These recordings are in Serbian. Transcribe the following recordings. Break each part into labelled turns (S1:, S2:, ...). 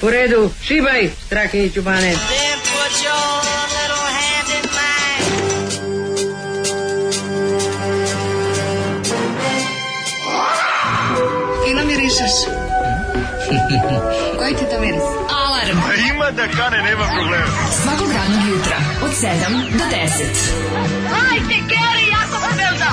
S1: U redu, šibaj, Strahinjiću Bane.
S2: Fino mirišeš. Koji ti to miris?
S3: Alarm.
S4: Ima da kane, nema problema.
S3: Svakog radnog jutra od 7 do 10.
S2: Hajde, Geri, jako se velda.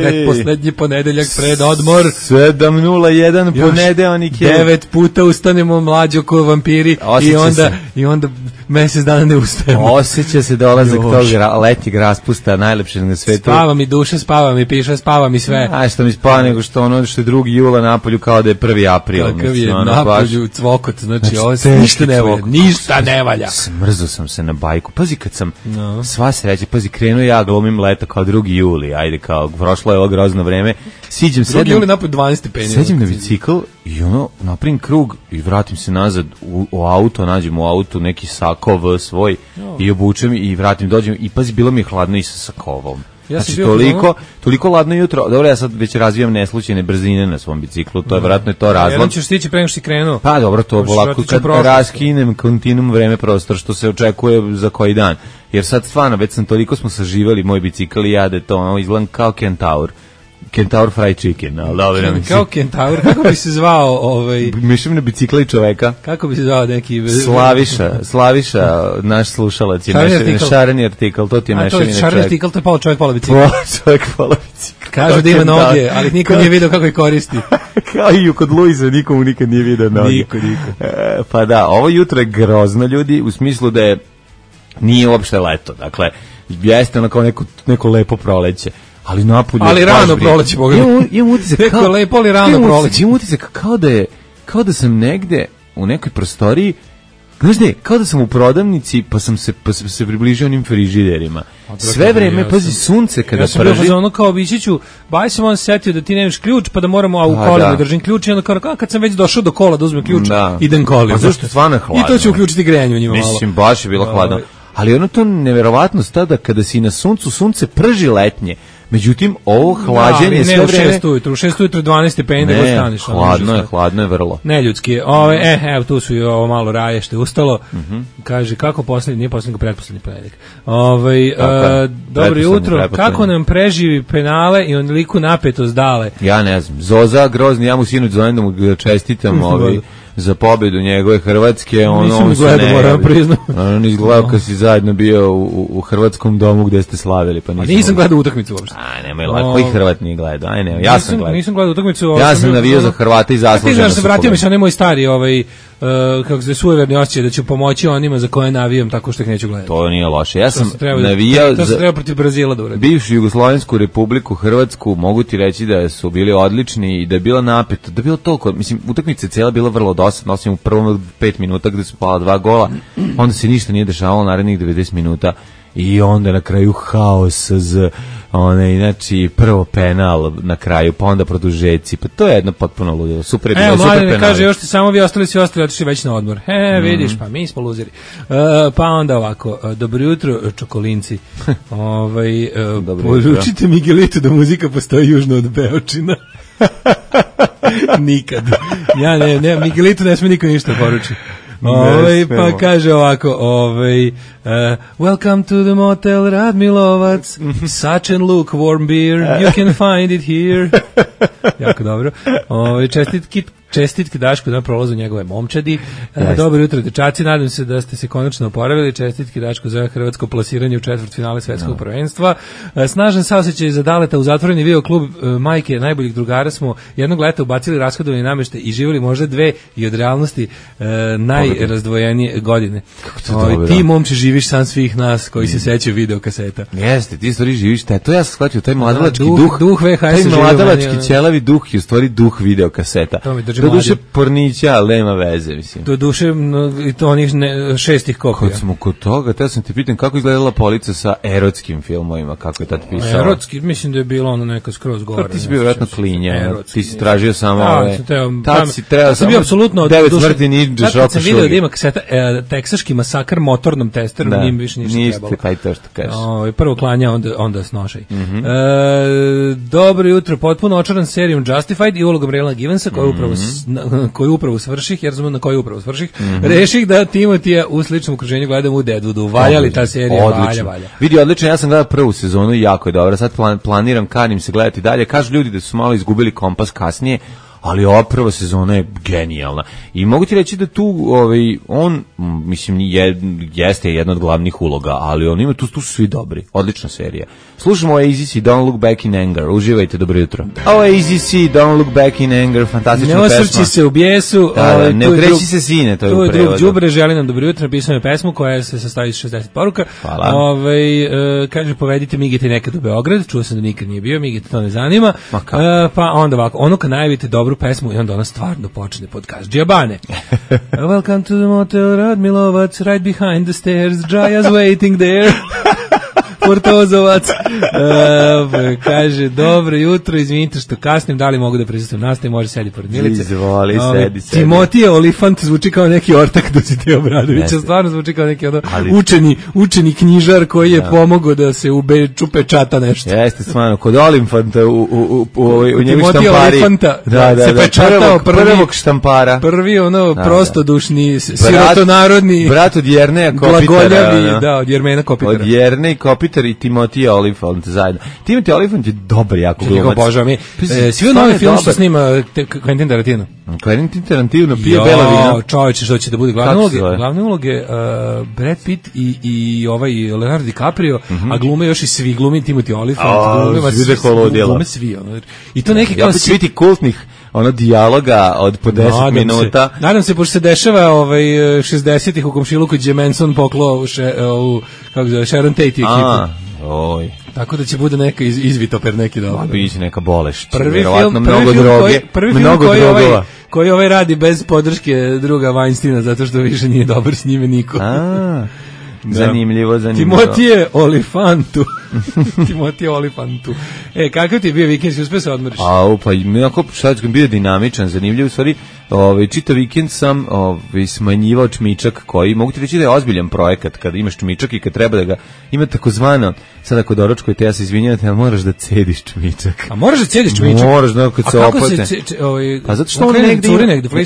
S5: Predposlednji ponedeljak pred odmor
S6: 7:01 ponedeljak je
S5: 9 puta ustanemo mlađo ko vampiri i onda mesec dana ne ustajemo.
S6: Osjeća se dolazak tog letnjeg raspusta najlepšeg na svetu.
S5: Spava mi duša, spava mi piša, spava mi sve.
S6: A što mi spava nego što ono što je 2. jula napolju kao da je 1. april.
S5: Kakav je napolju cvokot, znači ovo ništa ne valja. Ništa ne valja.
S6: Smrzo sam se na bajku. Pazi kad sam sva sreća, pazi krenuo ja glumim leto kao 2. juli, ajde kao prošlo je ovo grozno vreme. Siđem
S5: 2. juli napolju 12 stepeni.
S6: Seđem na bicikl i napravim krug i vratim se nazad u auto, nađem u autu neki sakov svoj i obučem i vratim, dođem i pazi, bilo mi je hladno i sa sakovom. Ja znači toliko ladno jutro. Dobro, ja sad već razvijam neslučajne brzine na svom biciklu, to je vjerojatno to razlog.
S5: Jedan ćeš stići pre nego što si krenuo.
S6: Pa dobro, to polako kad raskinem kontinuum vreme prostor što se očekuje za koji dan. Jer sad stvarno već sam toliko smo saživali moj bicikl i ja da to izgledam kao Kentaur fried chicken, ali dobro.
S5: Kao Kentaur, kako bi se zvao
S6: Mišljam na bicikla i čoveka.
S5: Kako bi se zvao neki...
S6: Slaviša, naš slušalac je šareni artikl, to ti je mešavina čovjek.
S5: Šareni artikl, to je pola čovjek, pola bicikl.
S6: Čovjek, pola bicikl.
S5: Kažu da ima noge, ali niko nije vidio kako ih koristi.
S6: Kao i kod Luisa, nikomu nikad nije vidio noge.
S5: Niko.
S6: Pa da, ovo jutro je grozno, ljudi, u smislu da je nije uopšte leto, dakle, jeste ono kao neko lepo proleće. Ali napolju.
S5: Ali rano proleće, boga.
S6: Imam utisak
S5: kao lepo, ali rano proleće.
S6: Imam utisak kao da sam negde u nekoj prostoriji, znaš ne, kao da sam u prodavnici, pa sam se približio onim frižiderima. Sve vreme, pazi, sunce kada prži.
S5: Ja sam bio ono kao Bićiću, baj sam on setio da ti nemaš ključ, pa da moramo, a u kolima držim ključ, i onda kao kad sam već došao do kola da uzmem ključ, idem kolima.
S6: Pa zašto je stvarno hladno?
S5: I to će uključiti grejanje u njima malo.
S6: Mislim, baš je bilo hladno. Ali ono to neverovatnost tada kada si na suncu, sunce prži letnje. Međutim, ovo hlađenje sve vreme...
S5: U 6 ujutru 12 stepeni da go staniš.
S6: Hladno je vrlo.
S5: Neljudski. Evo, tu su i ovo malo raje što je ustalo. Kaže, kako poslednji, nije poslednji, pretposlednji ponedeljak. Dobro jutro, kako nam preživi penale i onoliku napetost dale?
S6: Ja ne znam. Zoza, grozni, ja mu sinoć zovem da mu čestitam za pobedu njegove Hrvatske.
S5: Nisam gledao, moram priznam.
S6: On izgledao kad si zajedno bio u Hrvatskom domu gde ste slavili. Pa
S5: nisam gledao utakmicu uopšte.
S6: Nemoj lako, koji Hrvat nije gledao? Ja sam gledao.
S5: Nisam gledao utakmicu.
S6: Ja sam navijao za Hrvata i zasluženo.
S5: Ti znaš, se vratio mi se onaj moj stari, kako se sujeverni osjećaj da ću pomoći onima za koje navijam tako što ih neću gledati.
S6: To nije loše. Ja sam navijao
S5: to se treba protiv Brazila da uradi.
S6: Bivšu Jugoslovensku republiku Hrvatsku, mogu ti reći da su bili odlični i da je bilo napeto, da je bilo toliko, mislim, utakmica cijela bila vrlo dosadna, osim u prvom 5 minuta gde su pala 2 gola, onda se ništa nije dešavalo narednih 90 minuta i onda na kraju haos znači prvo penal na kraju, pa onda produžeci, pa to je jedno potpuno ludilo. Super je bilo, super penal.
S5: Kaže, još ti samo vi ostali otišli već na odmor. Vidiš, pa mi smo luzeri. Pa onda ovako, dobro jutro, čokolinci. Poručite Miguelitu da muzika postoji južno od Beočina. Nikad. Ja ne, Miguelitu ne sme niko ništa poruči. Pa kaže ovako, welcome to the motel Radmilovac, such and lukewarm beer, you can find it here. Jako dobro. Čestitke Daško na prolazu njegove momčadi. Dobro jutro, dečaci, nadam se da ste se konačno oporavili. Čestitke Daško za hrvatsko plasiranje u četvrtfinale svetskog prvenstva. Snažan saosećaj za Daleta u zatvoreni video klub majke najboljih drugara smo jednog leta ubacili rashodovani nameštaj i živjeli možda 2 i od realnosti najrazdvojenije godine. Ti momče živiš sam svih nas koji se sećaju video kaseta.
S6: Jeste, ti stvari živiš, to ja sam shvatio, taj mladalački
S5: duh VHS,
S6: taj mladalački ćelavi duh je u stvari duh video kaseta.
S5: kaže
S6: do
S5: mlađe.
S6: duše pornića, ali nema veze, mislim.
S5: Do duše, i to onih šestih kopija.
S6: Kad smo kod toga, te sam ti pitan kako izgledala polica sa erotskim filmovima, kako je tad pisao.
S5: Erotski, mislim da je bilo ono neka skroz gore.
S6: Ti si bio vjerojatno klinja, ti si tražio samo ove...
S5: Tad
S6: si trebao
S5: sam bio apsolutno...
S6: 9 smrti ninja,
S5: kad sam vidio da ima kaseta teksaški masakr motornom testerom, njim više ništa trebalo.
S6: Pa i to što kažeš.
S5: Prvo klanja, onda snošaj. Dobro jutro, potpuno očaran serijom Justified i ulogom Rayla Givensa, koju upravo svrših, jer znam na koju upravo svrših, reših da Timotija u sličnom okruženju gledam u Deadwoodu. Valja li ta serija? Valja.
S6: Vidi, odlično, ja sam gledao prvu sezonu i jako je dobro. Sad planiram, kanim se gledati dalje. Kažu ljudi da su malo izgubili kompas kasnije, ali ova prva sezona je genijalna. I mogu ti reći da tu on, mislim, jeste jedna od glavnih uloga, ali on ima tu su svi dobri. Odlična serija. Slušamo AZC, Don't Look Back in Anger. Uživajte, dobro jutro. Ovo je AZC, Don't Look Back in Anger, fantastična pesma.
S5: Ne osvrći se u bijesu.
S6: Ne ukreći se sine, to je u prevodu.
S5: Tu je drug Đubre, želi nam dobro jutro, napisao je pesmu koja se sastoji iz 60 poruka.
S6: Hvala.
S5: Kaže, povedite Migete nekad u Beograd, čuo sam da nikad nije bio, Migete to ne zanima. Pa onda ovako, ono kad najavite dobru pesmu i onda ona stvarno počne podcast. Džabane. Welcome to the motel, Radmilovac, right behind the stairs, Džaja's waiting there. Portozovac. Kaže, dobro jutro, izvinite što kasnim, da li mogu da prisustujem nastavi, može sedi pored Milice.
S6: Izvoli, sedi.
S5: Timotije Olifant zvuči kao neki ortak Dositej Obradovića, stvarno zvuči kao neki učeni knjižar koji je pomogao da se čupe čata nešto.
S6: Jeste, stvarno, kod Olifanta u njegu štampari.
S5: Olifanta, se pečatao
S6: prvog štampara.
S5: Prvi prostodušni, sirotonarodni,
S6: brat od Jerneja Kopitara.
S5: Glagoljavi, od Jermena Kopitara.
S6: Od Jernej Kopitara i Timotija Olifant zajedno. Timothy Olyphant je dobar, jako glumac.
S5: Svi novi film što snima Quentin Tarantino.
S6: Quentin Tarantino pije bela vina.
S5: Čovječe, što će da bude glavne uloge Brad Pitt i Leonardo DiCaprio, a glume još i svi glumi Timothy Olyphant. Glume svi. I to neki kao
S6: svi ti kultnih dijaloga od po 10 minuta.
S5: Nadam se, pošto se dešava 60-ih u komšiluku gdje Manson poklao Sharon Tate i ekipu. Tako da će bude neka izvitoper neki dobar.
S6: Biće neka bolest.
S5: Prvi film koji radi bez podrške druga Weinsteina, zato što više nije dobar s njime niko.
S6: Zanimljivo.
S5: Timotije Olifantu. Kakav ti je bio vikend, si uspio se odmoriš?
S6: Pa onako sad sam bio dinamičan, zanimljiv, u stvari čitav vikend sam smanjivao čmičak, koji mogu ti reći da je ozbiljan projekat kad imaš čmičak i kad treba da ga ima takozvano, sad ako doručkujete, ja se izvinjam, ali moraš da cediš čmičak.
S5: A moraš da cediš čmičak?
S6: Moraš, kad se opate. Pa zato što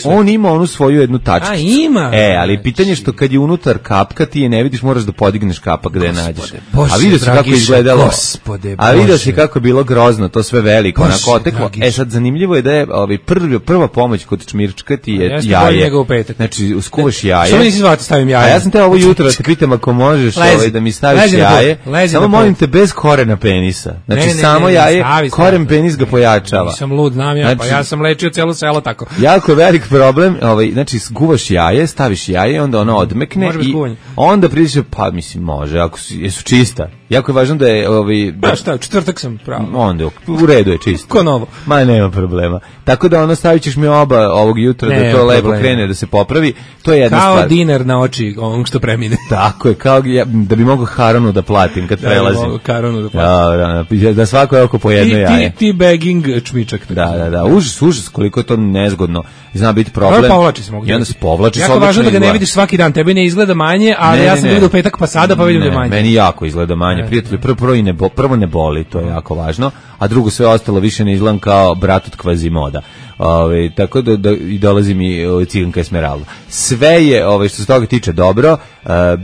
S6: on ima onu svoju jednu tačkicu.
S5: Ima.
S6: Ali pitanje što kad je unutar kapka, ti je ne vidiš, moraš da podigneš kapak da je nađeš.
S5: A
S6: vidio si kako je izgledalo. A vidio si kako je bilo grozno, to sve veliko, onako oteklo. Sad zanimljivo je da je prva pomoć kod čmirčka ti je jaje. Znači, uskuvaš jaje.
S5: Što mi nisi zvati stavim jaje?
S6: A ja sam te ovo jutro da te pitam ako možeš da mi staviš jaje. Samo molim te bez korena penisa. Znači, samo jaje, koren penis ga pojačava.
S5: Nisam lud, znam ja, pa ja sam lečio celo selo tako.
S6: Jako velik problem, znači, skuvaš jaje, staviš jaje, onda ono odmekne i onda priđeš, pa mislim, može, ako jesu čista. Jako je važno da je
S5: šta, četvrtak sam pravo.
S6: Onda u redu je čisto.
S5: Ko novo.
S6: Ma nema problema. Tako da stavit ćeš mi oba ovog jutra da to lepo krene, da se popravi. To je jedna stvar.
S5: Kao dinar na oči onog što premine.
S6: Tako je, kao da bi mogao Haronu da platim kad prelazim.
S5: Haronu da platim.
S6: Da svako je oko po jedno jaje.
S5: Ti begging čmičak.
S6: Da. Užas, koliko je to nezgodno. Zna biti problem.
S5: Povlači se mogu.
S6: I onda se povlači.
S5: Jako važno da ga ne vidiš svaki dan. Tebi ne izgleda manje, ali ja sam vidio u petak pa sada pa vidim da je manje.
S6: Meni jako izgleda manje. Prijatelji, prvo ne boli, to je jako važno, a drugo sve ostalo više ne izgledam kao brat od Kvazimoda. Tako da i dolazi mi Ciganka Esmeralda. Sve je, što se toga tiče, dobro.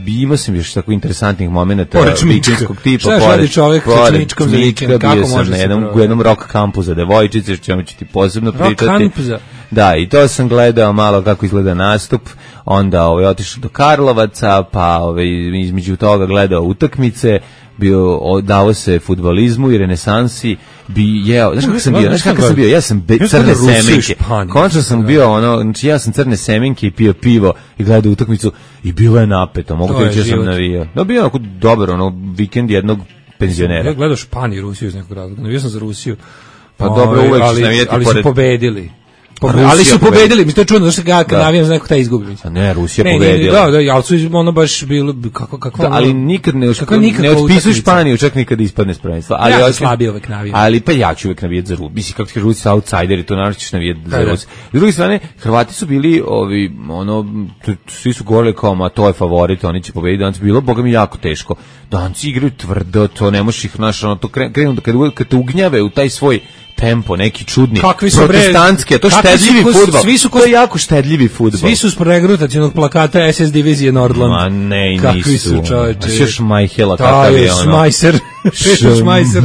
S6: Imao sam još tako interesantnih momenata vikendskog tipa.
S5: Šta radi čovjek sa čmičkom za vikend?
S6: Kako može se u jednom rock kampu za devojčice, što ćemo ti posebno pričati.
S5: Rock kamp za...
S6: Da, i to sam gledao malo kako izgleda nastup, onda otišao do Karlovaca, pa između toga gledao utakmice, dao se fudbalizmu i renesansi, znaš kako sam bio, ja sam crne semenke, konačno sam bio znači ja sam crne semenke i pio pivo i gledao utakmicu i bilo je napeto, mogu ti reći da sam navijao. No, bio onako dobar, vikend jednog penzionera.
S5: Ja gledao Španiju i Rusiju iz nekog razloga, navijao sam za Rusiju.
S6: Pa dobro, uvek ćeš navijati
S5: ali su pobedili. Ali su pobedili, mi to je čudno, zašto ja kad navijam za nekog taj izgubi.
S6: A ne, Rusija pobedila.
S5: Da, ali su ono baš bilo, kako
S6: ali nikad ne otpisuju Španiju, čak nikad ispadne s prvenstva. Ali
S5: ja slabije uvek navijam.
S6: Ali pa ja ću uvek navijati za Rusiju. Mislim, kako ti Rusi su outsideri, to naravno ćeš navijati za Rusiju. S druge strane, Hrvati su bili, svi su govorili kao, ma to je favorit, oni će pobediti, danas bilo, boga mi, jako teško. Danci igraju tvrdo, to ne možeš ih, to krenu, kad te ugnjave u taj svoj tempo, neki čudni, protestantski, a to štedljivi fudbal. To je jako štedljivi fudbal.
S5: Svi su s pregrutacionog plakata SS divizije Nordland.
S6: Ma ne, nisu.
S5: Kakvi su, čoveče.
S6: Još Majhela, kakav je ono.
S5: Šmajser. Šmajser.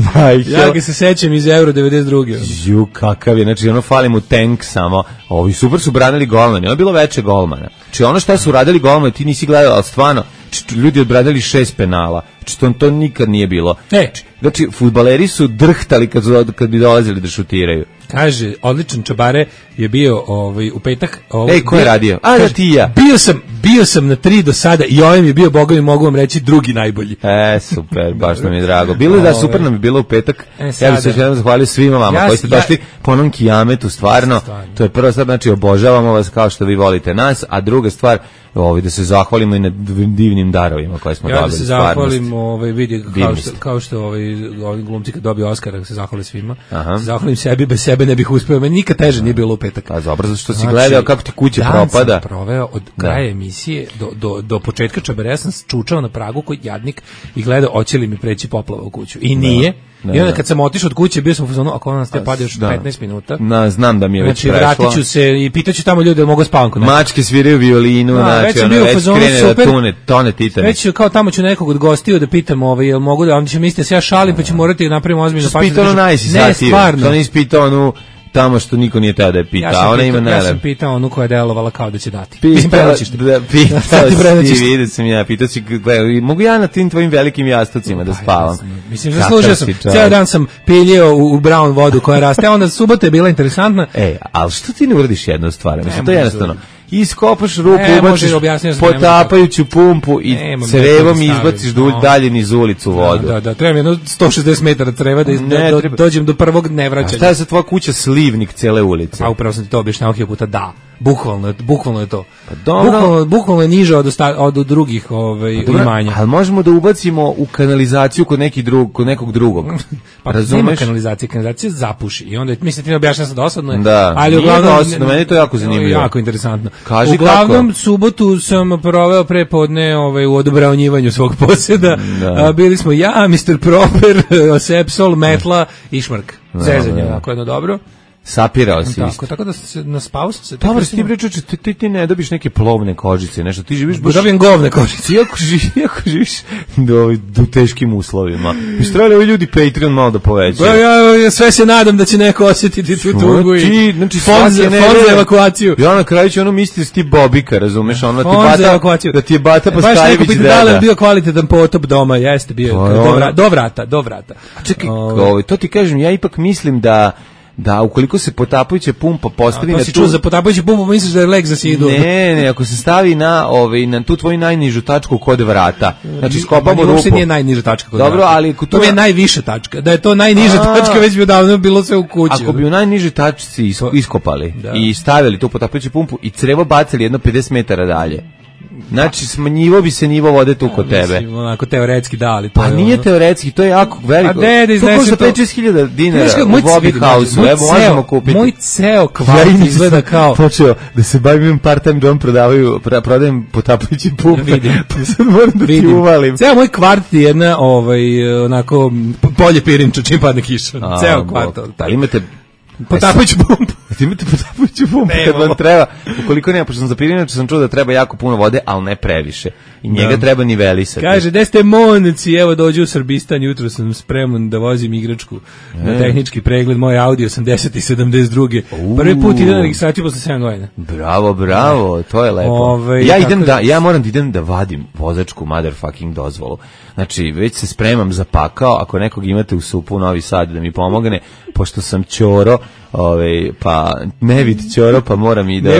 S5: Ja ga se sećam iz Euro 92.
S6: Ju, kakav je, znači ono fali mu tank samo. Ovi super su branili golmani, ono je bilo veće golmana. Znači ono šta su radili golmani, ti nisi gledao, ali stvarno, ljudi odbranili 6 penala. Znači to nikad nije bilo. Znači, fudbaleri su drhtali kad bi dolazili da šutiraju.
S5: Kaže, odličan Čabare je bio u petak.
S6: Ko je radio? Da ti ja.
S5: Bio sam na 3 do sada i ovaj mi je bio, boga mi mogu vam reći, drugi najbolji.
S6: Super, baš nam je drago. Bilo je super nam je bilo u petak. Ja bih se još jednom zahvalio svima vama koji ste došli po onom kijametu, stvarno. To je prva stvar, znači obožavamo vas kao što vi volite nas, a druga stvar, da se zahvalimo i na divnim darovima koje smo dobili.
S5: Ja da se zahvalim, vidi, kao što ovi glumci kad dobiju Oskara, da se zahvali svima. Se zahvalim sebi, bez sebe ne bih uspeo. Meni nikad teže nije bilo u petak.
S6: Pa dobro, zato što si gledao kako ti kuća propada.
S5: Dan sam proveo od kraja emisije do početka Čabare, ja sam čučao na pragu koji jadnik i gledao hoće li mi preći poplava u kuću. I nije. I onda kad sam otišao od kuće, bio sam u fazonu, ako nas te pade još 15 minuta.
S6: Znam da mi je već prešlo.
S5: Znači, vratit ću se i pitaću tamo ljude da mogu spavam kod nekog.
S6: Mačke sviraju violinu, znači, već krene da tone Titanic.
S5: Već kao tamo ću nekog od gostiju da pitam, jel mogu da, onda će misliti da se ja šalim, pa ću morati da napravim ozbiljno pažnju.
S6: Ispitao
S5: Ne, stvarno.
S6: To nisi pitao onu tamo što niko nije teo da je pitao.
S5: Ja sam pitao onu koja je delovala kao da će dati.
S6: Pitao si, pitao si, mogu ja na tim tvojim velikim jastucima da spavam?
S5: Mislim, zaslužio sam. Ceo dan sam piljio u brown vodu koja raste, a onda subota je bila interesantna.
S6: Ali što ti ne uradiš jednu stvar? Mislim, to je jednostavno. Iskopaš rupu, ubaciš potapajuću pumpu i crevom izbaciš dalje niz ulicu vodu.
S5: Da, treba mi jedno 160 metara creva da dođem do prvog nevraćanja.
S6: A šta je sa tvoja kuća slivnik cele ulice?
S5: A upravo sam ti to objašnjavao hiljadu puta, da. Bukvalno je to. Bukvalno je niže od drugih imanja.
S6: Ali možemo da ubacimo u kanalizaciju kod nekog drugog.
S5: Pa nema kanalizacija zapuši. I onda, mislim, ti ne objašnjava sam dosadno.
S6: Da,
S5: ali
S6: nije dosadno, meni je to jako zanimljivo.
S5: Jako interesantno.
S6: Kaži
S5: uglavnom,
S6: kako?
S5: subotu sam proveo prepodne u odobravnjivanju svog posjeda. Bili smo ja, Mr. Proper, Sepsol, Metla i Šmrk. Zezanje, onako jedno dobro.
S6: Sapirao si isto.
S5: Tako da naspao sam se.
S6: Dobro, ti pričaš, ti ne dobiš neke plovne kožice, nešto, ti živiš baš...
S5: Dobijem govne kožice.
S6: Iako živiš u teškim uslovima. Mi su trebali ovi ljudi Patreon malo da povećaju.
S5: Ja sve se nadam da će neko osjetiti tu tugu i fond za evakuaciju.
S6: Ja na kraju ću misliti da si ti Bobika, razumeš? Da ti je Bata Paskajević deda.
S5: Da li je bio kvalitetan potop doma, jeste bio. Do vrata.
S6: Čekaj, to ti kažem, ja ipak mislim da ukoliko se potapajuća pumpa postavi
S5: na tu... za potapajuću pumpu misliš da je leg za sidu?
S6: Ne, ako se stavi na tu tvoju najnižu tačku kod vrata. Znači skopamo rupu.
S5: Uopšte nije najniža tačka kod vrata.
S6: Dobro, ali
S5: to je najviša tačka. Da je to najniža tačka, već bi davno bilo sve u kući.
S6: Ako bi u najnižoj tačci iskopali i stavili tu potapajuću pumpu i crevo bacili jedno 50 metara dalje. Znači, smanjivo bi se nivo vode tu kod tebe.
S5: Mislim, onako teoretski da, ali to
S6: pa nije teoretski, to je jako veliko. To košta 5-6 dinara u Bobby House-u, evo možemo kupiti.
S5: Moj ceo kvart izgleda kao...
S6: Počeo da se bavim part-time dom, prodajem potapajući pumpe, pa sad moram da ti uvalim.
S5: Ceo moj kvart je jedna, onako, polje pirinča čim padne kiša. Ceo kvart.
S6: Ali imate...
S5: Potapajuću pumpu.
S6: Imate potapajuću pumpu kad vam treba. Ukoliko nema, pošto sam za pirinače, sam čuo da treba jako puno vode, ali ne previše. I njega treba nivelisati.
S5: Kaže, gde ste monci, evo dođu u Srbistan, jutro sam spreman da vozim igračku na tehnički pregled, moj Audi 80 i 72. Prvi put idem na registraciju posle 7 godina.
S6: Bravo, to je lepo. Ja moram da idem da vadim vozačku motherfucking dozvolu. Znači, već se spremam za pakao, ako nekog imate u SUP-u Novi Sad da mi pomogne, pošto sam ćoro, pa nevid ćoro, pa moram i da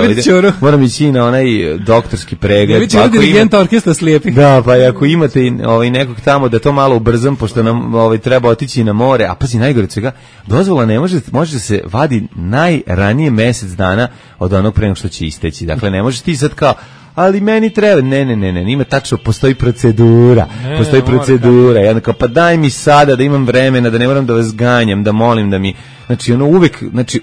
S6: moram ići na onaj doktorski pregled.
S5: Nevid ćoro, dirigenta orkestra slijepih.
S6: Da, pa ako imate nekog tamo da to malo ubrzam, pošto nam treba otići na more, a pazi, najgore svega, dozvola ne može da se vadi najranije mesec dana od onog pre nego što će isteći. Dakle, ne možeš ti sad kao, ali meni treba, ne, ima tačno, postoji procedura, i onda kao, pa daj mi sada da imam vremena, da ne moram da vas ganjam, da molim da mi, znači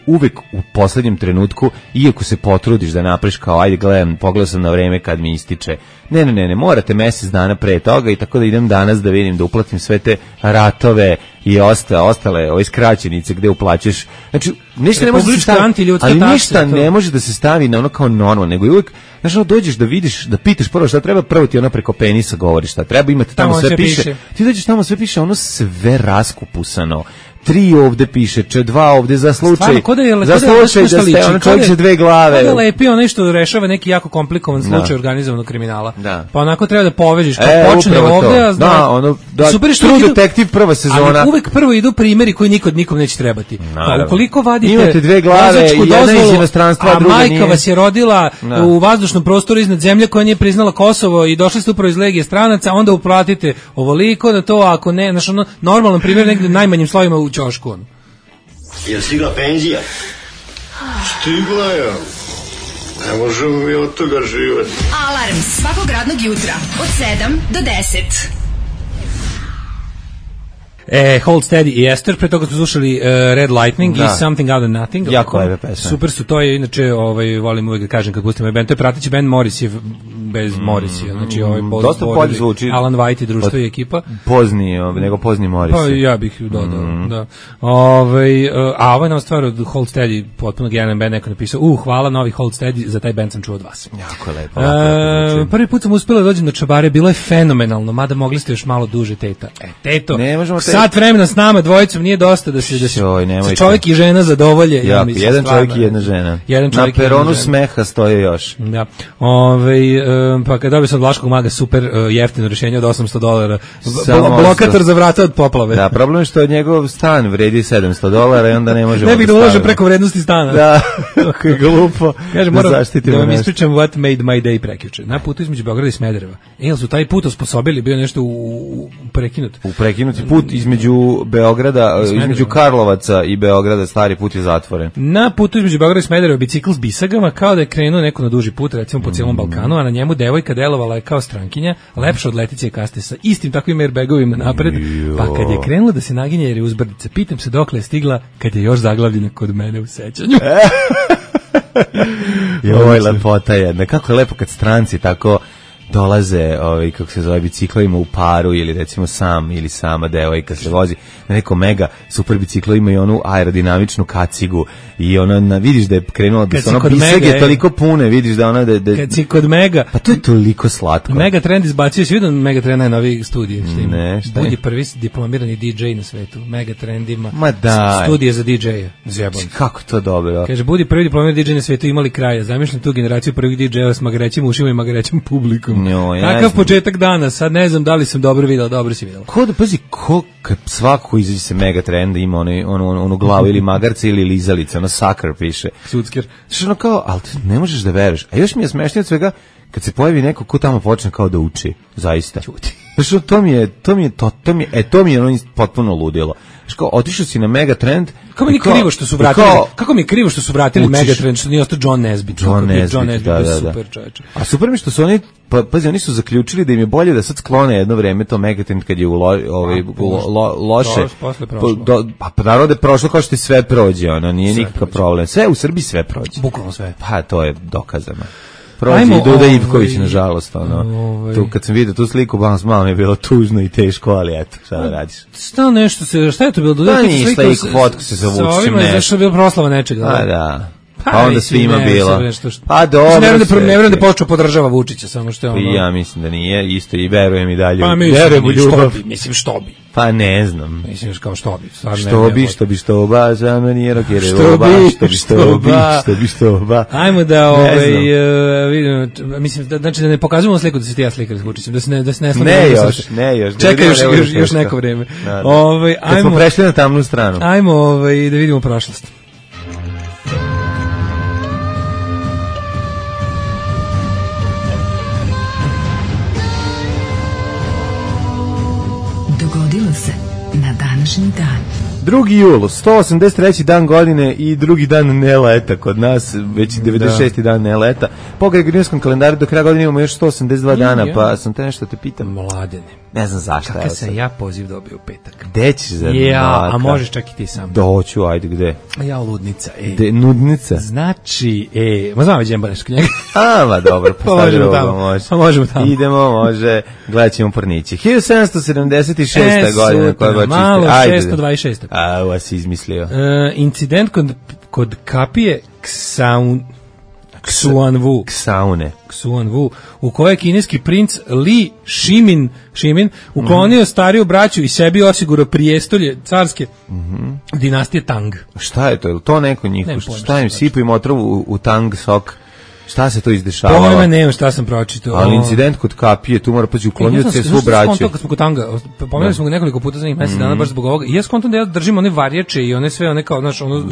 S6: uvek u poslednjem trenutku, iako se potrudiš da napraviš kao, ajde pogledam sam na vreme kad mi ističe, ne, morate mesec dana pre toga i tako da idem danas da vidim, da uplatim sve te ratove i ostale skraćenice gde uplaćuješ, znači ništa ne može da se stavi, ali ništa ne može da se stavi na ono kao normalno, nego uvek, znaš, dođeš da vidiš, da pitaš prvo šta treba, prvo ti ono preko penisa govori šta treba, imate tamo sve piše, ti dođeš tamo sve piše, ono sve raskupusano, 3 ovde piše, 2 ovde za slučaj, da ste ono čovjek sa 2 glave.
S5: Kada lepi ono što rešava neki jako komplikovan slučaj organizovanog kriminala. Pa onako treba da povežiš, kao počne ovde, a zna, super što
S6: True Detective prva sezona.
S5: Ali uvek prvo idu primjeri koji nikom neće trebati. Pa ukoliko vadite
S6: imate 2 glave, jedna iz inostranstva,
S5: a majka vas je rodila u vazdušnom prostoru iznad zemlje koja nije priznala Kosovo i došli ste upravo iz Legije stranaca, onda uplatite ovoliko na to, ako ne, znači ono, normalan primjer negde najmanjim slovima u ćošku.
S7: Je stigla penzija? Stigla je. Ne možemo mi od toga živati.
S3: Alarm svakog radnog jutra od 7 do 10.
S5: Hold Steady i Esther, pre toga smo slušali Red Lightning i Something Out of Nothing.
S6: Jako lepe pesme.
S5: Super su, to je inače, volim uvijek da kažem kad pustim ovaj band, to je prateći band Morrisjev bez Morrisija, znači
S6: dosta bolje zvuči.
S5: Alan White i društvo i ekipa.
S6: Pozni Morris.
S5: Pa ja bih dodao, da. A ovo je nam stvar od Hold Steady, potpuno genijalan band, neko napisao, hvala novi Hold Steady, za taj band sam čuo od vas.
S6: Jako lepo.
S5: Prvi put sam uspela da dođem do Čabare, bilo je fenomenalno, mada mogli ste još malo duže, teta. Teto, sat vremena s nama dvojicom nije dosta da se čovjek i žena zadovolje.
S6: Jedan čovjek i jedna žena. Na peronu smeha stoje još.
S5: Da. Pa kad dobio sam od Vlaškog maga super jeftino rješenje od $800. Blokator za vrata od poplave.
S6: Da, problem je što njegov stan vredi $700 i onda ne možemo.
S5: Ne bih da uložim preko vrednosti stana.
S6: Da, kako je glupo.
S5: Kaže, moram da vam ispričam what made my day prekjuče. Na putu između Beograda i Smedereva. Jel su taj put osposobili, bio nešto prekinut?
S6: Prekinuti put između Beograda, između Karlovaca i Beograda, stari put je zatvoren.
S5: Na putu između Beograda i Smedereva bicikl s bisagama, kao da je krenuo neko na duži put, recimo po cijelom Balkanu, a na njemu devojka delovala je kao strankinja, lepša od Letice Kaste sa istim takvim airbagovima napred, pa kad je krenula da se naginje jer je uzbrdica, pitam se dokle je stigla kad je još zaglavljena kod mene u sećanju.
S6: Joj, lepota jedna. Kako je lepo kad stranci tako dolaze, kako se zove, biciklovima u paru ili recimo sam ili sama devojka se vozi na neko mega super biciklo, ima i onu aerodinamičnu kacigu i ona vidiš da je krenula da se ono bisage toliko pune, vidiš da ona da
S5: kad si kod Mega,
S6: pa to je toliko slatko.
S5: Mega Trend izbacio, si vidio Mega Trend najnoviji studije,
S6: šta
S5: budi prvi diplomirani DJ na svetu. Mega Trend ima
S6: da,
S5: studije za DJ-a. Zjebon.
S6: Kako to dobro.
S5: Kaže, budi prvi diplomirani DJ na svetu, imali kraja. Zamišljam tu generaciju prvih DJ-a s magarećim ušima i magarećim publikom. Takav početak dana, sad ne znam da li sam dobro videla, dobro si videla.
S6: Pazi, kad svako izađe se Mega Trend ima onu glavu ili magarca ili lizalica, ono sucker piše.
S5: Sucker.
S6: Znači ono kao, ali ne možeš da veruješ. A još mi je smešnije od svega kad se pojavi neko ko tamo počne kao da uči, zaista. Znači to mi je ono potpuno ludilo. Znači kao, otišao si na Mega Trend.
S5: Kako mi je krivo što su vratili, kako mi je krivo što su vratili Mega Trend, što nije ostao John Nesbitt. John Nesbitt, da. Super čovječe.
S6: A super mi što su oni, pazi, oni su zaključili da im je bolje da sad sklone jedno vreme to Mega Trend kad je loše. Pa naravno da je prošlo kao što sve prođe, ono, nije nikakav problem. Sve u Srbiji sve prođe.
S5: Bukvalno sve.
S6: Pa to je dokazano. Prođe i Duda Ivković, nažalost, ono. Tu kad sam vidio tu sliku, malo mi je bilo tužno i teško, ali eto, šta da radiš?
S5: Šta nešto se, šta je to bilo? Duda
S6: Ivković fotku se zavuči nešto.
S5: Zašto je bilo proslava nečega?
S6: Da. Pa onda
S5: mislim,
S6: svima
S5: ne,
S6: bilo.
S5: nešto što-
S6: Pa dobro.
S5: Ne verujem da počeo podržava Vučića, samo što je ono...
S6: Ja mislim da nije, isto i verujem i dalje.
S5: Pa mislim,
S6: verujem u ljubav.
S5: što bi.
S6: Pa ne znam.
S5: Mislim, kao što bi. Stvarno
S6: Što bi, za meni je rokere što bi.
S5: Ajmo da, vidimo, mislim, znači da ne pokazujemo sliku da se ti ja slikali s Vučićem, da se ne
S6: Ne još.
S5: Čekaj još neko vreme.
S6: Kad smo prešli na tamnu stranu.
S5: Ajmo da vidimo prošlost.
S3: Dogodilo se na današnji dan.
S6: 2. jul, 183. dan godine i drugi dan ne leta kod nas, već 96. dan ne leta. Po gregorijanskom kalendaru do kraja godine imamo još 182 dana, pa sam te nešto te pitam.
S5: Mladene.
S6: Ne znam zašto.
S5: Kakav sam ja poziv dobio u petak.
S6: Gde ćeš za
S5: a možeš čak i ti sam.
S6: Doću, ajde, gde?
S5: Ja ludnica,
S6: Nudnica?
S5: Znači, ma znam već nešto knjega.
S6: Ma dobro,
S5: pa možemo tamo.
S6: Idemo, može, gledat ćemo pornići. 1776. godina koja ga čiste.
S5: Malo, 626.
S6: Ovo si izmislio.
S5: Incident kod kapije Xuanwu, u kojoj je kineski princ Li Shimin uklonio stariju braću i sebi osigurao prijestolje carske dinastije Tang.
S6: Šta je to? Je li to neko njih? Šta im sipu im otrovu u Tang sok? Šta se to izdešavalo?
S5: Pojma nema šta sam pročitao.
S6: Ali incident kod kapije, tu mora paći uklonio se svu braću.
S5: Kad smo kod Tanga, pomenuli smo ga nekoliko puta za njih mesec dana baš zbog ovoga. I ja skontam da ja držim one varjače i one sve one kao, znaš, ono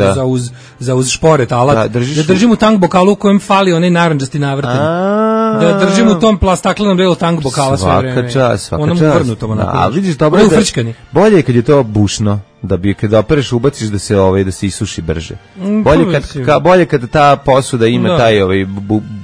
S5: za uz šporet, alat. Da držim u Tang bokalu u kojem fali onaj narandžasti navrten. Da držim u tom staklenom delu Tang bokala sve vreme.
S6: Svaka čast.
S5: Onom vrnutom onako.
S6: A vidiš, dobro je bolje je kad je to bušno. Da bi kada opereš ubaciš da se isuši brže. Bolje kad ta posuda ima taj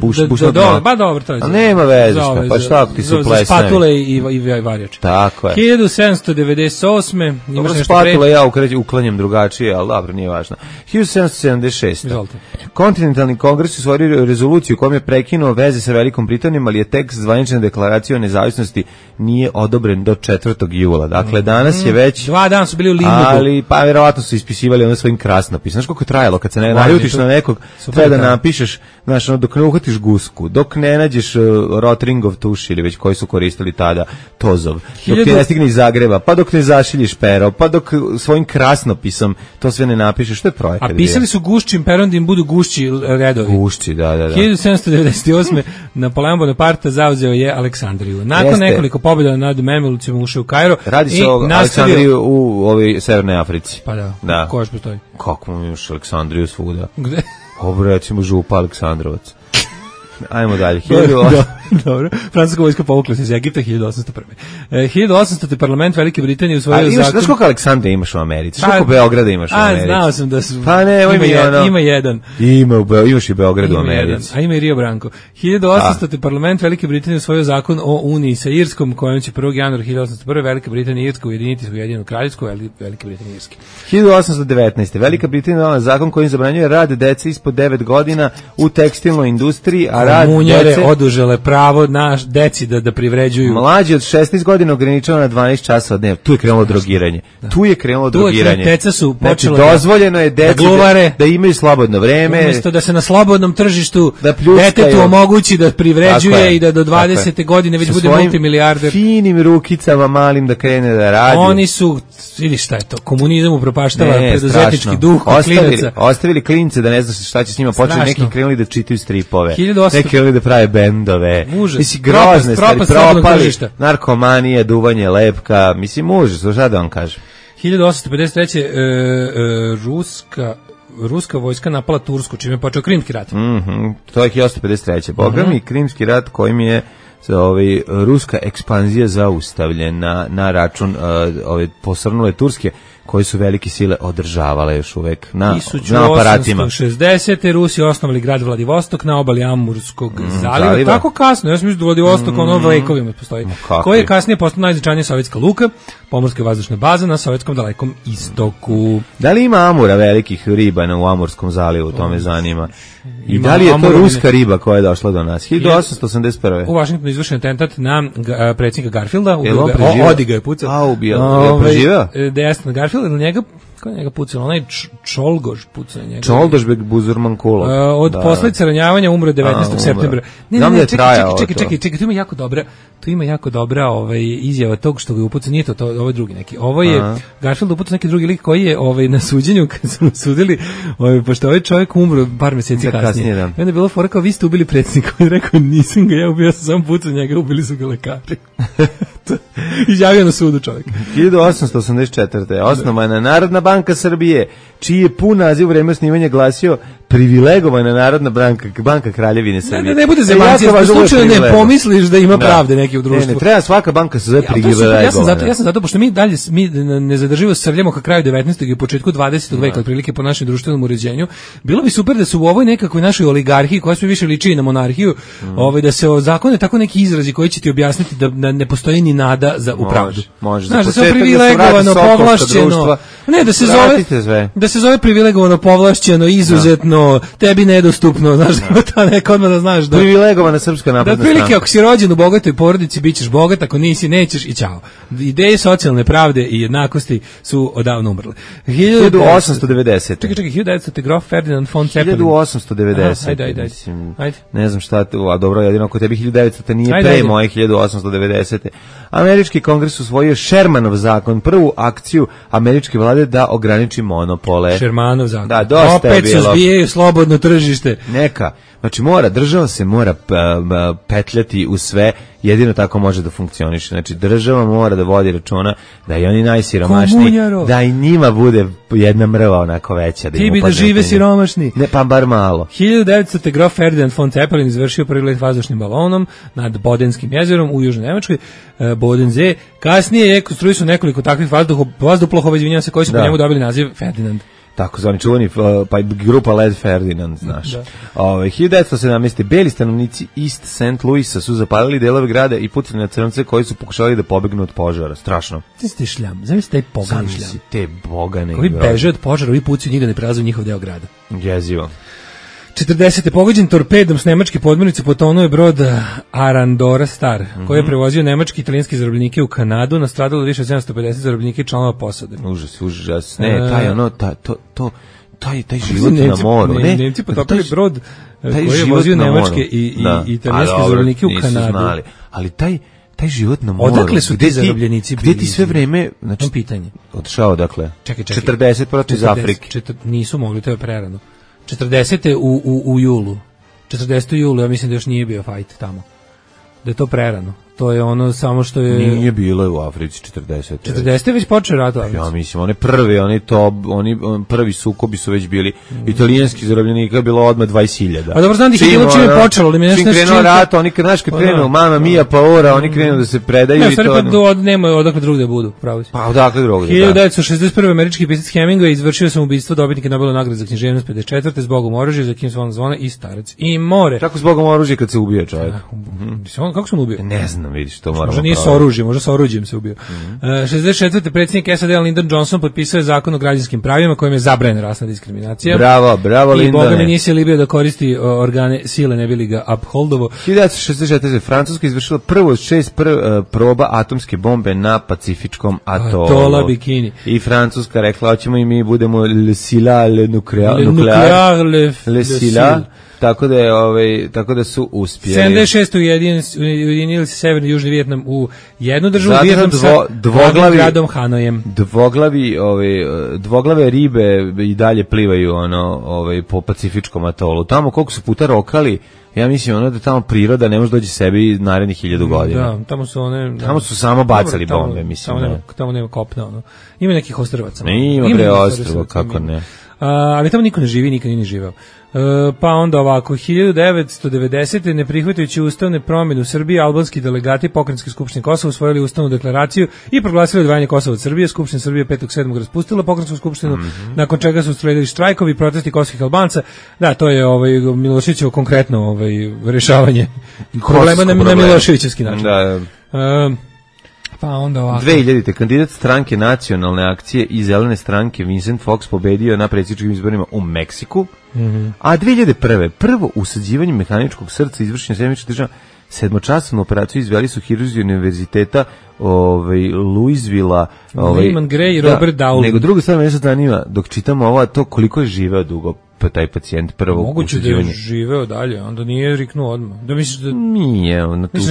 S6: bušno dno.
S5: Ba dobro, to je.
S6: A nema veze šta, pa šta ako ti se plesne.
S5: Spatule i varjače.
S6: Tako je.
S5: 1798. Imaš nešto
S6: spatule ja uklanjam drugačije, ali dobro, nije važno. 1776. Kontinentalni kongres usvojio rezoluciju kojom je prekinuo veze sa Velikom Britanijom, ali je tekst zvanične deklaracije o nezavisnosti nije odobren do 4. jula. Dakle, danas je već
S5: 2 dana su bili u limbu.
S6: Ali pa vjerovatno su ispisivali ono svojim krasnopisom. Znaš koliko je trajalo kad se ne naljutiš na nekog, treba da napišeš, znaš, dok ne uhvatiš gusku, dok ne nađeš Rotringov tuš ili već koji su koristili tada Tozov, dok ti ne stigne iz Zagreba, pa dok ne zašiljiš pero, pa dok svojim krasnopisom to sve ne napišeš, što je projekat.
S5: A pisali su gušćim perom da im budu gušći redovi.
S6: Gušći, da.
S5: 1798. Napoleon Bonaparte zauzeo je Aleksandriju. Nakon nekoliko pobjeda nad Memelucima ušao u Kairo.
S6: Radi se o Aleksandriju u ovoj Severnoj Africi.
S5: Pa da. Ko još postoji?
S6: Kako imaš Aleksandriju svuda?
S5: Gde?
S6: Ovo recimo Župa Aleksandrovac. Ajmo dalje.
S5: Dobro. Francuska vojska povukla se iz Egipta 1801. 1800. parlament Velike Britanije usvojio zakon.
S6: Znaš koliko Aleksandra imaš u Americi? Koliko Beograda imaš u Americi?
S5: Znao sam da su...
S6: Pa ne,
S5: ima jedan.
S6: Imaš i Beograd u Americi.
S5: A ima i Rio Branco. 1800. parlament Velike Britanije usvojio zakon o uniji sa Irskom, kojom će 1. januara 1801. Velika Britanija i Irska ujediniti svoju jedinu kraljevsku, Velike Britanije i Irske.
S6: 1819. Velika Britanija donela zakon kojim zabranjuje rad dece ispod 9 godina u tekstilnoj industriji, a rad
S5: dece odužele pravo naš deci da privređuju.
S6: Mlađi od 16 godina ograničeno na 12 časova dnevno. Tu je krenulo drogiranje.
S5: Deca su počela
S6: dozvoljeno je deci da imaju slobodno vreme.
S5: Umjesto da se na slobodnom tržištu detetu omogući da privređuje i da do 20. godine već bude multimilijarder.
S6: Finim rukicama malim da krene da radi.
S5: Oni su, vidi šta je to, komunizam upropaštava preduzetnički duh klinaca.
S6: Ostavili klince da ne znaš šta će s njima, počeli neki krenuli da čitaju stripove. Neki krenuli da prave bendove. Mislim, grozne stvari, propali, narkomanije, duvanje lepka, mislim, užas, šta da vam kažem.
S5: 1853. Ruska vojska napala Tursku, čime je počeo Krimski rat.
S6: To je 1853. Boga mi, Krimski rat kojim je ruska ekspanzija zaustavljena na račun posrnule Turske, koji su velike sile održavale još uvek na aparatima.
S5: 1860. Rusi osnovali grad Vladivostok na obali Amurskog zaliva. Tako kasno, ja sam mislim da Vladivostok ono vekovima postoji. Koji je kasnije postao najznačajnija sovjetska luka, pomorska i vazdušna baza na sovjetskom dalekom istoku.
S6: Da li ima amura velikih riba u Amurskom zalivu, to me zanima. I da li je to ruska riba koja je došla do nas? 1881.
S5: U Vašingtonu izvršen atentat na predsjednika Garfielda. Odi ga je pucao.
S6: Je preživeo?
S5: Destan Garfield, ili njega, Ko je njega pucao? Onaj Čolgoš pucao njega.
S6: Čolgošbek Buzurmankulov.
S5: Od posljedica ranjavanja umro 19. septembra. Ne, čekaj, tu ima jako dobra izjava tog što ga je upucao, nije to ovo je drugi neki. Ovo je Garfield upucao neki drugi lik koji je na suđenju kad su sudili, pošto ovaj čovjek umro par mjeseci kasnije. I onda je bilo fora kao vi ste ubili predsjednika, on je rekao nisam ga ja ubio, ja sam samo pucao njega, ubili su ga lekari. Izjavio na sudu čovjek.
S6: 1884. osnovana Narodna banka Srbije, čiji je pun naziv u vreme osnivanja glasio privilegovana Narodna banka Kraljevine Srbije.
S5: Ne bude zemancija, slučajno ne pomisliš da ima pravde neki u društvu.
S6: Ne, treba svaka banka se zove privilegovana.
S5: Ja sam zato, pošto mi dalje ne zadrživo srljamo ka kraju 19. i početku 20. veka, otprilike po našem društvenom uređenju, bilo bi super da su u ovoj nekakvoj našoj oligarhiji, koja sve više liči na monarhiju, da se ozakone tako neki izrazi koji će ti objasniti da ne postoji ni nada za upravdu.
S6: Može.
S5: Znaš, da se privilegovano, povlašćeno, ne, da se zove privilegovano, povlašćeno, izuzetno, tebi nedostupno, znaš, ta neka odmah da znaš da...
S6: Privilegovana Srpska napredna stranka.
S5: Da, prilike, ako si rođen u bogatoj porodici, bit ćeš bogat, ako nisi, nećeš i ćao. Ideje socijalne pravde i jednakosti su odavno umrle.
S6: 1890.
S5: Čekaj, 1900. grof Ferdinand von Zeppelin.
S6: 1890. Ajde. Ne znam šta, a dobro, jedino ako tebi 1900. nije pre moje 1890. Američki kongres usvojio Shermanov zakon, prvu akciju američke vlade da ograniči monopole.
S5: Shermanov zakon.
S6: Da, dosta
S5: opet se zbijaju slobodno tržište.
S6: Neka. Znači država se mora petljati u sve, jedino tako može da funkcioniše. Znači država mora da vodi računa da i oni najsiromašniji, da i njima bude jedna mrva onako veća.
S5: Ti bi da žive siromašni.
S6: Ne, pa bar malo.
S5: 1900. grof Ferdinand von Zeppelin izvršio prvi let vazdušnim balonom nad Bodenskim jezerom u Južnoj Nemačkoj, Bodensee. Kasnije je konstruisao nekoliko takvih vazduplahova, izvinjavam se, koji su po njemu dobili naziv Ferdinand.
S6: Tako zvani čuvani, pa grupa Led Ferdinand, znaš. 1917. beli stanovnici East St. Louisa su zapalili delove grada i pucali na crnce koji su pokušali da pobegnu od požara. Strašno.
S5: Ti šljam, zamisli taj pogani šljam.
S6: Zamisli te bogane.
S5: Koji beže od požara, ovi pucaju njih da ne prelaze u njihov deo grada.
S6: Jezivo.
S5: 40. pogođen torpedom s nemačke podmornice potonuo je brod Arandora Star, koji je prevozio nemački i italijanski zarobljenike u Kanadu, nastradalo više od 750 zarobljenika i članova posade.
S6: Užas. Ne, taj život na moru.
S5: Nemci potopili brod koji je vozio nemačke i italijanske zarobljenike u Kanadu.
S6: Znali, ali taj život na moru.
S5: Odakle su ti zarobljenici bili?
S6: Gde ti sve vreme, znači,
S5: pitanje.
S6: Otišao odakle?
S5: Čekaj.
S6: 40 protiv iz Afrike.
S5: Nisu mogli, to je prerano. 40. u julu. 40. julu, ja mislim da još nije bio fajt tamo. Da je to prerano. To je ono samo što je...
S6: Nije bilo u Africi 40.
S5: 40. već počeo rat u Africi.
S6: Ja mislim, oni prvi sukobi su već bili. Italijanski zarobljenika je bilo odmah 20.000.
S5: A dobro, znam da ih je bilo čim je počelo.
S6: Čim krenuo rat, oni kad krenu, mama mia paora, oni krenu da se predaju.
S5: Ne, stvari pa nema odakle drugde budu, pravo si.
S6: Pa odakle drugde,
S5: 1961. američki pisac Hemingway izvršio samoubistvo dobitnika Nobelove nagrade za književnost 54. zbogom oružja, za kim su on zvone i Starac i more.
S6: Kako zbogom oružja kad se ubije čovjek?
S5: Kako se on ubio?
S6: Ne znam, vidiš, to moramo.
S5: Možda nije s oružjem, možda s oružjem se ubio. 64. predsjednik SAD Lyndon Johnson potpisao je zakon o građanskim pravima kojim je zabranjena rasna diskriminacija.
S6: Bravo Lyndon.
S5: I Boga mi nisi libio da koristi organe sile, ne bi li ga upholdovo.
S6: 1964. Francuska izvršila prvo od 6 proba atomske bombe na Pacifičkom atolu.
S5: Atola Bikini.
S6: I Francuska rekla, hoćemo i mi budemo le sila, le nuclear, le sila. Tako da su uspjeli.
S5: 76. ujedinili se Severni i Južni Vijetnam u jednu državu, Vijetnam sa gradom Hanojem.
S6: Dvoglave ribe i dalje plivaju po Pacifičkom atolu. Tamo koliko su puta rokali, ja mislim da tamo priroda ne može doći sebi narednih 1000 godina.
S5: Da, tamo su
S6: samo bacali bombe, mislim.
S5: Tamo nema kopna, Ima nekih ostrvaca.
S6: Ima bre ostrva, kako ne.
S5: Ali tamo niko ne živi, nikad nije živeo. Pa onda ovako, 1990. ne prihvatajući ustavne promjene u Srbiji, albanski delegati Pokrajinske skupštine Kosova usvojili ustavnu deklaraciju i proglasili odvajanje Kosova od Srbije. Skupština Srbije 5.7. raspustila Pokrajinsku skupštinu, nakon čega su usledili štrajkovi i protesti kosovskih Albanca. Da, to je Miloševićevo konkretno rješavanje problema na Miloševićevski način.
S6: Da.
S5: Pa onda ovako.
S6: 2000. kandidat stranke Nacionalne akcije i Zelene stranke Vincent Fox pobedio na predsjedničkim izborima u Meksiku. A 2001. prvo usađivanje mehaničkog srca izvršenja Sjedinjenih Država 7-časovnu operaciju izveli su hirurzi univerziteta Louisvilla,
S5: Lehman Gray i Robert Dowling.
S6: Nego druga stvar me zanima, dok čitamo ovo, to koliko je živeo dugo taj pacijent prvo
S5: moguće da je živeo dalje, onda nije riknuo odmah. Da misliš da
S6: nije,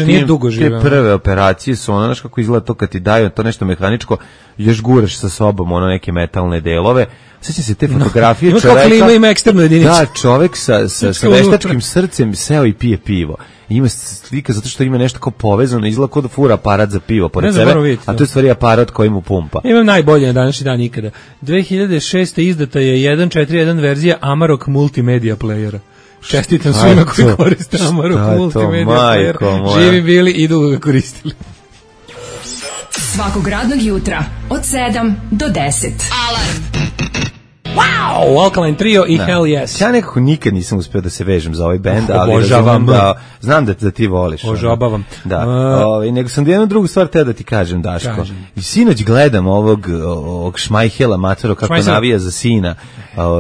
S5: nije dugo živeo.
S6: Te prve operacije su ono, znaš kako izgleda to kad ti daju to nešto mehaničko, još guraš sa sobom ono neke metalne delove. Sjećam se te fotografije čoveka.
S5: Ima eksternu jedinicu.
S6: Da, čovek sa veštačkim srcem seo i pije pivo. Ima slika zato što ima nešto kao povezano, izgleda kao da fura aparat za pivo pored sebe, a to je stvari aparat koji mu pumpa.
S5: Imam najbolje na današnji dan ikada. 2006. izdata je 1.4.1 verzija Amarok multimedia playera. Čestitam svima koji koriste Amarok multimedia player. Živi bili i dugo ga koristili.
S3: Svakog radnog jutra od 7 do 10.
S2: Alarm.
S5: Wow, Alkaline Trio i Hell Yes.
S6: Ja nekako nikad nisam uspeo da se vežem za ovaj bend, ali znam da ti voliš.
S5: Ožabavam.
S6: Da. Nego sam jednu drugu stvar teo da ti kažem, Daško. I sinoć gledam ovog Šmajhela Matero kako navija za sina.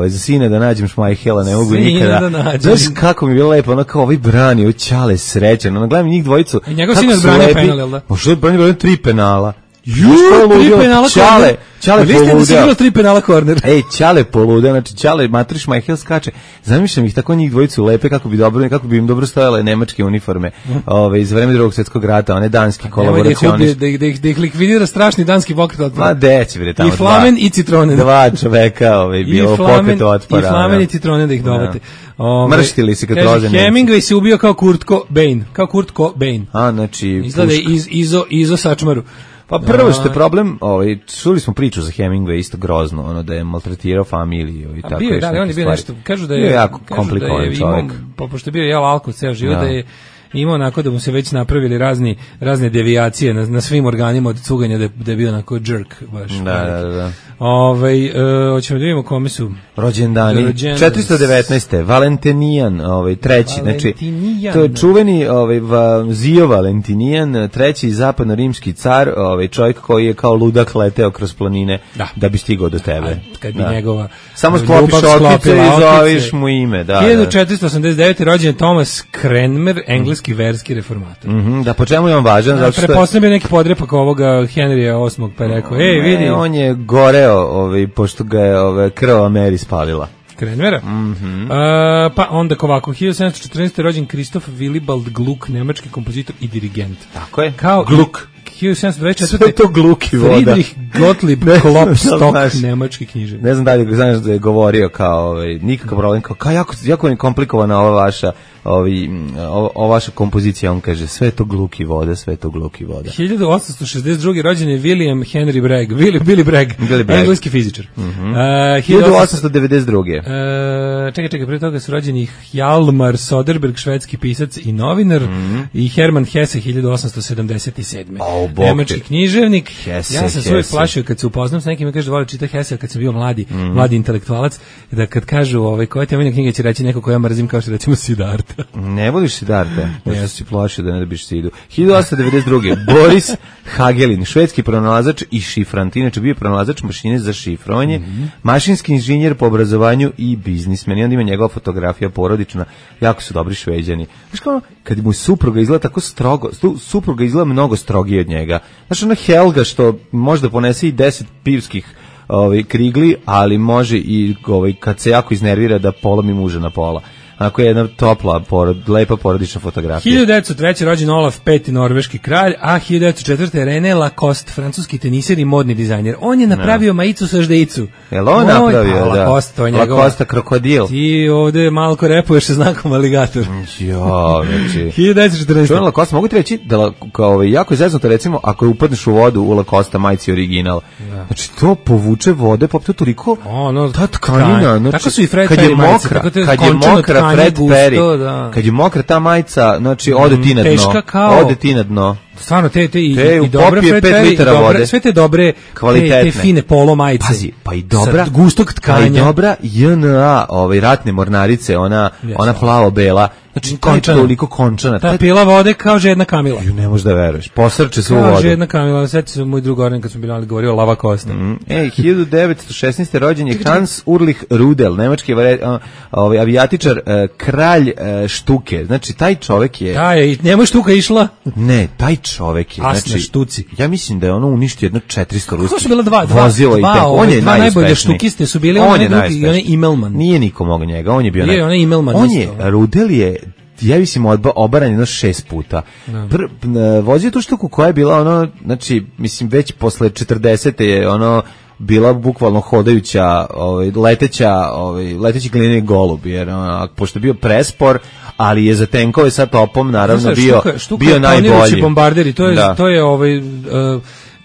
S6: Za sina da nađem Šmajhela, ne mogu nikada. Znaš kako mi je bilo lepo, ono kao ovaj brani, ovaj Ćale srećan. Ono gledam njih dvojicu.
S5: I njegov sin je branio penal, jel da?
S6: Možda je branio 3 penala.
S5: Tri penala korner.
S6: Ćale
S5: poludeo. Vi ste da si 3 penala korner.
S6: Ej, Ćale poludeo, znači Ćale Matriš Majhel skače. Zamišljam ih tako njih dvojicu lepe kako bi im dobro stojale nemačke uniforme. Iz vremena Drugog svjetskog rata, one danski kolaboracionisti.
S5: Da ih likvidira strašni danski pokret otpora.
S6: Ma deći bre tamo.
S5: I Flamen i Citronen.
S6: Dva čoveka, bilo pokret otpora.
S5: I Flamen i Citronen da ih dovate.
S6: Mrštili se kad roze.
S5: Hemingway se ubio kao Kurt Cobain.
S6: A znači
S5: izgleda izo sačmaru.
S6: Pa prvo što je problem, čuli smo priču za Hemingway isto grozno, ono da je maltretirao familiju i tako
S5: bio, da, on je bio nešto, kažu da je
S6: jako komplikovan čovjek.
S5: Pošto je bio jeo alkohol ceo život, da je imao onako da mu se već napravili razne devijacije na svim organima od cuganja, da je bio onako jerk baš.
S6: Da.
S5: Hoćemo da vidimo kome su
S6: rođendani. 419. Valentinijan, treći, znači to je čuveni Zio Valentinijan, treći zapadno-rimski car, čovjek koji je kao ludak leteo kroz planine da bi stigao do tebe.
S5: Kad bi njegova
S6: samo sklopiš okice i zoveš mu ime.
S5: 1489. rođen je Thomas Cranmer, engleski verski reformator.
S6: Da, po čemu je on važan?
S5: Pretpostavljam neki podrepak ovoga Henrya VIII, pa je rekao, vidi.
S6: On je goreo, pošto ga je krvava Mary spalila.
S5: Cranmera. Pa onda ovako, 1714. rođen Kristof Willibald Gluck, nemački kompozitor i dirigent.
S6: Tako je.
S5: Kao
S6: Gluck.
S5: 1724.
S6: Sve to Gluck i voda.
S5: Friedrich Gottlieb Klopstock, nemački književnik.
S6: Ne znam da li znaš da je govorio kao nikakav problem, kao jako je komplikovana ova vaša kompozicija, on kaže sve to Gluck i voda, sve to Gluck i voda.
S5: 1862. rođen je William Henry Bragg, Billy Bragg, engleski fizičar.
S6: 1892.
S5: Čekaj, pre toga su rođeni Hjalmar Soderberg, švedski pisac i novinar, i Hermann Hesse, 1877. Nemački književnik. Ja sam se uvijek plašio kad se upoznam s nekim i kaže da voli čita Hesse, kad sam bio mladi intelektualac, da kad kažu koja ti je knjiga će reći neko koja mrzim, kao što recimo Siddhartha.
S6: Ne voliš Siddhartha, ja sam si plašio da ne dobiš Sidu. 1892. Boris Hagelin, švedski pronalazač i šifrant, inače bio pronalazač mašine za šifrovanje, mašinski inženjer po obrazovanju i biznismen. I onda ima njegova fotografija porodična, jako su dobri Šveđani. Znaš kao, kad mu supruga izgleda tako strogo, supruga izgleda mnogo strogije od njega. Znaš, ona Helga što možda ponese i 10 pivskih krigli, ali može i kad se jako iznervira da polomi muža na pola. Ako je jedna topla, lepa porodična fotografija.
S5: 1903. rođen Olaf V, norveški kralj, a 1904. René Lacoste, francuski teniser i modni dizajner. On je napravio majicu sa ždeicu.
S6: Jel on napravio, da?
S5: Lacoste,
S6: krokodil.
S5: Ti ovde malko repuješ sa znakom aligator.
S6: Jo, znači.
S5: 1914.
S6: Čuvan Lacoste, mogu ti reći da jako je zeznuto, recimo, ako upadneš u vodu u Lacoste majici original. Znači, to povuče vode, pa to toliko, ta tkanina, znači, kad je mokra, Fred Perry, kad je mokra ta majica, znači ode ti na dno.
S5: Teška kao...
S6: Ode ti na dno.
S5: Stvarno, te i
S6: u
S5: dobre
S6: popije 5 litara vode.
S5: Sve te dobre,
S6: kvalitetne.
S5: te fine polo majice.
S6: Pazi, pa i dobra,
S5: gustog tkanja.
S6: Pa i dobra JNA, ratne mornarice, ona plavo-bela. Znači,
S5: končana.
S6: Toliko končana.
S5: Ta pila vode kao žedna Kamila.
S6: Ne možeš da veruješ. Posrče se u vodu.
S5: Kao žedna Kamila. Sjeti se moj drug Orjan kad smo bili govorio Lava Kosta.
S6: 1916. rođen je Hans Ulrich Rudel, nemački avijatičar, kralj štuke. Znači, taj čovek je...
S5: I njemu štuka išla?
S6: Ne, taj čovek je...
S5: Asna štuci.
S6: Ja mislim da je ono uništio jedno 400 ruskih.
S5: Kako su bila
S6: On je
S5: dva najbolje štukiste su bili onaj drugi i onaj Imelman.
S6: Nije niko mogo njega, on je bio...
S5: onaj Imelman.
S6: On je, Rudel je... Ja mislim obaran jedno 6 puta. Vozio tu štuku koja je bila ono, znači, mislim, već posle 40. je ono bila bukvalno hodajuća, leteći glineni golub, jer pošto je bio prespor, ali je za tenkove sa topom naravno bio najbolji.
S5: Bombarderi, to je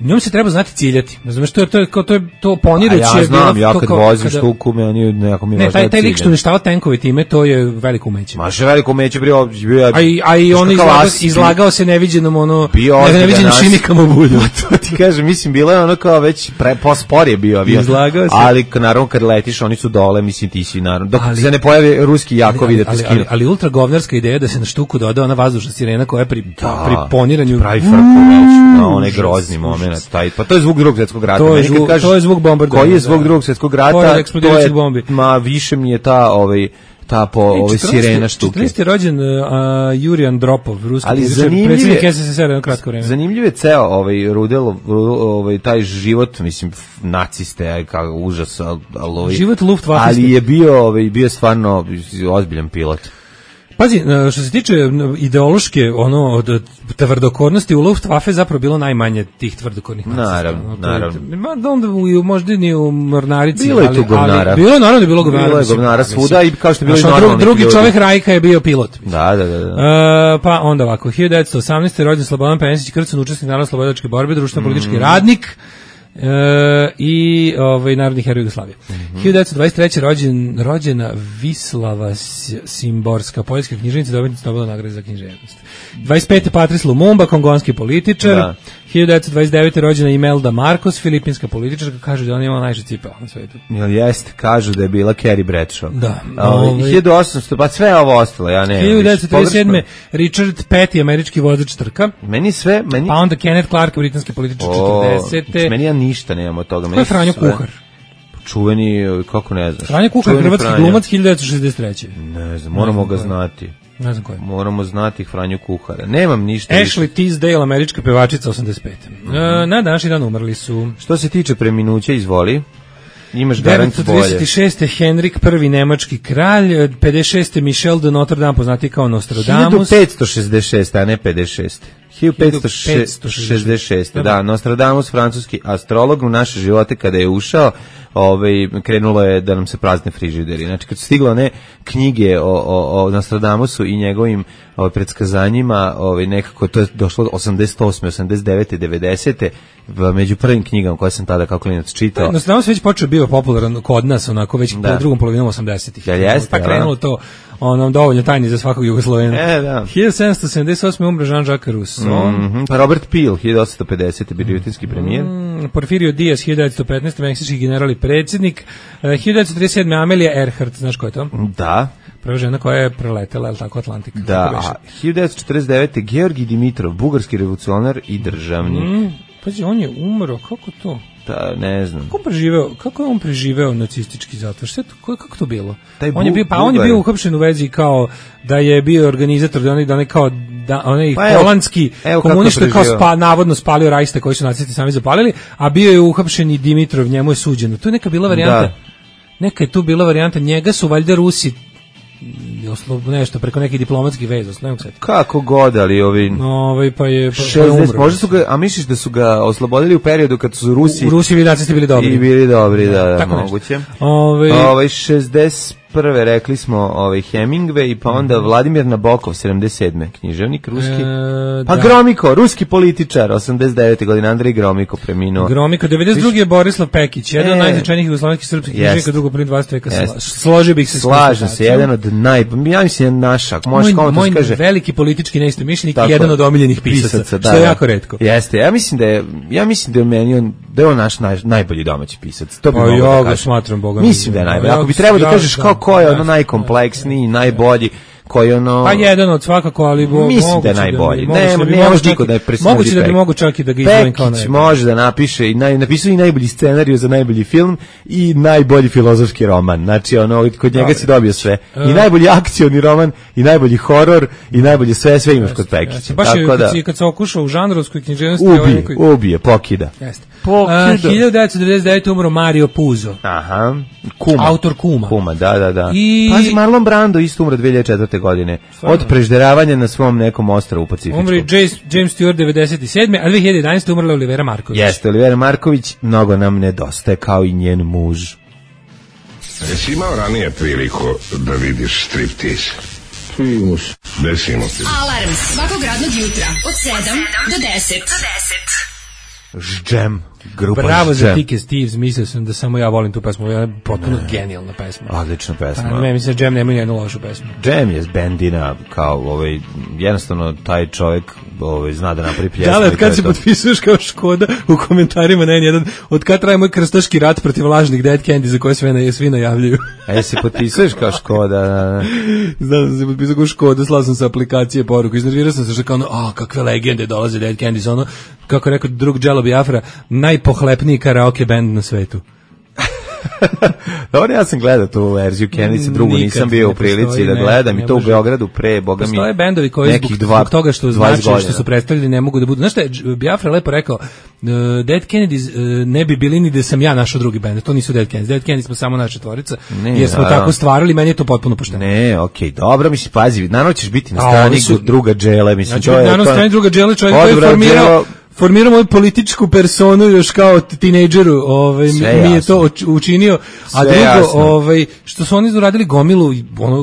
S5: njom se treba znati ciljati. Znaš, to poniruće.
S6: A ja znam, ja kad vozim štuku, meni nekako mi važno
S5: taj lik što uništava tenkove time, to je veliko umeće.
S6: Maše veliko umeće,
S5: a i on izlagao se neviđenom neviđenim šimikama u bulju.
S6: To ti kažem, mislim, bilo je ono kao već pospor je bio avion.
S5: Izlagao se.
S6: Ali naravno kad letiš, oni su dole, mislim, ti si naravno. Dok se ne pojave ruski jakovi da te skinu.
S5: Ali ultra govnarska ideja da se na štuku doda ona vazdušna sirena koja je pri poniranju
S6: pravi frku već, na onaj grozni moment. Pa to je zvuk Drugog svjetskog rata.
S5: To je zvuk bombardovanja.
S6: Koji je zvuk Drugog svjetskog rata?
S5: Pored eksplodirajućih bombi.
S6: Više mi je ta sirena štuke.
S5: 14. rođen Jurij Andropov, ruski predsjednik SSSR jedno kratko vreme.
S6: Zanimljiv je ceo Rudelov taj život, mislim, naciste, kao užas,
S5: život Luftwaffe.
S6: Ali je bio stvarno ozbiljan pilot.
S5: Pazi, što se tiče ideološke od tvrdokornosti u Luftwaffe zapravo bilo najmanje tih tvrdokornih nacista.
S6: Naravno.
S5: Onda možda ni u mornarici.
S6: Bilo je tu govnara.
S5: Bilo
S6: je govnara svuda i kao što je bilo i normalnih
S5: drugi čovjek Rajka je bio pilot.
S6: Da.
S5: Pa onda ovako, 1918. rođen Slobodan Penisić Krcun, učesnik narodno-slobodilačke borbe, društveno-politički radnik. I narodni heroj Jugoslavije. 1923. rođena Vislava Simborska, poljska književnica, dobitnica Nobelove nagrade za književnost. 25. Patrice Lumumba, kongonski političar. 1929. rođena Imelda Marcos, filipinska političarka, kažu da ona ima najviše cipela na svetu.
S6: Jeste, kažu da je bila Carrie Bradshaw.
S5: Da.
S6: 1800, pa sve ovo ostalo, ja ne.
S5: 1937. Richard Petty, američki vozač trka.
S6: Meni
S5: pa onda Kenneth Clark, britanski političar 40.
S6: Meni ja ništa nemam od toga.
S5: Ko je Franjo Kuhar?
S6: Čuveni, kako ne znaš?
S5: Franjo Kuhar, hrvatski glumac 1963.
S6: Ne znam, moramo ga znati.
S5: Ne znam ko je.
S6: Moramo znati Franju Kuhara. Nemam ništa.
S5: Ashley Tisdale, američka pevačica 85. Na današnji dan umrli su.
S6: Što se tiče preminuća, izvoli. Imaš garant bolje.
S5: 1936. Henrik I, nemački kralj, 56. Michel de Notre Dame, poznati kao Nostradamus.
S6: 1566, a ne 56. 1566. Da, Nostradamus, francuski astrolog, u naše živote kada je ušao, krenulo je da nam se prazne frižideri. Znači, kad su stigle one knjige o Nostradamusu i njegovim predskazanjima, nekako to je došlo 88. 89. 90. Među prvim knjigama koje sam tada kao klinac čitao.
S5: Nostradamus već počeo bio popularan kod nas, onako već po drugom polovinom 80-ih. Pa krenulo to dovoljno tajni za svakog Jugoslovena. 1778. umre Jean-Jacques Rousseau.
S6: Pa Robert Peel, 1850. britanski premijer.
S5: Porfirio Diaz, 1915. meksički general i predsjednik. 1937. Amelia Earhart, znaš ko je to?
S6: Da.
S5: Prva žena koja je preletela, tako, Atlantik.
S6: Da, a 1949. Georgij Dimitrov, bugarski revolucionar i državnik.
S5: Pazi, on je umro, kako to?
S6: Da, ne znam.
S5: Kako je on preživeo nacistički zatvor? Kako to bilo? On je bio uhapšen u vezi kao da je bio organizator da onaj kao onaj holandski komunista kao navodno spalio Reichstag koji su nacisti sami zapalili, a bio je uhapšen i Dimitrov, njemu je suđeno. To je neka bila varijanta. Neka je tu bila varijanta, njega su valjda Rusi nešto preko nekih diplomatskih veza,
S6: kako god, ali
S5: pa je
S6: umro. Možda su ga, a misliš da su ga oslobodili u periodu kad su Rusi
S5: i nacisti bili dobri.
S6: I bili dobri, da, moguće. 65. 71. rekli smo Hemingway, pa onda Vladimir Nabokov, 77. književnik, ruski. Pa da. Gromiko, ruski političar, 89. godine, Andrej Gromiko preminuo.
S5: Gromiko, 92. je Borislav Pekić, jedan od najznačajnijih jugoslovenskih srpskih književnika dugo prije 20. veka. Složio bih se.
S6: Slažem se, jedan od ja mislim naša, može kao to se kaže.
S5: Veliki politički neistomišljenik i jedan od omiljenih pisaca, što je jako retko.
S6: Jeste, ja mislim da je meni da je on naš najbolji domaći pisac. To bi mogao da kažem.
S5: Smatram Boga.
S6: Mislim da je najbolji. Ako bi trebao da kažeš ko je ono najkompleksniji, najbolji, koji ono...
S5: Pa jedan od svakako, ali
S6: mislim da je najbolji. Ne može niko da je presudio.
S5: Moguće da bi mogu čak i da ga izdvojim kao najbolji.
S6: Pekić može da napiše i napisao i najbolji scenariju za najbolji film i najbolji filozofski roman. Znači, ono, kod njega si dobio sve. I najbolji akcioni roman, i najbolji horor, i najbolji sve imaš kod Pekića.
S5: Baš je kad se okušao u žanrovskoj književnosti...
S6: Ubije, pokida.
S5: Jeste. 1999. umro Mario Puzo.
S6: Aha.
S5: Autor Kuma.
S6: Kuma, da. Pazi, Marlon Brando isto umro 2004. godine. Od prežderavanja na svom nekom ostrvu u Pacifičku.
S5: Umri James Stewart 97. a 2011. umrla Olivera Marković.
S6: Jeste, Olivera Marković mnogo nam nedostaje kao i njen muž.
S8: Jesi imao ranije priliku da vidiš striptiz? Primus. Desimo ti.
S3: Alarm svakog radnog jutra od 7 do 10.
S6: Džem. Grupa
S5: Bravo za Tike Steves, mislio sam da samo ja volim tu pesmu, ovo je potpuno genijalna pesma.
S6: Odlična pesma.
S5: Ne, mislim da Džem nema jednu lošu pesmu.
S6: Džem je bendina, kao jednostavno taj čovjek zna da napravi pjesmu.
S5: Da, kad se potpisuješ kao Škoda u komentarima na N1, od kad traje moj krstaški rat protiv lažnih Dead Candy za koje svi najavljuju.
S6: A se potpisuješ kao Škoda?
S5: Znam da se potpisao kao Škoda, slao sam sa aplikacije poruku, iznervirao sam se što kao kakve legende dolaze Dead Candy, ono, kako rekao drug Jello Biafra, najpohlepniji karaoke band na svetu.
S6: Dobro, ja sam gledao tu verziju Kendice, drugu nisam bio u prilici da gledam i to u Beogradu pre, boga mi,
S5: postoje bendovi koji zbog toga što znači što su predstavljeni ne mogu da budu. Znaš šta je Biafra lepo rekao, Dead Kennedys ne bi bili ni da sam ja našao drugi bend, to nisu Dead Kennedys. Dead Kennedys smo samo naša četvorica, jer smo tako stvarali, meni je to potpuno pošteno.
S6: Ne, okej, dobro, mislim, pazi, naravno ćeš biti na strani druga Džele, mislim,
S5: to je... Naravno na strani druga Džele, čovjek koji je formirao moju političku personu još kao tinejdžeru, mi je to učinio, a drugo, što su oni uradili gomilu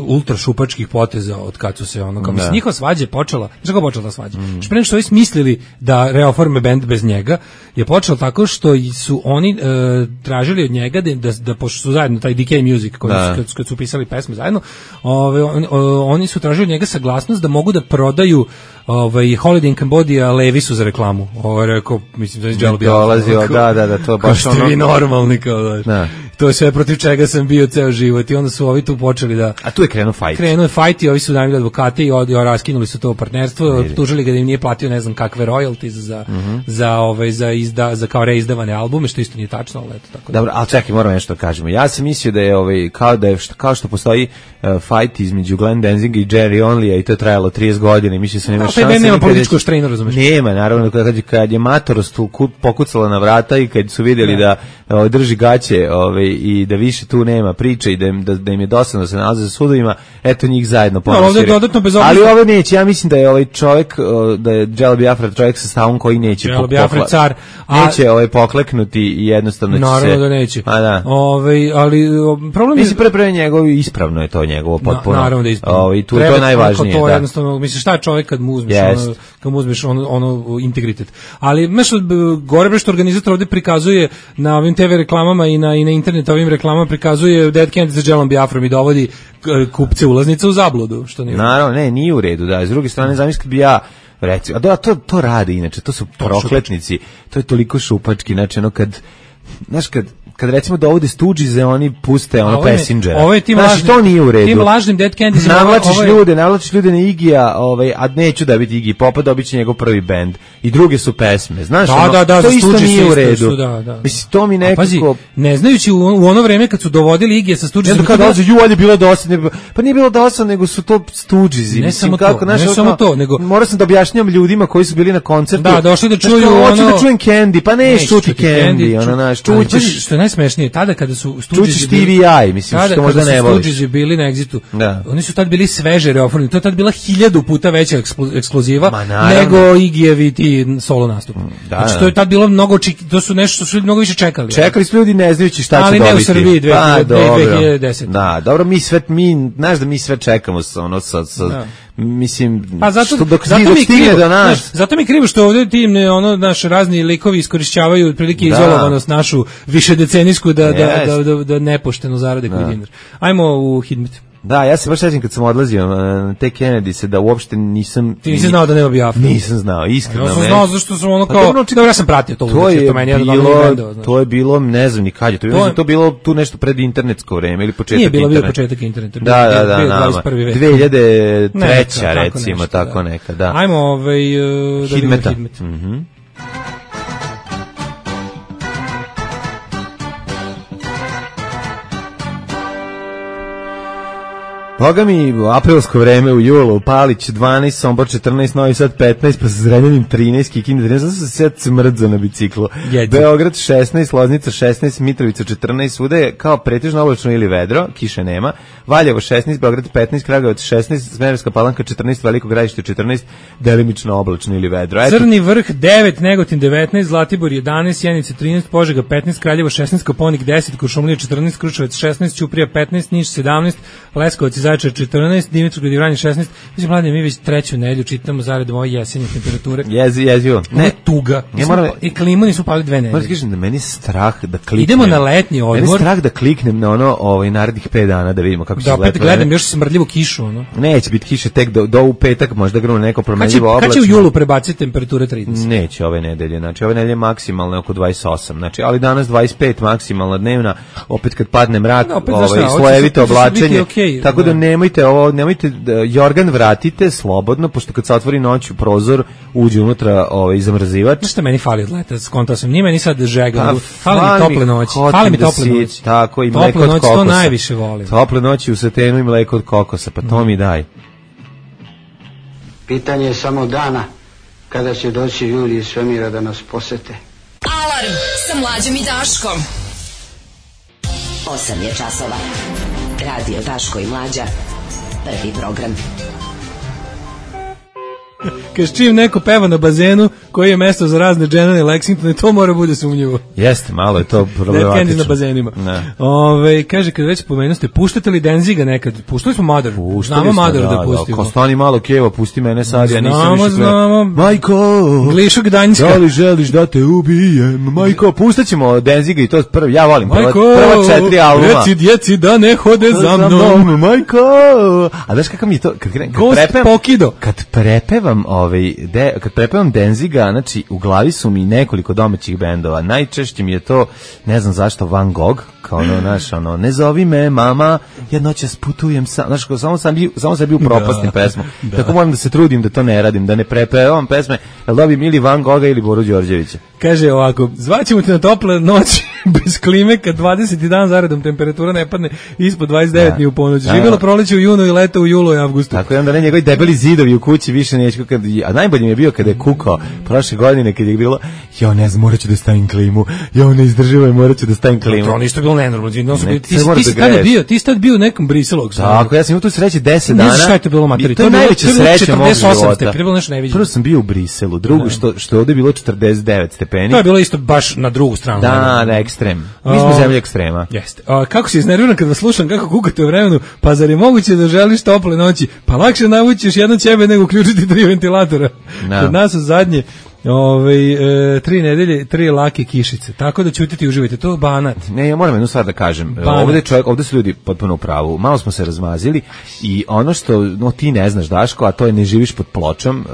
S5: ultra šupačkih poteza od kad su se mislim, njihova svađa je počela, znaš kako počela ta svađa? Što pre što oni smislili da reoforme bend bez njega, je počelo tako što su oni tražili od njega da pošto su zajedno taj DK Music, kad su pisali pesme zajedno, oni su tražili od njega saglasnost da mogu da prodaju Holiday in Cambodia Levisu za reklamu. Rekao, mislim da je Jello
S6: dolazio, da, to baš
S5: kao ono... vi normalni, kao da. To je sve protiv čega sam bio ceo život i onda su ovi tu počeli da...
S6: A tu je krenuo fajt.
S5: Krenuo je fajt i ovi su najbolji advokati i raskinuli su to partnerstvo, optužili ga da im nije platio ne znam kakve royalties za kao reizdavane albume, što isto nije tačno, ali eto tako.
S6: Dobro, ali čekaj, moramo nešto da kažemo. Ja sam mislio da je kao što postoji fajt između Glenn Danziga i Jerry Onlya i to je trajalo 30 godina i mislio sam nema šanse.
S5: Nema političko štrajno, razumeš?
S6: Nema, naravno, kad je matorost pokucala na vrata i kad su vidjeli da drži gaće i da više tu nema priče i da im je dosadno da se nalaze za sudovima, eto njih zajedno ponosiri. Ali ovo neće, ja mislim da je ovaj čovjek, da je Jello Biafra čovjek sa stavom koji neće neće pokleknuti i jednostavno će se...
S5: Naravno da neće. Ali problem je...
S6: Mislim, pre njegovo ispravno je to njegovo potpuno.
S5: Naravno da je ispravno.
S6: To je najvažnije.
S5: To jednostavno, misliš, šta je čovjek kad mu uzmeš ono integritet. Ali, gore što organizator ovdje prikazuje na ovim TV reklamama i na internet ovim reklamama prikazuje Dead Candy za Jellom Biafrom i dovodi kupce ulaznice u zabludu. Što nije.
S6: Naravno, nije u redu, da. S druge strane, zamislite bi ja recimo, to radi inače, to su prokletnici, to je toliko šupački, znači kad recimo dovode Stooges, oni puste Passengera. Znači, to nije u redu.
S5: Tim lažnim Dead Candy
S6: navlačiš ljude na Igija, a neću da biti Iggy Popa, dobit će njegov prvi bend. I druge su pesme. Znaš, to isto nije u redu. Mislim, to mi nekako...
S5: Pazi, ne znajući u ono vreme kad su dovodili Igija sa Stooges...
S6: Kad dolaze, ali je bilo dosadno. Pa nije bilo dosadno, nego su to Stoogesi.
S5: Ne samo to, nego...
S6: Morao sam da objašnjam ljudima koji su bili na koncertu.
S5: Da, došli da čuju
S6: hoću da čujem Candy, pa ne čuti Candy.
S5: najsmešnije, tada kada su
S6: Čučiš ti i ja, mislim, što možda ne voliš.
S5: Tada kada su bili na Exitu, oni su tad bili sveže reoformljeni, to je tad bila 1000 puta veća ekskluziva nego Igijevi ti solo nastup. Znači, to je tad bilo mnogo, to su nešto što su ljudi mnogo više čekali.
S6: Čekali su ljudi ne znajući šta će dobiti.
S5: Ali ne u Srbiji 2010.
S6: Da, dobro, znaš da mi sve čekamo mislim, dok stigne do nas.
S5: Zato mi krivo što ovdje ti naš razni likovi iskorišćavaju otprilike izolovanost našu višedecenijsku da nepošteno zarade koji dinar. Ajmo u Hidmet.
S6: Da, ja se baš sećam kad sam odlazio na te Kennedy se da uopšte nisam...
S5: Ti nisi znao da nema Biafra?
S6: Nisam znao, iskreno.
S5: Ja sam znao zašto sam ono kao... Dobro, ja sam pratio to.
S6: To je bilo, ne znam ni kad je, to je bilo tu nešto pred internetsko vreme ili početak interneta.
S5: Nije bio početak interneta.
S6: Da, 2003. recimo, tako neka, da.
S5: Ajmo
S6: Hidmeta. Boga mi, aprilsko vreme u julu, Palić 12, Sombor 14, Novi Sad 15, pa sa Zrenjanin 13, Kikinda 13, zato sam se sad smrdzo na biciklu. Beograd 16, Loznica 16, Mitrovica 14, svuda je kao pretežno oblačno ili vedro, kiše nema, Valjevo 16, Beograd 15, Kragujevac 16, Smederevska Palanka 14, Veliko Gradište 14, delimično oblačno ili vedro.
S5: Crni vrh 9, Negotin 19, Zlatibor 11, Sjenica 13, Požega 15, Kraljevo 16, Koponik 10, Kuršumlija 14, Kruševac 16, Ćuprija 15, Niš 17, Leskovac i Zaječar 14, Dimitrovgrad i Vranje 16. Mislim, mladim, mi već treću nedelju čitamo zaredom ove jesenje temperature.
S6: Jezivo.
S5: Ne, tuga. I klimu nisu pali 2 nedelje.
S6: Moram kažem da meni je strah da kliknem.
S5: Idemo na letnji odmor.
S6: Meni je strah da kliknem na narednih 5 dana da vidimo kako će izgledati.
S5: Da, opet gledam još smrdljivu kišu.
S6: Neće biti kiše tek do u petak, možda grunu neko promenljivo oblačno.
S5: Kad će u julu prebaciti temperature 30?
S6: Neće ove nedelje. Znači, ove nedelje maksimalno oko 28. Znači, ali danas 25 maksimalna dnevna, opet kad padne mrak, slojevito oblačenje. Tako da nemojte jorgan vratite slobodno, pošto kad se otvori noć u prozor, uđe unutra zamrzivač.
S5: Znaš što meni fali od leta? Skontao sam, nije meni sad žega. Fali mi tople noći. Fali mi tople noći.
S6: Tako, i mleko od kokosa.
S5: To najviše volim.
S6: Tople noći u satenu i mleko od kokosa, pa to mi daj.
S9: Pitanje je samo dana kada će doći ljudi iz svemira da nas posete.
S3: Alarm sa Mlađom i Daškom. 8 je časova. Radio Daško i Mlađa. Prvi program.
S5: Kad čim neko peva na bazenu koji je mesto za razne dženane Lexingtone, to mora bude sumnjivo.
S6: Jeste, malo je to problematično.
S5: Na bazenima. Kaže, kad već pomenu ste, puštate li Denziga nekad? Puštali smo Mother. Znamo Mother da pustimo.
S6: Ko stani malo Keva, pusti mene sad, ja nisam više
S5: znamo.
S6: Majko,
S5: Glišo Gdanjska.
S6: Da li želiš da te ubijem? Majko, pustat ćemo Denziga i to prvi, ja volim prva 4 albuma.
S5: Reci djeci da ne hode za mnom.
S6: Majko. A znaš kakav mi je to, kad prepevam Denziga, znači u glavi su mi nekoliko domaćih bendova. Najčešće mi je to, ne znam zašto, Van Gogh, kao ne zovi me mama, jednoćas putujem sam, znaš, samo sam bio propastim pesmu. Tako moram da se trudim da to ne radim, da ne prepevam pesme, jel dobim ili Van Gogha ili Boru Đorđevića.
S5: Kaže ovako, zvaćemo te na tople noći bez klime kad 20. dan zaredom temperatura ne padne ispod 29 ni u ponoć. Živjelo proleće u junu i leto u julu i avgustu.
S6: Tako je, onda ne njegovi debeli zidovi u kući više neću, a najbolje mi je bio kada je kukao prošle godine kad je bilo, ne znam, morat ću da stavim klimu, ne izdrživaj, morat ću da stavim klimu.
S5: To ništa bilo nenormalno. Ti si tad bio u nekom Briselu.
S6: Tako, ja sam imao tu sreće 10 dana.
S5: Ne znaš šta je to bilo materi.
S6: To je najveća sreća mog života.
S5: Prvo
S6: sam bio u Briselu, drugo što je ovdje bilo 49 stepeni.
S5: To je bilo isto baš na drugu stranu.
S6: Da, na ekstrem. Mi smo zemlja ekstrema.
S5: Jeste. Kako si iznerviran kad vas slušam kako kukate u vremenu, pa zar je moguće da želiš tople noći? Pa lakše navući još jedno ćebe nego uključiti 3 ventilatora. Kod nas su zadnje 3 nedelje, 3 lake kišice. Tako da ćutite i uživajte. To je Banat.
S6: Ne, ja moram jednu stvar da kažem. Ovdje su ljudi potpuno u pravu. Malo smo se razmazili i ono što ti ne znaš, Daško, a to je ne živiš pod pločom.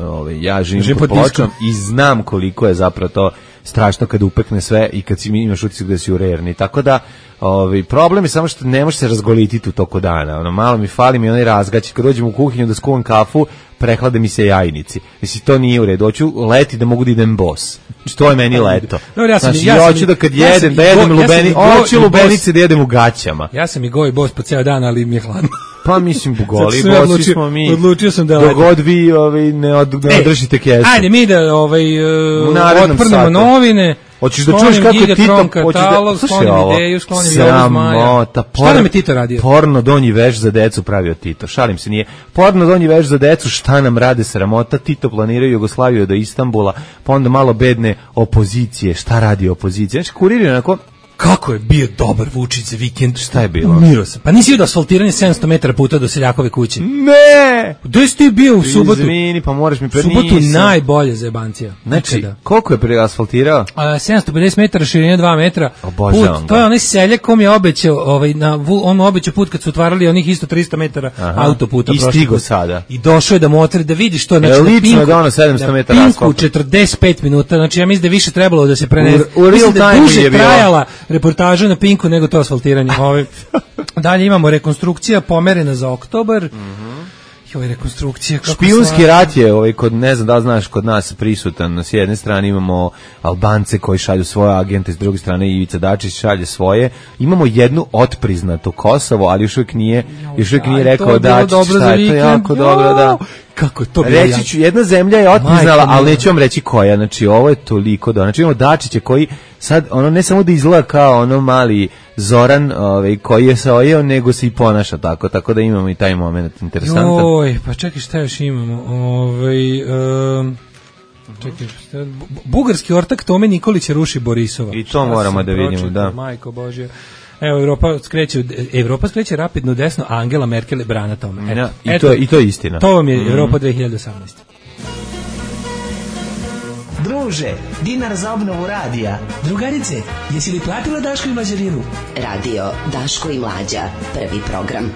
S6: Ja živim pod pločom i znam koliko je zapravo to strašno kada upekne sve i kad imaš utisak da si u rerni. Tako da problem je samo što ne može se razgolititi u toku dana. Malo mi fali mi onaj razgać. Kad dođem u kuhinju da skuvam kafu, prehlade mi se jajnici. Mislim, to nije u redu. Hoću leti da mogu da idem bos. Znači, to je meni leto. Hoću da kad jedem, da jedem lubenice, da jedem u gaćama.
S5: Ja sam i goj bos po ceo dan, ali mi je hladno.
S6: Pa mislim, bugoli, bosi smo mi.
S5: Odlučio sam da
S6: dogod vi ne održite kesu.
S5: Ajde, mi da otprnemo novine.
S6: Hoćeš da čuješ kako je Tito
S5: katalog, sklonim ideju, sklonim Jovu Zmaja. Šta nam je Tito radio?
S6: Porno donji veš za decu pravio Tito. Šalim se, nije. Porno donji veš za decu, šta nam rade sramota? Tito planiraju Jugoslaviju do Istanbula, pa onda malo bedne opozicije. Šta radi opozicija? Znači, kurir je onako...
S5: Kako je bio dobar Vučić za vikend.
S6: Šta je bilo?
S5: Umirao sam. Pa nisi vidio asfaltiranje 700 metara puta do Seljakove kuće?
S6: Ne!
S5: Gde si ti bio u subotu?
S6: Izvini, pa moraš mi
S5: subotu najbolje za jebancija.
S6: Znači, koliko je preasfaltirao?
S5: 750 metara, širine 2 metra.
S6: Obožavam
S5: put, to je onaj seljak kom je obećao, on mu obećao put kad su otvarali onih isto 300 metara autoputa.
S6: I stigo sada.
S5: I došao je da motri, da vidiš to. Znači,
S6: lično je dono 700 metara asfalta.
S5: Pinku 45 minuta, znači ja mislim da više trebalo da se prenese.
S6: U real time je
S5: trajala reportaža na Pinku nego to asfaltiranje. Dalje imamo rekonstrukcija pomerena za oktobar. Rekonstrukcija.
S6: Špijunski rat je, ne znam da znaš, kod nas prisutan. S jedne strane imamo Albance koji šalju svoje agente, s druge strane Ivica Dačić šalje svoje. Imamo jednu otpriznato Kosovo, ali još uvijek nije rekao Dačić šta je to jako dobro, da.
S5: Kako to
S6: reći ću, jedna zemlja je otpriznala, ali neću vam reći koja. Znači, ovo je toliko dobro. Znači, imamo Dačića koji sad, ne samo da izgleda kao mali Zoran koji je se ojeo, nego se i ponaša tako da imamo i taj moment interesantan.
S5: Joj, pa čekaj, šta još imamo? Čekaj, bugarski ortak Tome Nikolića ruši Borisova.
S6: I to moramo da vidimo, da.
S5: Majko Božja. Evo, Evropa skreće rapidno desno, a Angela Merkel brana tome.
S6: I to je istina.
S5: To vam je Evropa 2018.
S10: Druže, dinar za obnovu radija. Drugarice, jesi li platila Daško i Mlađarinu?
S3: Radio Daško i Mlađa, prvi program.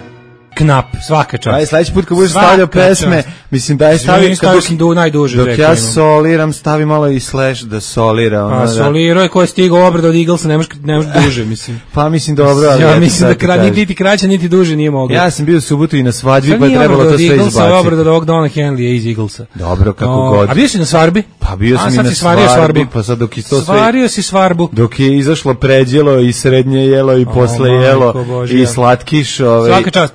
S5: Knap, svaka čast.
S6: Aj, sledeći put kad budeš stavljao pesme, mislim da je stavio
S5: najduže.
S6: Dok ja soliram, stavi malo i slash da solira.
S5: A solirao je ko je stigao obrada od Eaglesa, ne može duže, mislim.
S6: Pa mislim dobro, ali
S5: ja mislim da niti kraće, niti duže nije moglo.
S6: Ja sam bio u subotu i na svadbi, pa je trebalo to sve izbaciti.
S5: Obrada od ovog Dona Henleya iz Eaglesa.
S6: Dobro, kako god.
S5: A bio si na svadbi?
S6: Pa bio sam i na svadbi, pa sad dok je to sve...
S5: Svario si svarbu.
S6: Dok je izašlo pređelo i srednje jelo i posle jelo i slatkiš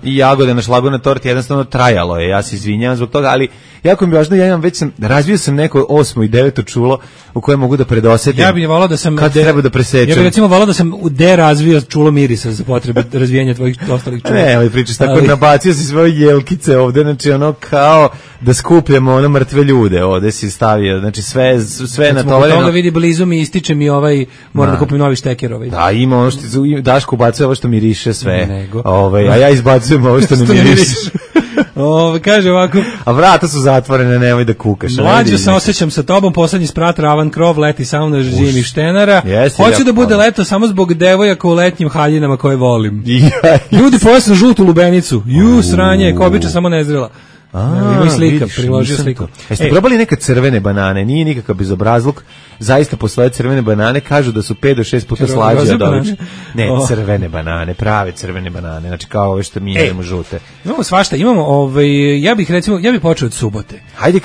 S6: i jagode na šlagu na torti, jednostavno trajalo je, ja se izvinjavam zbog toga, ali jako mi je važno, razvio sam neko 8. i 9. čulo u kojem mogu da predosetim.
S5: Ja bih volao da sam
S6: treba da presečem.
S5: Ja bih recimo volao da sam razvio čulo mirisa za potrebe razvijanja tvojih ostalih čula.
S6: Ne, ovaj pričaš tako, nabacio si svoje jelkice ovde, znači kao da skupljamo mrtve ljude, ovde si stavio, znači sve na tovareno.
S5: Toga vidi blizu mi, ističe mi moram da kupim novi šteker
S6: Da, ima ono što Daško ubacuje ovo što miriše sve. A ja izbacujem ovo što ne miriše.
S5: Kaže ovako.
S6: A vrata su zatvorene, nemoj da kukaš.
S5: Mlađo se osjećam sa tobom, poslednji sprat Ravan krov, leti sauna zimih štenara. Hoću da bude leto samo zbog devojaka u letnjim haljinama koje volim. Ljudi pojasno žutu lubenicu. Sranje, kobiča samo nezrela. Ima slika, priložio sliku.
S6: Jeste probali neke crvene banane? Nije nikakav bezobrazluk. Zaista postoje crvene banane, kažu da su 5 do 6 puta slađe od obične. Ne, crvene banane, prave crvene banane, znači kao ove što mi jedemo žute.
S5: Imamo svašta, imamo, ja bih počeo od subote.
S6: Hajde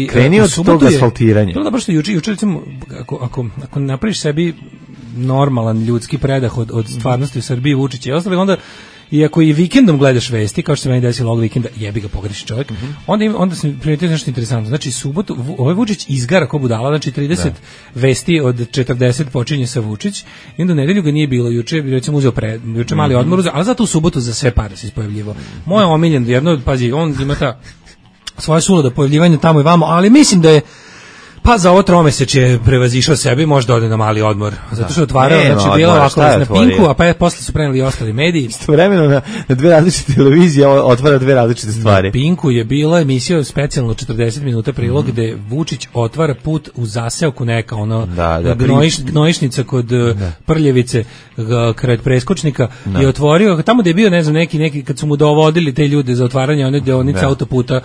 S6: kreni od tog asfaltiranja.
S5: Bilo da baš juče recimo, ako napraviš sebi normalan ljudski predah od stvarnosti u Srbiji, Vučića i ostali, onda i ako i vikendom gledaš vesti, kao što se meni desilo ovog vikenda, jebi ga pogreši čovjek, onda se primetio nešto interesantno. Znači, subotu, ovaj Vučić izgara ko budala, znači 30 vesti od 40 počinje sa Vučić, i onda u nedelju ga nije bilo, juče recimo uzeo juče mali odmor, ali zato u subotu za sve pare se ispojavljivo. Moje omiljen, jedno, pazi, on ima ta svoje suludo pojavljivanje tamo i vamo, ali mislim da je pa za ovo tromesečje prevazišao sebi, možda ode na mali odmor. Zato što otvarao, znači bilo ovako na Pinku, a pa posle su preneli i ostali mediji.
S6: Istovremeno na dve različite televizije otvara dve različite stvari.
S5: Na Pinku je bila emisija specijalno 40 minuta prilog gde Vučić otvara put u zaseoku neka gnojišnica kod Prljevice kraj preskočnika i otvorio tamo gde je bio ne znam neki kad su mu dovodili te ljude za otvaranje one deonice autoputa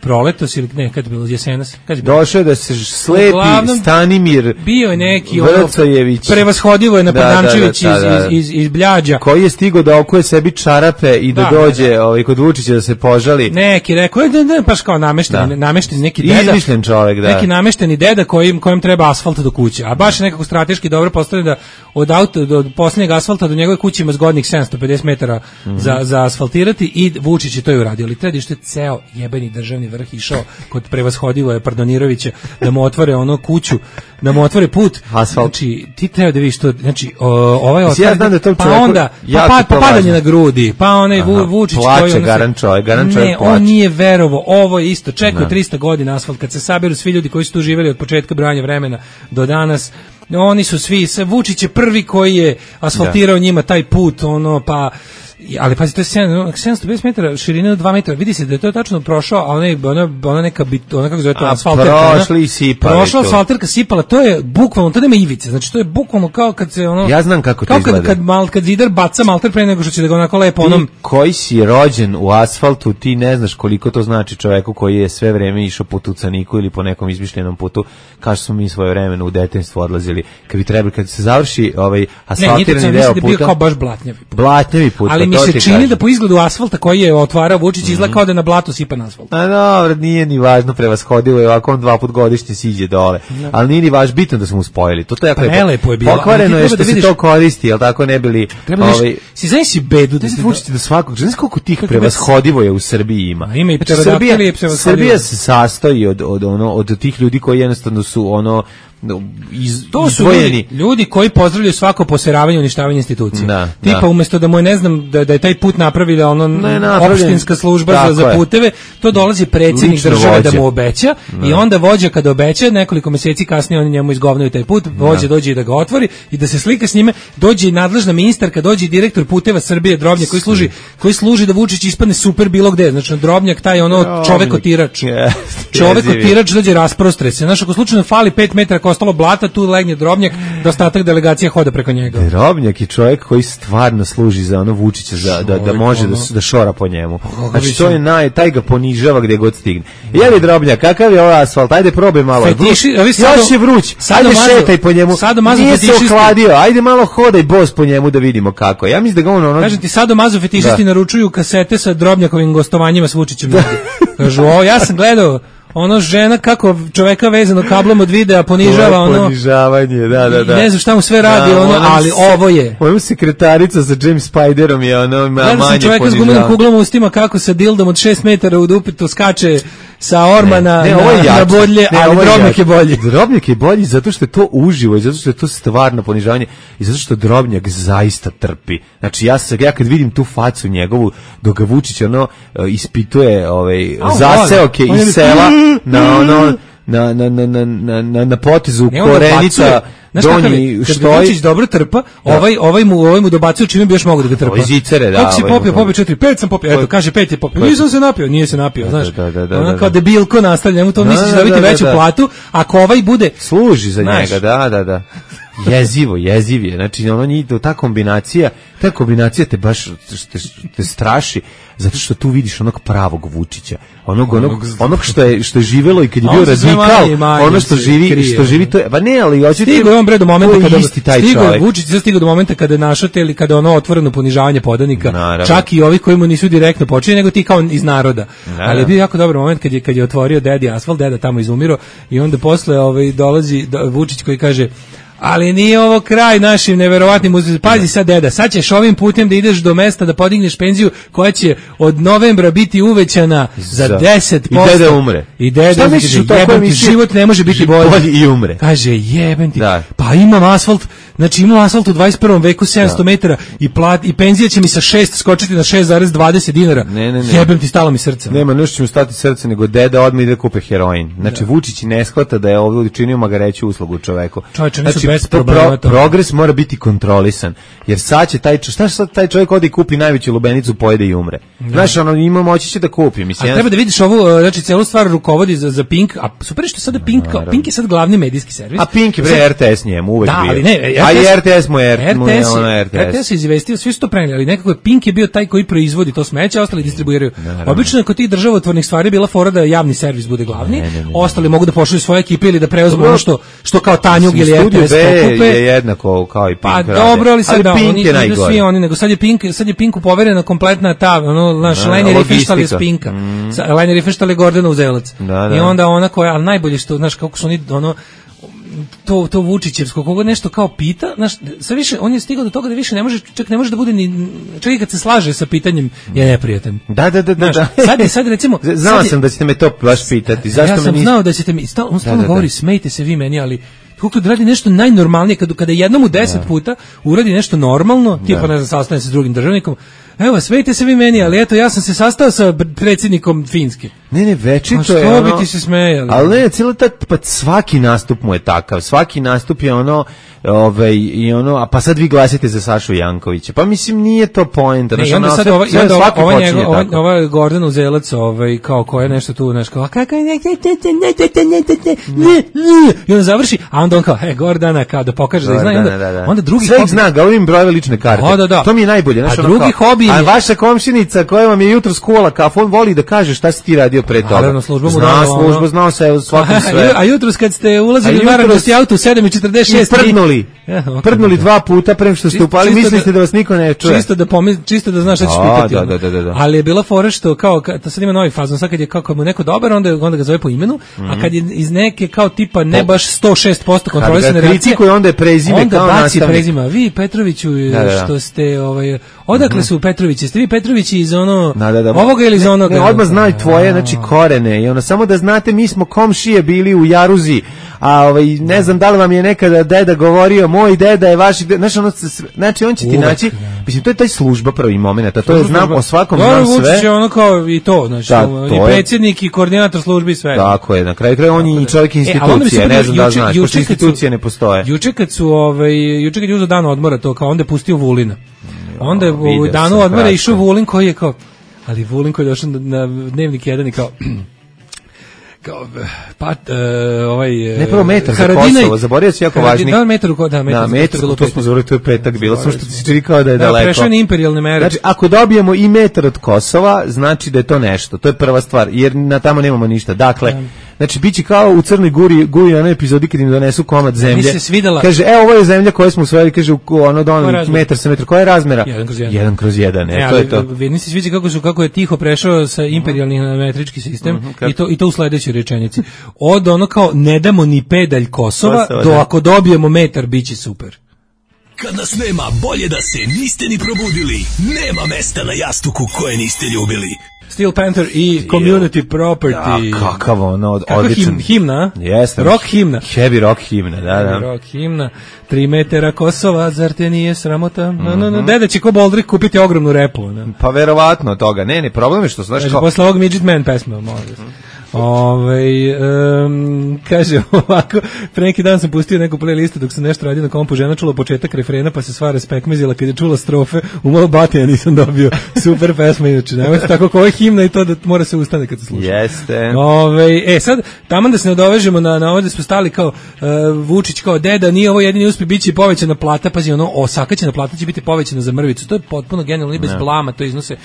S5: Proletos ili ne, kad je bilo Jesenas.
S6: Došao da se slepi Stanimir
S5: bio je neki
S6: Vrcajević,
S5: prevashodivo je na Pernamčević iz Bljađa,
S6: koji je stigao da okuje sebi čarape i da dođe kod Vučića da se požali.
S5: Neki rekao da baš kao namešteni neki deda,
S6: izmišljen čovjek,
S5: neki namešteni deda kojem treba asfalt do kuće, a baš nekako strateški dobro postavljeno da od posljednjeg asfalta do njegove kuće ima zgodnih 750 metara za asfaltirati, i Vučić je to i uradio. Ali treba što je ceo jebeni državni vrh išao kod prevashodivo je Pardonirovića da mu otvore ono kuću, da mu otvore put.
S6: Asfalt.
S5: Znači, ti treba da vidiš to, znači, ovaj
S6: Mislim, ja znam da to
S5: pa
S6: čoveku
S5: onda,
S6: jako
S5: pa padanje
S6: važno.
S5: na grudi, pa onaj Vučić
S6: plače,
S5: koji...
S6: garan čovjek
S5: Ne,
S6: plače.
S5: on nije verovo, ovo je isto, čekao 300 godina asfalt, kad se saberu svi ljudi koji su tu živjeli od početka brojanja vremena do danas, oni su svi, Vučić je prvi koji je asfaltirao njima taj put, ono, pa... Ali pazi, to je 750 metara širine od 2 metra. Vidi se da je to tačno prošao, a ona neka ona kako zove to asfalterka.
S6: Prošli i sipali.
S5: Prošla asfalterka, sipala, to je bukvalno, to nema ivice. Znači to je bukvalno kao kad se ono...
S6: Ja znam kako to izgleda.
S5: Kad zidar baca malter pre nego što će da ga onako lepo onom...
S6: Ti koji si rođen u asfaltu, ti ne znaš koliko to znači čoveku koji je sve vreme išao po tucaniku ili po nekom izmišljenom putu, kao što smo mi svoje vremena u detinjstvu odlazili. Kad se završi ovaj asfaltirani deo puta...
S5: Ne, bio kao baš
S6: blatnjavi put.
S5: Ali mi se čini da po izgledu asfalta koji je otvarao Vučić izgleda kao da na blatu sipa na asfalt.
S6: A dobro, nije ni važno, prevashodivo je, ovako on 2 puta godišnje siđe dole. Ali nije ni važno, bitno da smo uspojili. To je
S5: prelepo je bilo.
S6: Pokvareno je što se to koristi, jel tako ne bili...
S5: Si znaš si bedu da
S6: se Vučić do svakog, znaš koliko tih prevashodivo je u Srbiji ima.
S5: Ima i pterodaktil i prevashodivo.
S6: Srbija se sastoji od tih ljudi koji jednostavno su ono
S5: to su ljudi koji pozdravljaju svako poseravanje i uništavanje institucija. Tipa umjesto da mu je, ne znam, da je taj put napravila opštinska služba za puteve, to dolazi predsjednik države da mu obeća i onda vođa kada obeća, nekoliko mjeseci kasnije oni njemu izgovnaju taj put, vođa dođe i da ga otvori i da se slika s njime, dođe i nadležna ministarka, dođe i direktor puteva Srbije Drobnjak koji služi da Vučić ispadne super bilo gde. Znači Drobnjak taj ono čovekotirač. Čovekotirač dođe rasprostre se. Znači ako slučajno fali 5 metara ostalo blata, tu legne Drobnjak, da ostatak delegacija hoda preko njega.
S6: Drobnjak je čovjek koji stvarno služi za ono Vučića, da može da šora po njemu. Znači to je taj ga ponižava gdje god stigne. Jevi Drobnjak, kakav je ovaj asfalt, ajde probaj malo. Još je vruć, ajde šetaj po njemu, nije se ohladio, ajde malo hodaj bos po njemu da vidimo kako. Ja mislim da ga ono...
S5: Kažem ti, sadomazo fetišisti naručuju kasete sa Drobnjakovim gostovanjima s Vučićem. Kažu, ja sam gledao ono žena kako čoveka vezano kablom od videa ponižava ono
S6: ponižavanje, da.
S5: Ne znam šta mu sve radi ali ovo je.
S6: Ovo sekretarica sa James Spiderom je ono manje ponižavanje.
S5: Čovjek s gumenom kuglom u ustima kako sa dildom od 6 metara u dupitu skače sa ormana na bodlje, ali Drobnjak je bolji.
S6: Drobnjak je bolji zato što je to uživo i zato što je to stvarno ponižavanje i zato što Drobnjak zaista trpi. Znači ja kad vidim tu facu njegovu dok ga Vučić ono ispituje zaseoke iz sela na potezu Korenica donji
S5: što je Vučić dobro trpa, ovaj mu dobacuje čime bi još mogu da ga trpa.
S6: Zicere,
S5: kako si popio 4-5 sam popio, eto kaže 5 je popio, nisam se napio, nije se napio, znaš, ono kao debilko nastavlja, mu to misliš da biti veću platu, ako ovaj bude
S6: služi za njega, da. Jeziv je, znači ono njih, ta kombinacija te baš te straši, zato što tu vidiš onog pravog Vučića, onog što je živelo i kad je bio radikal, ono što živi to je, pa ne, ali hoće ti
S5: on bre do momenta kada Vučić stigao do momenta kada našate ili kada ono otvoreno ponižavanje podanika, čak i ovi koji mu nisu direktno počeli, nego ti kao iz naroda. Ali je bio jako dobar moment kad je otvorio dedi asfalt, deda tamo izumiro i onda posle dolazi Vučić koji kaže: ali nije ovo kraj našim neverovatnim uzvizima. Pazi sad, deda, sad ćeš ovim putem da ideš do mesta da podigneš penziju koja će od novembra biti uvećana za 10%.
S6: I deda umre.
S5: I deda jebem, život ne može biti bolji.
S6: I umre.
S5: Kaže, jebem ti. Pa imam asfalt, znači imam asfalt u 21. veku 700 metara i penzija će mi sa 6 skočiti na 6,20 dinara.
S6: Ne.
S5: Jebem ti, stalo mi srce.
S6: Nema, nešto će mu stati srce, nego deda odmah ide kupe heroin. Znači, Vučić ne shvata da je ovo učinio magareću uslugu čoveku. Progres mora biti kontrolisan, jer sad će taj čovjek ode i kupi najveću lubenicu, pojede i umre. Znaš, ima moći će da kupi.
S5: A treba da vidiš ovu, znači celu stvar rukovodi za Pink, a super što sada Pink je sad glavni medijski servis.
S6: A Pink je bre RTS njemu uvek bio.
S5: Ali ne,
S6: RTS mu je
S5: RTS je izvestio, svi su to preneli, ali nekako je Pink je bio taj koji proizvodi to smeće, ostali distribuiraju. Obično je kod tih državotvornih stvari bila fora da javni servis bude glavni, ostali mogu da pošalju svoje ekipe ili da preuzmu ono što kao Tanjug ili RTS
S6: je jednako kao i Pink.
S5: Pa dobro, ali sad oni nisu svi oni, nego sad je Pinku poverena kompletna ta, naš Leni Riefenstahl je s Pinka. Leni Riefenstahl je Gordana Uzelac. I onda ona koja, ali najbolje što, znaš, kako su oni, to Vučićevsko, koga nešto kao pita, znaš, sve više, on je stigao do toga da više ne može, čak ne može da bude ni, čak i kad se slaže sa pitanjem, je neprijatan.
S6: Da.
S5: Znaš, sad recimo...
S6: Znao sam da ćete me to baš pitati. Zašto
S5: ja sam znao da ćete mi, on stalno govori, smejte se vi meni, ali koliko da radi nešto najnormalnije, kada jednom u 10 puta uradi nešto normalno, tipa ne znam, sastane se s drugim državnikom, evo, smejte se vi meni, ali eto, ja sam se sastao sa predsjednikom Finske.
S6: Ne, večito je
S5: ono... Što bi ti se smejali?
S6: Ali ne, cijelo pa svaki nastup mu je takav, svaki nastup je ono, i ono, a pa sad vi glasite za Sašu Jankovića, pa mislim nije to poenta.
S5: Ne, onda sad ova Gordana Uzelac, kao koja je nešto tu, znaš, kao, kako je, i onda završi, a onda on kao, Gordana, kao da pokaže da zna, onda drugi
S6: sve zna, ga ovim brojeve lične karte, to mi je najbolje.
S5: A drugi hobi je...
S6: A vaša komšinica koja vam je jutro skuvala kafu, on voli da kaže šta si ti radio pre toga.
S5: Naravno, služba mu
S6: dala. Služba, znao se u svakom sve.
S5: A jutros kad ste ulazili u naranđasti auto u 7:46...
S6: Prdnuli 2 puta pre što ste upali, mislite da vas niko ne čuje.
S5: Čisto da znaš šta ćeš pitati. Da. Ali je bila fora što, kao, sad ima novi fazon, sad kad je kako mu neko dobar, onda ga zove po imenu, a kad je iz neke kao tipa ne baš 106% kontrolisane reakcije,
S6: onda je prezime kao nastavnik.
S5: Onda baci prezima. Vi Petroviću, što ste, odakle su Petrovići? Ste vi Petrovići iz ovoga ili iz onoga?
S6: Ne, odmah znaju tvoje, znači korene. I ono, samo da znate, mi smo komšije bili u Jaruzi, a ne znam da li vam je nekada deda govorio, moj deda je vaš deda, znači on će ti naći, mislim, to je taj služba prvi moment, a to je znam o svakom znam sve.
S5: Vučić je ono kao i to, znači, i predsjednik i koordinator službi i sve.
S6: Tako je, na kraju on i čovjek institucije, ne znam da znaš, pošto institucije ne postoje.
S5: Juče kad je uzeo dan odmora, to kao onda je pustio Vulina. Onda je u danu odmora išao Vulin koji je kao, ali Vulin koji je došao na Dnevnik 1 i kao
S6: ne prvo metar za Kosovo, zaboravio si jako važni.
S5: Metar,
S6: to smo zaboravili, to je petak bilo, samo što ti se čini kao da je daleko.
S5: Prešao je imperijalne mere.
S6: Znači, ako dobijemo i metar od Kosova, znači da je to nešto, to je prva stvar, jer na tamo nemamo ništa. Dakle, znači, biće kao u Crnoj Guri na epizodi kad im donesu komad zemlje. Kaže, ovo je zemlja koju smo usvojili, kaže, metar sa metar. Koja je razmera? 1/1. To je to.
S5: Vidni se sviđa kako je tiho prešao sa imperijalnih na metrički sistem i to u sledećoj rečenici. Od ono kao, ne damo ni pedalj Kosova, do ako dobijemo metar, bit će super.
S10: Kad nas nema, bolje da se niste ni probudili. Nema mesta na jastuku koje niste ljubili.
S5: Steel Panther i Community Property.
S6: Kakav ono, odličan.
S5: Himna?
S6: Jeste.
S5: Rock himna.
S6: Heavy rock himna, da.
S5: Rock himna. 3 metara Kosova, zar te nije sramota? Deda će ko Boldrik kupiti ogromnu repu.
S6: Pa verovatno toga. Ne, problem je što znaš kao...
S5: Posle ovog Midget Man pesma, možda. Kaže ovako, pre neki dan sam pustio neku playlistu dok sam nešto radio na kompu, žena čula početak refrena pa se sva respekmezila kad je čula strofe, umalo batija nisam dobio. Super pesma, inače, nemojte tako kao je himna i to da mora se ustane kad se sluša.
S6: Jeste.
S5: Sad, taman da se nadovežemo na ovdje smo stali kao Vučić kao deda, nije ovo jedini uspjeh, bit će povećana plata, pazi, osakaćena plata će biti povećana za mrvicu, to je potpuno genijalno i bez blama, to iznose.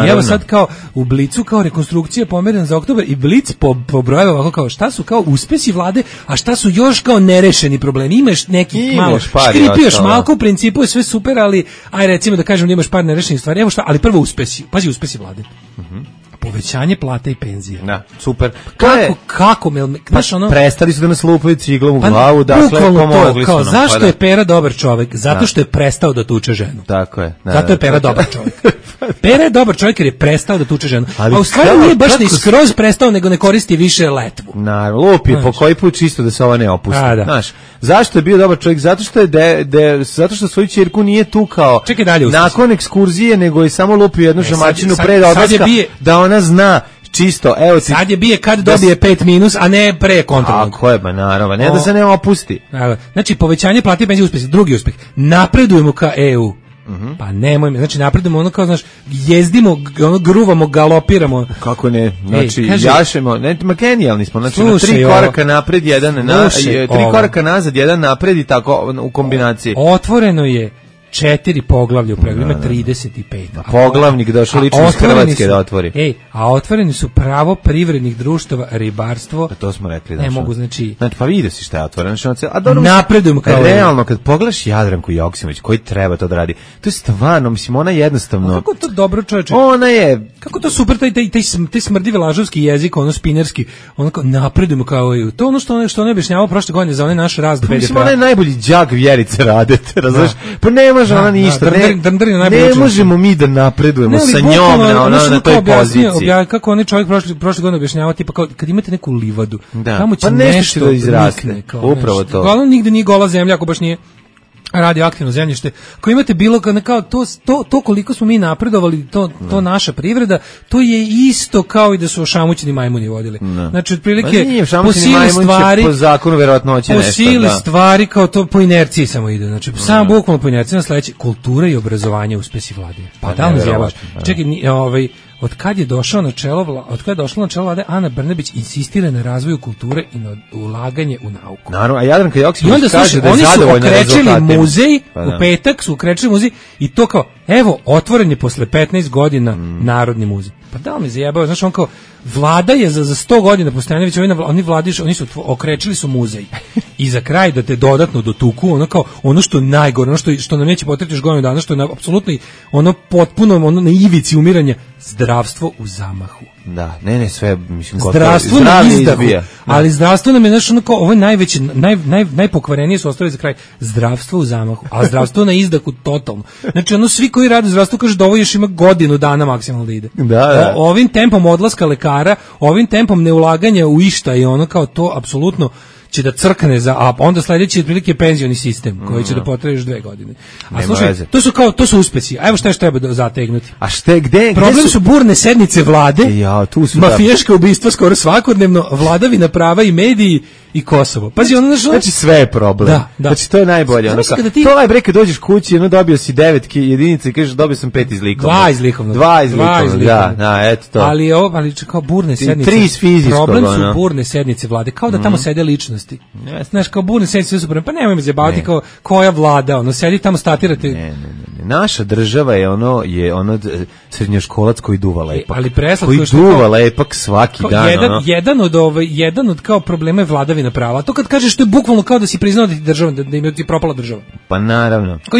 S5: I evo sad kao u Blicu kao rekonstrukcija pomerena za oktobar i Blic pobrojava ovako kao šta su kao uspesi vlade, a šta su još kao nerešeni problemi. Imaš neki malo škripioš malko, u principu je sve super, ali aj recimo da kažem da imaš par nerešenih stvari. Evo šta, ali prvo uspesi. Pazi uspesi vlade. Povećanje plate i penzije.
S6: Da, super.
S5: Kako
S6: prestali su da nas lupaju ciglom u glavu, dakle pomogli su nam.
S5: Zašto je Pera dobar čovjek? Zato što je prestao da tuče ženu.
S6: Tako je.
S5: Zato je Pera dobar čovjek. Pera je dobar čovjek jer je prestao da tuče ženu. A u stvari nije baš ni skroz prestao, nego ne koristi više letvu.
S6: Naravno, lupi po koji put čisto da se ova ne opusti. Znaš, zašto je bio dobar čovjek? Zato što je zato što svoju ćerku nije tukao nakon ekskurzije, nego je samo lupio jednu žamačinu pred odlaska da ona zna čisto, evo ti...
S5: Sad je bije kad dobije 5 minus, a ne pre kontrolnog.
S6: Tako je, naravno, ne da se ne opusti.
S5: Znači, povećanje plate i penzije uspjeh. Drugi uspjeh, napredujemo ka EU. Pa nemoj me, znači napredujemo ono kao, znaš, jezdimo, ono gruvamo, galopiramo.
S6: Kako ne, znači jašemo, genijalni smo, znači na 3 koraka napred, 3 koraka nazad, 1 napred i tako u kombinaciji.
S5: Otvoreno je 4 poglavlja u pregovorima, 35.
S6: Poglavnik došao lično iz Hrvatske da otvori.
S5: A otvoreni su pravo privrednih društava, ribarstvo.
S6: To smo rekli.
S5: Ne mogu, znači
S6: pa vidi se šta je otvoreno.
S5: Napredujemo kao
S6: realno, kad pogledaš Jadranku Joksimović, koji treba to da radi, to je stvarno, mislim, ona jednostavno...
S5: Kako to dobro, čoveče?
S6: Ona je...
S5: Kako to super, taj smrdivi lažovski jezik, ono spinerski, ono kao napredujemo kao i to ono što on objašnjavao prošle godine za onaj naš rast BDP-a.
S6: Mislim, ona je najbolji đak Vjerice Radete, razumiješ? Pa ne može ona ništa, ne možemo mi da napredujemo sa njom na toj poziciji.
S5: Kako onaj čovjek prošle godine objašnjavao, tipa kao kad imate neku livadu, tamo će
S6: nešto da izraste, upravo to.
S5: Uglavnom nigde nije gola zemlja, ako baš nije radioaktivno zemljište, ako imate bilo kao to koliko smo mi napredovali, to naša privreda, to je isto kao i da su ošamućeni majmuni vodili. Znači, otprilike, po sili stvari,
S6: po zakonu verovatnoće nešto.
S5: Po sili stvari, kao to po inerciji samo ide. Znači, samo bukvalno po inerciji na sledeće, kultura i obrazovanje uspesi vlade. Pa da li zjebaš? Čekaj, od kad je došla na čelo vlade Ana Brnabić insistira na razvoju kulture i na ulaganje u nauku.
S6: Naravno, a Jadranka Joksimović kaže da je
S5: zadovoljna
S6: rezultatima.
S5: Oni su okrečili muzej, u petak su okrečili muzej i to kao, evo, otvoren je posle 15 godina Narodni muzej. Pa da li mi zajebao, znaš, on kao, vlada je za 100 godina postojanja, oni su okrečili su muzej. I za kraj da te dodatno dotuku, ono kao, ono što je najgore, ono što nam neće potrebiti još godinu dana, što je apsolutno ono potpuno ono na ivici umiranja, zdravstvo u zamahu.
S6: Da, ne, sve, mislim,
S5: zdravstvo na izdahu, ali zdravstvo nam je, znaš, ono kao, ovo je najveće, najpokvarenije su ostavili za kraj, zdravstvo u zamahu, a zdravstvo na izdahu totalno. Znači, ono, svi koji rade u zdravstvu kaže da ovo još ima godinu dana maksimalno da ide.
S6: Da.
S5: Ovim tempom odlaska lekara, ovim tempom neulaganja u išta i ono kao to, apsolutno, će da crkne a onda sledeći otprilike penzioni sistem koji će da potraje još 2 godine. A slušaj, to su uspesi. A evo šta još treba zategnuti.
S6: A gde
S5: problem su burne sednice vlade, mafijaška ubistva skoro svakodnevno, vladavina prava i mediji i Kosovo. Pazi,
S6: znači sve je problem.
S5: Da.
S6: Znači to je najbolje. To je bre kad dođeš kući, dobio si 9 jedinica i kažeš dobio sam 5 iz likovnog.
S5: 2 iz likovnog.
S6: Da, eto to.
S5: Ali kao burne sednice.
S6: 3 iz fizičkog.
S5: Problem su burne sednice vlade, kao da tamo sede ličnosti. Znaš, kao burne sednice su super. Pa nemoj me zjebavati kao koja vlada, sedi tamo statirate.
S6: Ne. Naša država je srednjoškolac koji duva lepak.
S5: Ali preslatko
S6: koji duva lepak svaki dan.
S5: Jedan od kao problema je vladavina prava. To kad kažeš to je bukvalno kao da si priznao da ti država, da im je propala država.
S6: Pa naravno.
S5: Kao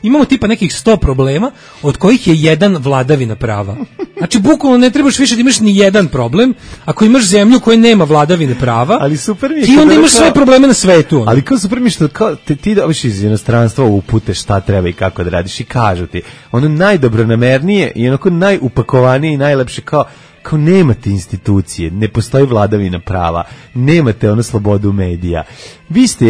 S5: imamo tipa nekih 100 problema, od kojih je jedan vladavina prava. Znači bukvalno ne trebaš više da imaš ni jedan problem. Ako imaš zemlju koja nema vladavine prava,
S6: ali super mi je,
S5: ti onda imaš sve probleme na svetu.
S6: Ali kao super mi je što ti dobiš iz inostranstva upute šta treba i kako da radiš i kažu ti. Ono najdobronamernije i onako najupakovanije i najlepše kao nemate institucije, ne postoji vladavina prava, nemate slobodu medija. Vi ste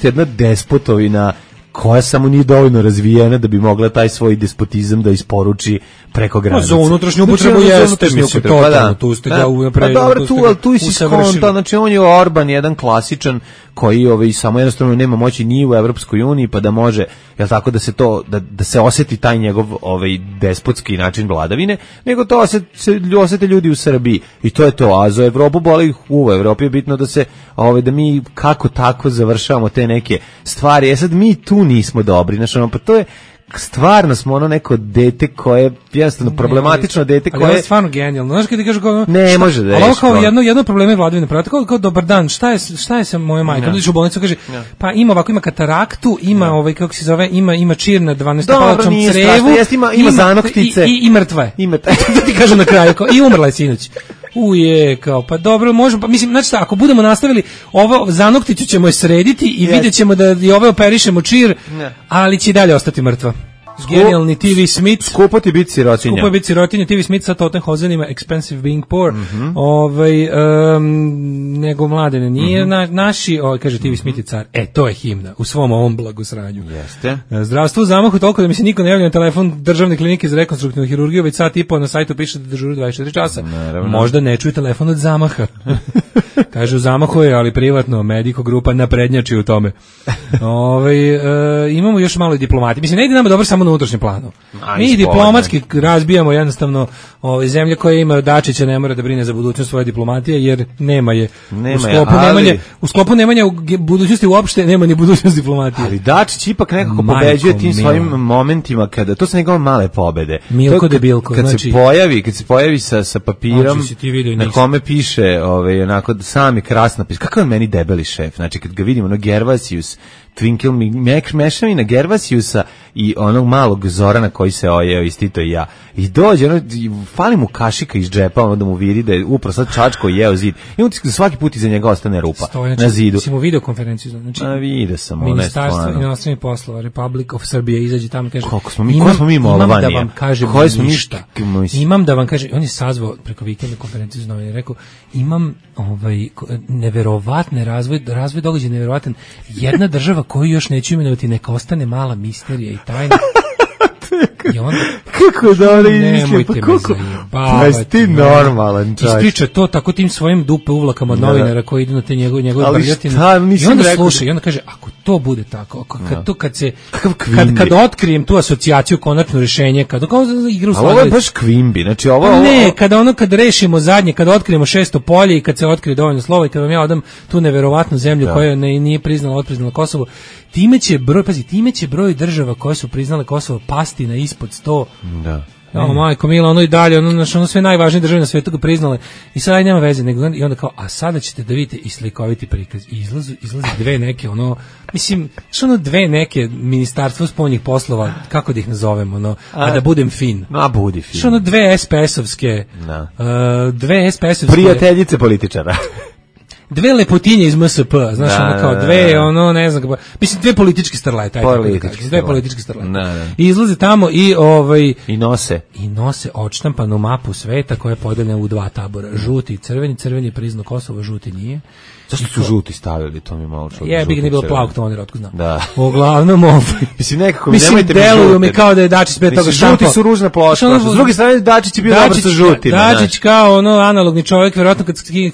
S6: jedna despotovina koja samo nije dovoljno razvijena da bi mogla taj svoj despotizam da isporuči preko granica.
S5: Za unutrašnju upotrebu jeste, mislim, totalno, tu ste ga
S6: unapređili. Pa dobro, tu si skonta, znači on je Orban, jedan klasičan koji samo jednostavno nema moći ni u Evropskoj uniji, pa da može, jel tako, da se oseti taj njegov despotski način vladavine, nego to osete ljudi u Srbiji. I to je to, a za Evropu boli u Evropi je bitno da mi kako tako završavamo te neke stvari. Sad mi tu nismo dobri, znači pa to je stvarno smo neko dete koje je jednostavno problematično dete koje...
S5: Ali je stvarno genijalno. Znaš kada ti kažu kao...
S6: Ne može da je.
S5: Ali kao jedno probleme vladavine prava. Kao dobar dan, šta je sa mojom majkom? Dođeš u bolnicu, kaže, pa ima kataraktu, ima kako se zove, ima čir na 12-palačnom crevu.
S6: Ima zanoktice.
S5: I mrtva je. To ti kažem na kraju. I umrla je sinoć. Kao, pa dobro, možemo, pa mislim, znači ako budemo nastavili, ovo zanokticu ćemo je srediti i vidjet ćemo da i ove operišemo čir, ali će i dalje ostati mrtva. Genijalni TV Smith.
S6: Skupo ti biti sirotinja.
S5: Skupo je biti sirotinja. TV Smith sa Tottenhozenima, Expensive Being Poor. Nego Mladene nije naši, kaže TV Smith je car. To je himna u svom ovom blagosranju.
S6: Jeste.
S5: Zdravstvo u zamahu toliko da mi se niko ne javlja na telefon državne klinike za rekonstruktivnu hirurgiju, već sat i po na sajtu piše da dežuru 24 časa.
S6: Naravno.
S5: Možda ne čuje telefon od zamaha. Kaže u zamahu je, ali privatno, Medico grupa naprednjači u tome. Imamo još malo i diplomati. Mislim, ne ide nama dobro samo na unutrašnjem planu. Mi
S6: spoljno.
S5: diplomatski razbijamo jednostavno ove zemlje koje imaju Dačića, ne mora da brine za budućnost svoje diplomatije, jer nema je. U sklopu nemanja u budućnosti uopšte nema ni budućnost diplomatije.
S6: Ali Dačić ipak nekako pobeđuje tim svojim momentima kada to su njegove male pobede.
S5: Milko debilko,
S6: kad
S5: znači
S6: kad se pojavi sa papirom na kome piše, onako sam je krasno napis. Kakav je meni debeli šef. Znači kad ga vidimo, Gervasius, Twinkle, mešavina Gervasiusa i onog malog Zorana koji se ojeo iz Tito i ja. I dođe, fali mu kašika iz džepa, da mu vidi da je upravo sad čačko jeo zid. I on svaki put iza njega ostane rupa na zidu.
S5: Mislim u videokonferenciju. Znači,
S6: vidio sam.
S5: Ministarstvo inostranih poslova, Republic of Serbia izađe tamo i kaže,
S6: imam
S5: da vam kažem ništa. Imam da vam kažem, on je sazvao preko vikenda konferenciju za novine, rekao, imam neverovatne razvoj događaja neverovatan. Jedna država koju još neću imenovati, neka ostane mala misterija i tajna. I onda,
S6: kako da ona izmišlja,
S5: pa
S6: ti normalan čovjek.
S5: Ispriča to tako tim svojim dupe uvlakama od novinara koji idu na te njegove brljotine. I onda sluša, i onda kaže, ako to bude tako, kad otkrijem tu asocijaciju, konačno rješenje, kad igra u
S6: Sladović. Ovo je baš Kvimbi, znači
S5: Ne, kad rešimo zadnje, kad otkrijemo 600 polje i kad se otkrije dovoljno slova i kad vam ja odam tu neverovatnu zemlju koja nije priznala Kosovo, time će broj država koje su priznale Kosovo pasti na ispod 100.
S6: Da.
S5: Majko mila, ono i dalje, ono sve najvažnije države na svijetu ga priznale. I sad nema veze, i onda kao, a sada ćete da vidite i slikoviti prikaz. I izlazi dve neke, dve neke ministarstvo spoljnih poslova, kako da ih nazovemo, a da budem fin.
S6: Budi fin.
S5: Dve SPS-ovske,
S6: prijateljice političara.
S5: Dve lepotinje iz MSP, znaš, kao dve, ne znam, mislim, dve političke starlete, dve političke starlete. I izlaze tamo i I nose odštampanu mapu sveta koja je podeljena u dva tabora, žuti i crveni, crveni je priznao Kosovo, žuti nije.
S6: Zašto su žuti stavili, to mi malo čudno.
S5: Bi ga nije bilo plavog toner, otko znam.
S6: Da.
S5: Uglavnom,
S6: mislim,
S5: deluju mi kao da je Dačić pre toga štampao.
S6: Žuti su ružna plošta. S druge strane, Dačić je bio dobar sa žutima.
S5: Dačić kao analogni čovjek, verovatno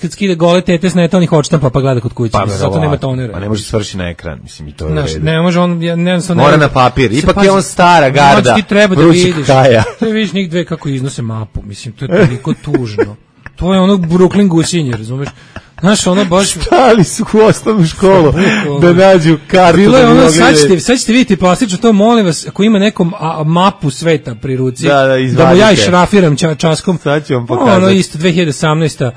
S5: kad skide gole tete sneta, onih odštampa pa gleda kod kuće. Zato nema tonera.
S6: Pa ne može svrši na ekran, mislim, i to je.
S5: Ne može,
S6: mora na papir. Ipak je on stara garda.
S5: Ti treba da vidiš. Ti vidiš njih dve kako iznose mapu. Mislim, to je toliko tužno. To je Brooklyn gusinje, razumeš? Znaš, baš...
S6: Stali su u osnovnu školu da nađu kartu.
S5: Bilo je sad ćete vidjeti plastično to, molim vas, ako ima nekom mapu sveta pri ruci, da mu ja išrafiram časkom.
S6: Sad ću vam pokazati.
S5: Isto, 2018.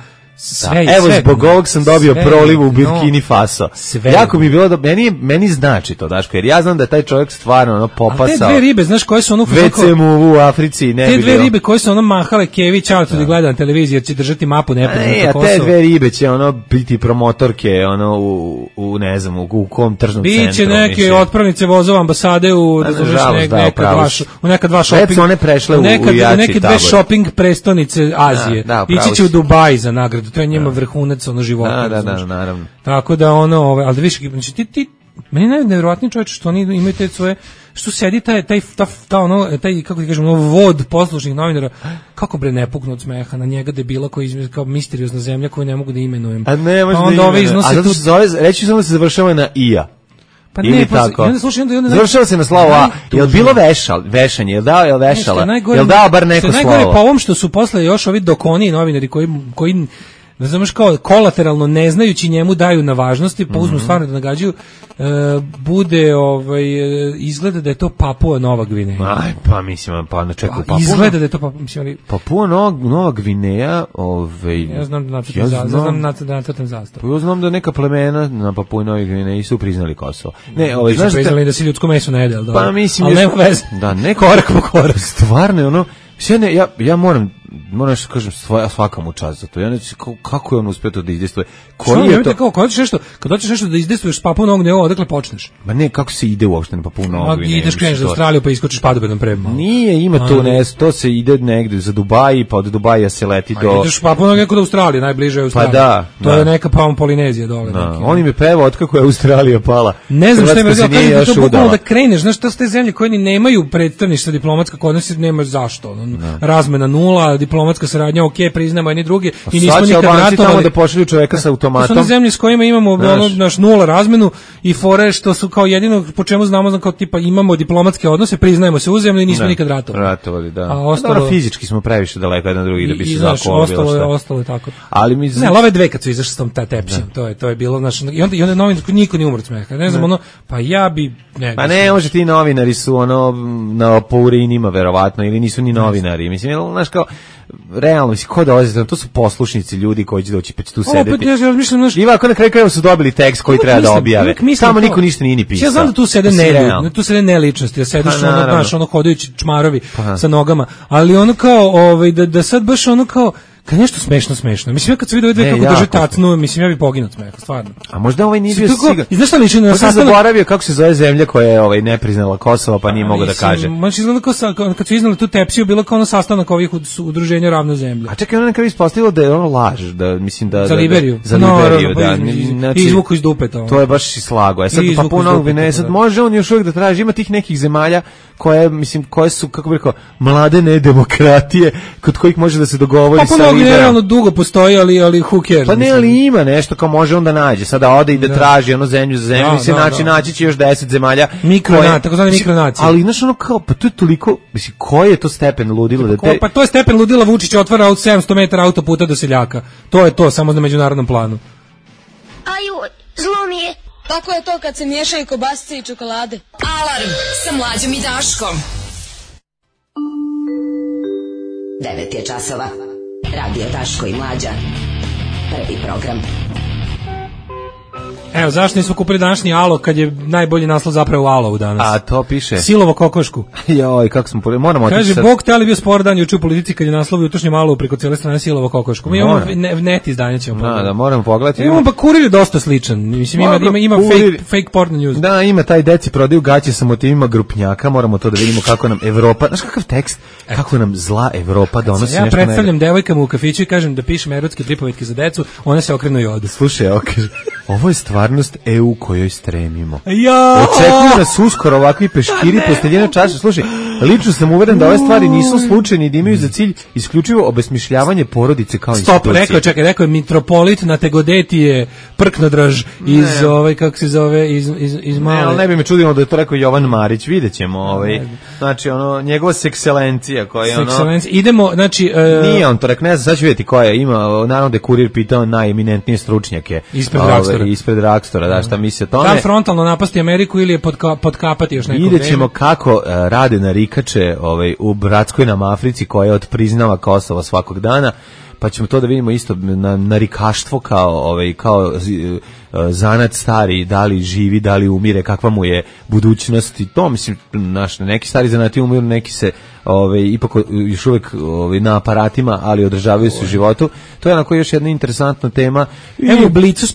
S6: Evo, zbog ovog sam dobio prolivu u Burkini Faso. Jako mi je bilo da meni znači to, Daško, jer ja znam da je taj čovjek stvarno popasao.
S5: A te dve ribe, znaš koje su
S6: WC mu u Africi, ne bi bilo.
S5: Te dve ribe koje su mahale kevi, čao tu da gleda na televiziji, jer će držati mapu nepoznato Kosovo.
S6: A te dve ribe će biti promotorke, u ne znam, u kom tržnom centru.
S5: Biće neke otpravnice vozova ambasade u neka dva shopping.
S6: One prešle u jači tabor.
S5: Neke dve shopping prestonice Azije. Ići će u Dubai za nagradu. To je njima vrhunac života.
S6: Da, naravno.
S5: Tako da ali da viš, znači meni je najvjerojatniji čovječ što oni imaju te svoje, što sedi taj kako ti kažem, vod poslušnih novinara, kako bre ne puknu od smeha na njega debila koji izgleda kao misteriozna zemlja koju ne mogu da imenujem.
S6: A ne može da imenujem. A zato što reći samo da se završava na IA.
S5: Pa ne, tako.
S6: Završava se na slovo A. Je li bilo vešanje? Je li vešala? Je li dao bar neko slovo?
S5: Najgore po ovom što su posle još ovi dokoni novinari koji ne znaš kao kolateralno ne znajući njemu daju na važnosti, pa uzmu stvarno da nagađaju, bude izgleda da je to Papua Nova Gvineja.
S6: Aj, pa mislim, pa ne čekaju Papua.
S5: Izgleda da je to
S6: Papua Nova Gvineja,
S5: ja znam da nacrtam zastavu.
S6: Pa ja znam da neka plemena na Papua Nova Gvineji su priznali Kosovo.
S5: Ne, znaš priznali da se ljudsko meso ne jede, al
S6: pa mislim,
S5: al nema veze.
S6: Da, korak po korak. Stvarno ja moram što kažem svaka mu čast za to. Ja ne znam kako je on uspio to da izdejstvuje.
S5: Kad hoćeš nešto da izdejstvuješ s Papua Novog Gvineja, odakle počneš?
S6: Ma ne, kako se ide uopšte na Papua Novog Gvineja?
S5: Ideš kreneš za Australiju pa iskočiš padobedom prema.
S6: Nije, ima to se ide negde za Dubai, pa od Dubaja se leti do...
S5: Ideš Papua Novog Gvineja kod Australije, najbliže je Australija.
S6: Pa da.
S5: To je neka Polinezija dole.
S6: On im je pevao otkako je Australija pala.
S5: Ne znam šta je rekao, kažem to bukvalno da kreneš, znaš, to su te zemlje koje ni nemaju predstavništva diplomatska kod nas, nema zašto. Razmena nula, diplomatska saradnja, priznamo jedni drugi i nismo
S6: nikad
S5: ratovali.
S6: Tamo da pošalju čoveka sa automatom.
S5: To su one zemlje s kojima imamo naš nula razmenu i fore što su kao jedino po čemu znamo kao tipa imamo diplomatske odnose, priznajemo se uzajamno i nismo nikad ratovali.
S6: Da. A ostalo fizički smo previše daleko jedan drugi da bi se
S5: ostalo je tako.
S6: Ali mi
S5: ove dve kad su izašli s tom tepsijom, to je bilo naš i onda novinar niko nije umro od smeha. Ne znam pa ja bi
S6: pa ne može ti novinari su na po urinima verovatno ili nisu ni novinari. Mislim znaš kao realno, ko dolazi, to su poslušnici ljudi koji će doći pa će tu sedeti. I ovako na kraju krajeva su dobili tekst koji treba da objave. Tamo niko ništa nije ni pisao.
S5: Ja znam da tu sede neličnosti, da sediš ono hodajući čmarovi sa nogama, ali ono kao da sad baš ono kao kad nešto smešno. Mislim, ja kad se vidio dve kako drže tatnu, mislim, ja bi poginuo od smeha, stvarno.
S6: A možda ovaj nije bio sigan.
S5: I znaš šta liči na
S6: sastanak? Zaboravio kako se zove zemlja koja je ne priznala Kosovo, pa nije mogao da kaže.
S5: Znači, izgleda kao kad su iznali tu tepsiju, bilo kao ono sastanak ovih udruženja Ravna zemlja.
S6: A čekaj, ono nekada ispostavilo da je ono laž, da mislim da...
S5: Za Liberiju.
S6: Za Liberiju, da.
S5: I izvuku iz dupeta.
S6: To je baš i slago. Sad pa puno, sad može on još uvijek da traži, ima tih nekih zemalja koje su, kako bih rekao, mlade nedemokratije, kod kojih može da se dogovori sa Liberijom.
S5: Dugo postoji, ali who cares?
S6: Pa ne, ali ima nešto kao može onda nađe. Sada ode i da traži ono zemlju za zemlju, mislim, naći će još 10 zemalja.
S5: Takozvane mikronacije.
S6: Ali znaš ono kao, pa to je toliko, mislim, koji je to stepen ludila da te...
S5: Pa to je stepen ludila, Vučić otvara od 700 metara autoputa do seljaka. To je to, samo na međunarodnom planu.
S2: Aju, zlo mi je.
S11: Tako je to kad se miješaju kobasice i čokolade.
S3: Alarm sa Mlađom i Daškom. 9 je časova. Radio Daško i Mlađa. Prvi program.
S5: Evo, zašto nismo kupili današnji Alo kad je najbolji naslov zapravo Alo danas?
S6: A to piše.
S5: Silovo kokošku.
S6: Joj, kako smo moramo otići.
S5: Kaže, Bog te ali bio spor dan juče u Politici kad je naslov jutrošnjem Alo preko cijele strane Silovo kokošku. Mi imamo net izdanje ćemo pogledati.
S6: Da, moramo pogledati.
S5: Imamo pa Kurir je dosta sličan. Mislim, ima fake porn news.
S6: Da, ima taj deci prodaju gaće sa motivima grupnjaka. Moramo to da vidimo kako nam Evropa, znaš kakav tekst, kako nam zla Evropa donosi nešto.
S5: Ja predstavljam devojkama u kafiću i kažem da pišem erotske pripovetke za decu, one se okrenu i odu.
S6: Slušaj, ovo je stvarnost EU kojoj stremimo.
S5: Ja!
S6: Očekuju nas uskoro ovakvi peškiri posteljene čaše. Slušaj, lično sam uveren da ove stvari nisu slučajne i da imaju za cilj isključivo obesmišljavanje porodice kao institucije.
S5: Stop, rekao je mitropolit na Tegodetije Prknodraž iz kako se zove, iz Male.
S6: Ne, ali ne bi me čudilo da je to rekao Jovan Marić, vidjet ćemo. Znači, njegova sekselencija koja je
S5: idemo, znači...
S6: Nije on to rekao, ne znam, sad ću vidjeti koja ima, naravno da je Kurir pitao najeminentnije stručnjake. Ispred Rakstora, da, šta misle o tome.
S5: Da li frontalno napasti Ameriku ili je podkapati još neko vreme?
S6: Vidjet ćemo kako rade narikače u bratskoj nam Africi koja odpriznava Kosovo svakog dana, pa ćemo to da vidimo isto na narikaštvo kao zanat stari, da li živi, da li umire, kakva mu je budućnost i to, mislim, neki stari zanati umiru, neki se ipak još uvijek na aparatima, ali održavaju se u životu. To je onako još jedna interesantna tema.
S5: Evo u Blicu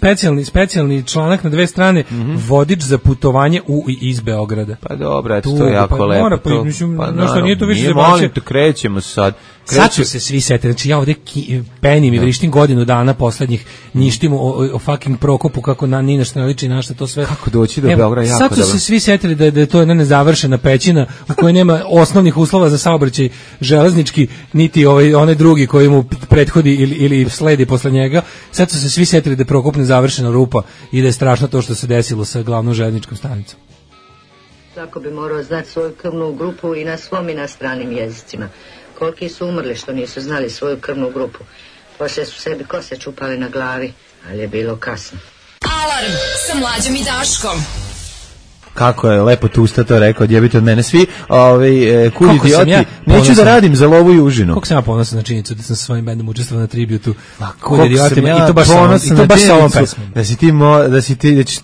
S5: specijalni članak na dve strane, vodič za putovanje u i iz Beograda.
S6: Pa dobro, to je jako lepo.
S5: Nije to više
S6: nije, molim te, krećemo sad.
S5: Sad su se svi setili, znači ja ovdje penim i vrištim godinu dana poslednjih, njištim o fucking Prokopu, kako ni nešto ne liči, našta to sve.
S6: Kako doći do Beograda, jako
S5: dobro. Sad su se svi setili da je to jedna nezavršena pećina u kojoj nema osnovnih uslova za saobraćaj železnički, niti onaj drugi koji mu prethodi ili sledi posle njega. Sad su se svi setili da je Prokop nezavršena rupa i da je strašno to što se desilo sa glavnom železničkom stanicom.
S12: Svako bi morao znati svoju krvnu grupu i na svom i na stranim jezicima. Koliki su umrli što nisu znali svoju krvnu grupu. Poslije su sebi kose čupali na glavi, ali je bilo kasno.
S3: Alarm sa Mlađom i Daškom.
S6: Kako je lepo Tusta to rekao, odjebite od mene svi, kud idioti, neću da radim za lovu i užinu.
S5: Koliko sam ja ponosan na činjenicu da sam sa svojim bendom učestvovao na tributu kud idiotima i to baš sa ovom pesmom.
S6: Da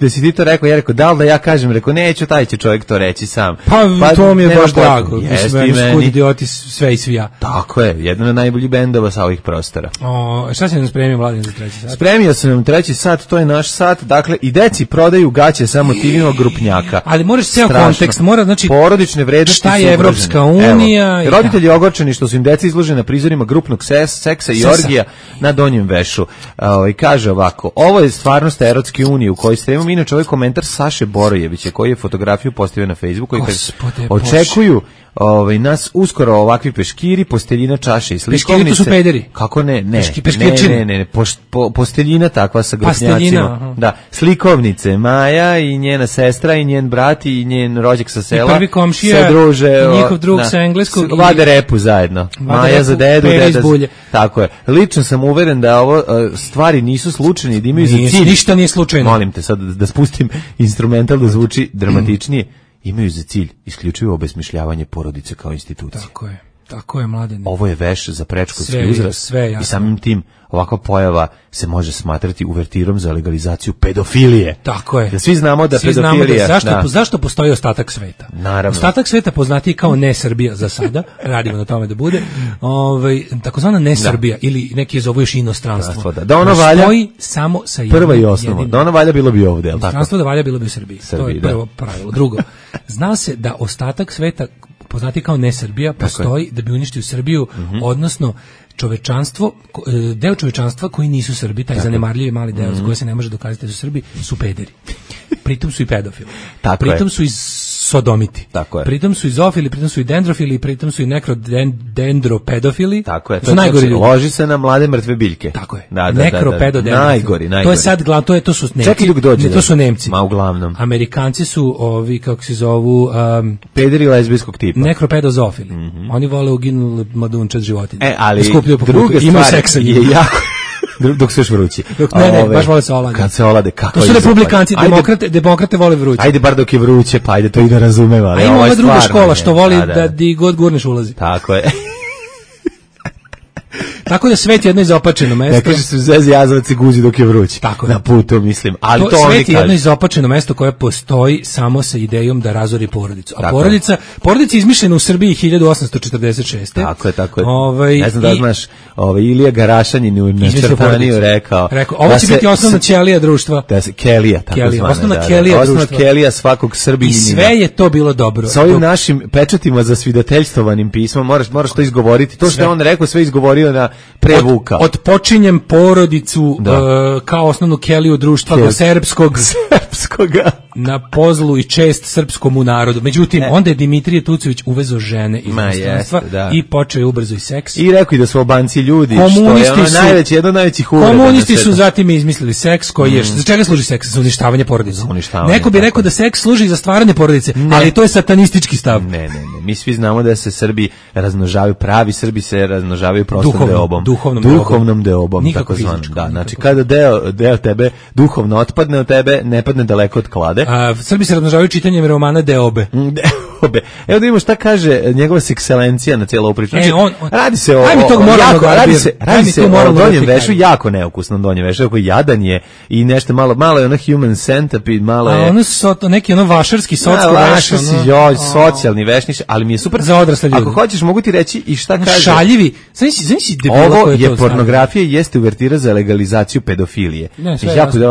S6: si ti to rekao, ja rekao, da li da ja kažem, rekao, neću, taj će čovjek to reći sam.
S5: Pa to mi je baš drago, mislim, kud idioti sve i svi ja.
S6: Tako je, jedan od najboljih bendova sa ovih prostora.
S5: Šta si nam spremio, Mladen, za treći sat?
S6: Spremio sam nam treći sat, to je naš sat, dakle, i deci prodaju gaće sa motivima grupnjaka.
S5: Ali moraš ceo kontekst, mora znači
S6: porodične vrednosti
S5: šta je Evropska unija.
S6: Roditelji ogorčeni što su im deca izložena na prizorima grupnog seksa i orgija na Donjem Vešu. Kaže ovako, ovo je stvarnost Erotske unije u kojoj stremimo. Inače, ovaj komentar Saše Borojevića koji je fotografiju postavio na Facebooku i kaže, očekuju nas uskoro ovakvi peškiri, posteljina, čaše i slikovnice.
S5: Peškiri to su pederi.
S6: Kako ne? Ne.
S5: Ne.
S6: Posteljina takva sa grupnjacima. Da, slikovnice, Maja i njena sestra i njen brat i njen rođak sa sela.
S5: I prvi komšija,
S6: se druže,
S5: njihov drug sa engleskog.
S6: Vade repu zajedno. Maja za dedu, deda. Tako je. Lično sam uveren da ovo stvari nisu slučajne i da imaju za cilj.
S5: Ništa nije slučajno.
S6: Molim te sad da spustim instrumental da zvuči dramatičnije. Imaju za cilj isključivo obesmišljavanje porodice kao institucije.
S5: Tako je, Mladene.
S6: Ovo je veš za predškolski uzrast i samim tim ovakva pojava se može smatrati uvertirom za legalizaciju pedofilije.
S5: Tako je.
S6: Da svi znamo da pedofilija...
S5: Zašto postoji ostatak sveta?
S6: Naravno.
S5: Ostatak sveta poznatiji kao ne Srbija za sada, radimo na tome da bude, takozvana ne Srbija ili neki je zovu još inostranstvo.
S6: Da ono valja...
S5: Postoji samo sa jednim.
S6: Prva i osnova. Da ono valja bilo bi ovde, je li tako?
S5: Inostranstvo da valja bilo bi u Srbiji. To je prvo pravilo. Drugo, zna se da ostatak sveta poznati kao ne Srbija, postoji da bi uništio Srbiju, odnosno čovečanstvo, deo čovečanstva koji nisu Srbi, taj zanemarljivi mali deo za koji se ne može dokazati da su Srbi, su pederi. Pritom su i pedofili. Pritom su i sodomiti. Pritom su i zoofili, pritom su i dendrofili, pritom su i nekrodendropedofili.
S6: Tako je.
S5: To su najgori ljudi.
S6: Loži se na mlade mrtve biljke.
S5: Tako je.
S6: Nekropedodendrofili. Najgori.
S5: To je sad glavno, to su Nemci.
S6: Čekaj dok dođe.
S5: To su Nemci.
S6: Ma uglavnom.
S5: Amerikanci su ovi, kako se zovu...
S6: pederi lezbijskog tipa.
S5: Nekropedozofili. Oni vole uginule mladunčad životinje.
S6: Ali druga stvar je jako... Dok se još vrući.
S5: Ne, baš vole se olade.
S6: Kad se olade, kako
S5: to su republikanci, demokrate vole vruće.
S6: Ajde bar dok je vruće, pa ajde to i da razumeva.
S5: A ima ova druga škola što voli da di god gurneš ulazi.
S6: Tako je.
S5: Tako da svet je jedno izopačeno mesto.
S6: Ne kaže se zezi jazavac i guzi dok je vruć.
S5: Tako
S6: na putu, mislim. Ali to
S5: svet je jedno izopačeno mesto koje postoji samo sa idejom da razori porodicu. A porodica je izmišljena u Srbiji 1846.
S6: Tako je. Ne znam da znaš, Ilija Garašanin u Neščertaniju rekao.
S5: Ovo će biti osnovna ćelija društva.
S6: Kelija, tako zvana.
S5: Osnovna kelija društva.
S6: Osnovna kelija svakog Srbinjina.
S5: I sve je to bilo dobro.
S6: Sa ovim našim pečatima za svidateljstovanim pismom, moraš to izgovoriti. To što je on rekao, sve izgovorio na prevuka.
S5: Odpočinjem porodicu kao osnovnu keliju društva do srpskoga na pozlu i čest srpskomu narodu. Međutim, onda je Dimitrije Tucović uvezo žene iz inostranstva i počeo je ubrzo i seks.
S6: I rekao i da su Albanci ljudi, što je ono jedno od najvećih uvreda.
S5: Komunisti su zatim izmislili seks koji je, za čega služi seks? Za uništavanje porodice. Neko bi rekao da seks služi za stvaranje porodice, ali to je satanistički stav.
S6: Ne. Mi svi znamo da se Srbi razmnožavaju, pravi Srbi se razmnožavaju prostom deobom. Duhovnom deobom, tako zvano. Da, znači kada deo tebe duhovno otpadne od tebe, ne padne daleko od klade.
S5: Srbi se razmnožavaju čitanjem romana Deobe.
S6: Evo da vidimo šta kaže njegova sekselencija na cijelu ovu priču. Radi se o Donjem Vešu, jako neukusnom Donjem Vešu, koji jadan je i nešto malo je ono human centipede, malo je...
S5: Ono su neki vašarski
S6: socijalni vešniš, ali mi je super.
S5: Za odrasle ljude.
S6: Ako hoćeš, mogu ti reći i šta kaže.
S5: Šaljivi.
S6: Ovo je pornografija i jeste uvertira za legalizaciju pedofilije.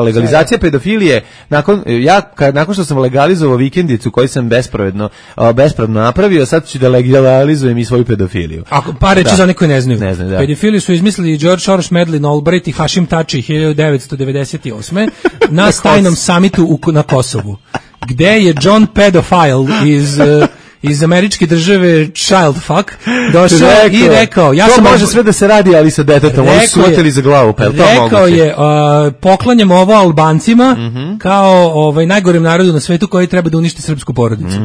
S6: Legalizacija pedofilije, nakon što sam legalizovao vikendicu koju sam bespravno napravio, sad ću da legalizujem i svoju pedofiliju.
S5: Pa reći za neko ne znaju. Pedofiliju su izmislili George Soros, Madeleine Albright i Hashim Tači 1998. na tajnom samitu na Kosovu, gde je John Pedophile iz američke države Child Fuck došao i rekao,
S6: to može sve da se radi, ali sa detetom, oni su oteli za glavu, pa je to moguće.
S5: Rekao je, poklanjam ovo Albancima kao najgorem narodu na svetu koji treba da uništi srpsku porodicu.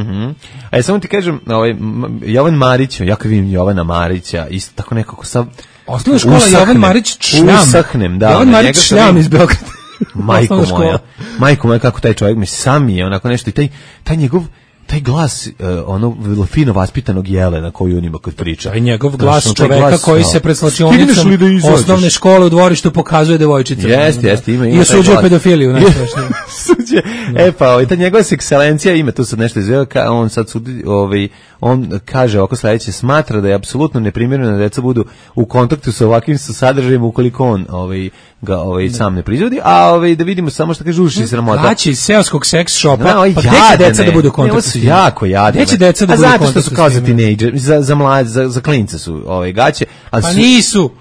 S6: Samo ti kažem, Jovan Marić, ja kad vidim Jovana Marića, isto tako nekako sam
S5: osnovna škola Jovan Marić Šljam. Jovan Marić Šljam iz Beograda.
S6: Majko moja, kako taj čovjek mi sam je onako nešto i taj njegov taj glas, fino vaspitanog jelena koju on ima kad priča.
S5: Taj njegov glas čoveka koji se pred slačionicom osnovne škole u dvorištu pokazuje devojčica.
S6: Jeste, ima.
S5: I osuđuje pedofiliju.
S6: Suđe. Pa, ta njegova sekselencija ima, tu sad nešto izveo, on sad sudi, on kaže oko sledeće, smatra da je apsolutno neprimjereno da deca budu u kontaktu sa ovakvim sadržajima ukoliko on ga sam ne proizvodi, a da vidimo samo što kaže uši sramota.
S5: Gaće iz seoskog seks shopa,
S6: pa
S5: gde će deca da budu u kontaktu sa njim?
S6: Jako jadne.
S5: Gde će deca da budu u kontaktu sa njim? A zato što su
S6: kao za tinejdžer, za mlade, za klince su gaće.
S5: Pa nisu.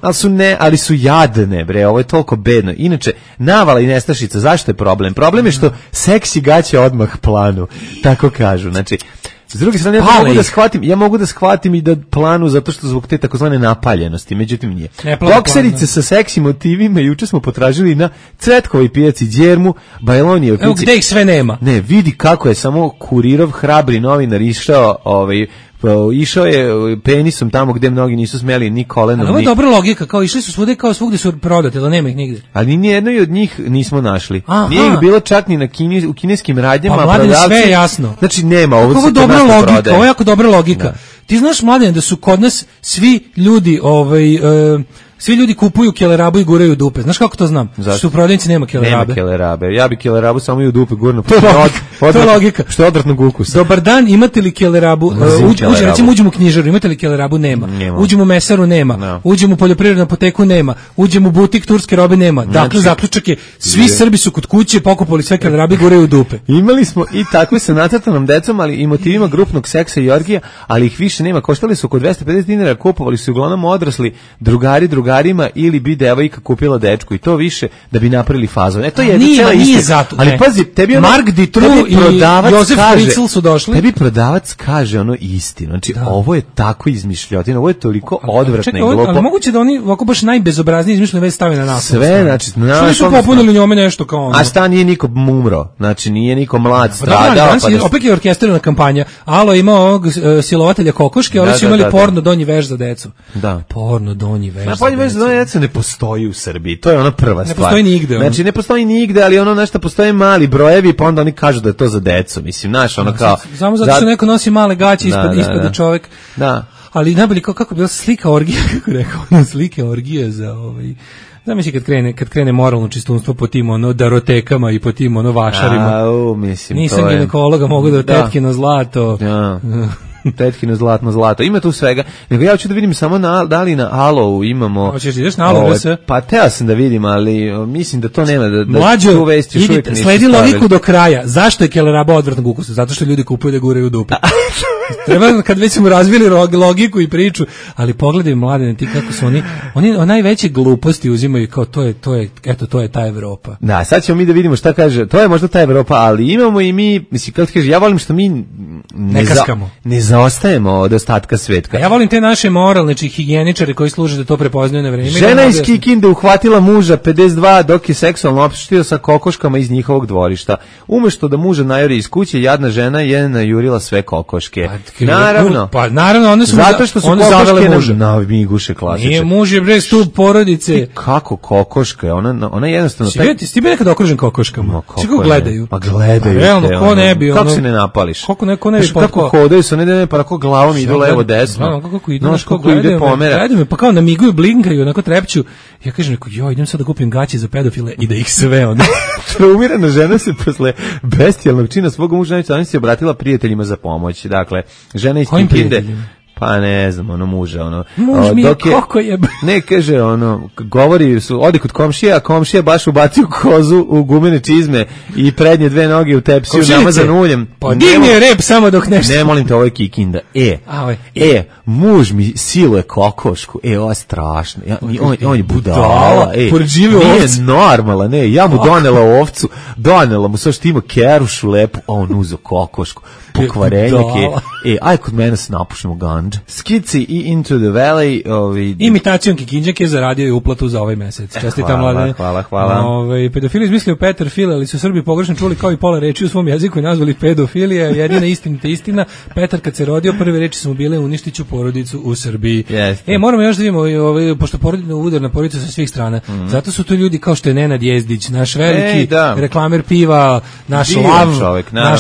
S6: Ali su jadne, bre, ovo je toliko bedno. Inače, navala i nestašica, zašto je problem? Problem je što seksi gaće odmah planu, tako kažu. Znači, s druge strane, ja mogu da shvatim i da planu zato što zbog te takozvane napaljenosti, međutim nije. Bokserice sa seksi motivima juče smo potražili na Cvetkovoj pijaci Đermu, Bajlonijevoj pijaci.
S5: Evo gde ih sve nema.
S6: Ne, vidi kako je samo Kurirov hrabri novinar išao je penisom tamo gde mnogi nisu smeli ni kolenom.
S5: Ali ovo je dobra logika, kao išli su svude, kao svugde su prodate, ali nema ih nigde.
S6: Ali ni jednoj od njih nismo našli. Nije ih bilo čak ni u kineskim radnjama.
S5: Pa Mladine, sve je jasno.
S6: Znači nema, ovo
S5: je dobra logika, ovo je jako dobra logika. Da. Ti znaš, Mladine, da su kod nas svi ljudi svi ljudi kupuju kelerabu i guraju u dupe. Znaš kako to znam? Zašto? Što u prodavnici nema kelerabe.
S6: Nema kelerabe. Ja bi kelerabu samo i u dupe gurno.
S5: To je logika.
S6: Što je odvratnog ukusa.
S5: Dobar dan, imate li kelerabu? Recimo uđemo u knjižaru, imate li kelerabu? Nema. Uđemo u mesaru? Nema. No. Uđemo u poljoprivrednu apoteku? Nema. Uđemo u butik turske robe? Nema. Dakle, zaključak je, svi Srbi su kod kuće pokupali sve kelerabe i guraju u dupe.
S6: Imali smo i takve sa nacrtanom decom, ali i motivima grupnog seksa i orgija, ali ih više nema. Koštali su oko 250 dinara, kupovali su uglavnom odrasli drugarima ili bi devojka kupila dečku i to više da bi napravili fazon. To je
S5: nije zato.
S6: Ali pazi, tebi
S5: Mark Ditru i Josef Fritzl su došli.
S6: Tebi prodavac kaže istinu. Znači, ovo je tako izmišljotina, ovo je toliko odvratno i glupo.
S5: Ali moguće da oni ovako baš najbezobraznije izmišljene već stave na nas.
S6: Sve, znači,
S5: što su popunili njome nešto kao ono.
S6: A šta nije niko umro, znači nije niko mlad stradao.
S5: Opet je orkestrirana kampanja. Alo ima ovog silovatelja kokoške, ali su imali porno donji veš za decu.
S6: Da.
S5: Porno donji veš
S6: za decu ne postoji u Srbiji. To je ona prva stvar.
S5: Ne postoji nigde.
S6: Znači ne postoji nigde, ali ono nešto postoje mali brojevi, pa onda oni kažu da je to za decu. Mislim, znaš, ono kao
S5: samo zato što neko nosi male gaće ispod čovjek.
S6: Da.
S5: Ali najbolje kako bila slika orgije, kako rekao, slike orgije za Zamisli kad krene moralno čistunstvo po tim darotekama i po tim vašarima.
S6: Mislim,
S5: nisam ginekologa, mogu da tetkino zlato.
S6: Da. Tetkino zlato. Ima tu svega. Nego ja hoću da vidim samo da li na Alovu imamo.
S5: Hoćeš ideš na Alovu sve?
S6: Pa teo sam da vidim, ali mislim da to nema da
S5: Mlađo, tu vesti još uvijek nisu sledi logiku do kraja. Zašto je keleraba odvratnog ukusa? Zato što ljudi kupuju da guraju u dupe. Treba kad već smo razvili logiku i priču, ali pogledaj Mladene ti kako su oni najveće gluposti uzimaju kao to je ta Evropa.
S6: Da, sad ćemo mi da vidimo šta kaže. To je možda ta Evropa, ali imamo i mi, mislim kako kaže, ja volim što mi ne zaostajemo od ostatka svetka.
S5: Ja volim te naše moralne higijeničare koji služe da to prepoznaju na vreme.
S6: Žena iz Kikinde uhvatila muža 52 dok je seksualno opštio sa kokoškama iz njihovog dvorišta. Umesto da muža najuri iz kuće, jadna žena je najurila sve kokoške.
S5: Naravno, one su
S6: zato što su kokoške na miguše klasične.
S5: Nije muž je bre stup porodice.
S6: Kako kokoška? Ona jednostavno
S5: ti bi nekad okružen kokoškama. Kako gledaju?
S6: Pa gledaju.
S5: Realno ko ne bi
S6: kako se ne napališ?
S5: Kako neko ne bi
S6: kako hodaju su ne pa tako glavom idu levo desno.
S5: Kako idu, kako ide pomera. Gledaju me pa kao namiguju, blinkaju, onako trepću. Ja kažem idem sad da kupim gaće za pedofile i da ih sve onda.
S6: Traumirana žena se posle bestijalnog čina svog muža se obratila prijateljima za pomoć. Dakle, žena iz Kikinde, pa ne znam, muža,
S5: muž mi je koliko je.
S6: Ne, kaže, govori, odi kod komšija, a komšija baš ubacio kozu u gumene čizme i prednje dve noge u tepsiju namazan uljem.
S5: Pa digni je rep samo dok nešto.
S6: Ne, molim te, ovo je Kikinda. Muž mi siluje kokošku, ovo je strašno. On je budala, nije normalan, ja mu donela ovcu, donela mu sve što ima kerušu lepu, a on uzo kokošku. Pokvarenjak je, aj kod mene se napušimo ganđa. Skici i Into the Valley.
S5: Imitacijom Kikinđak je zaradio i uplatu za ovaj mesec. Čestitam Mladene.
S6: Hvala.
S5: Pedofili izmislio Petar File, ali su Srbi pogrešno čuli kao i pola reči u svom jeziku i nazvali pedofilija. Jedina istina. Petar kad se rodio, prve reči su mu bile uništiću porodicu u Srbiji. Moramo još da vidimo, pošto udar na porodicu sa svih strana. Zato su to ljudi kao što je Nenad Jezdić, naš veliki reklamer piva, naš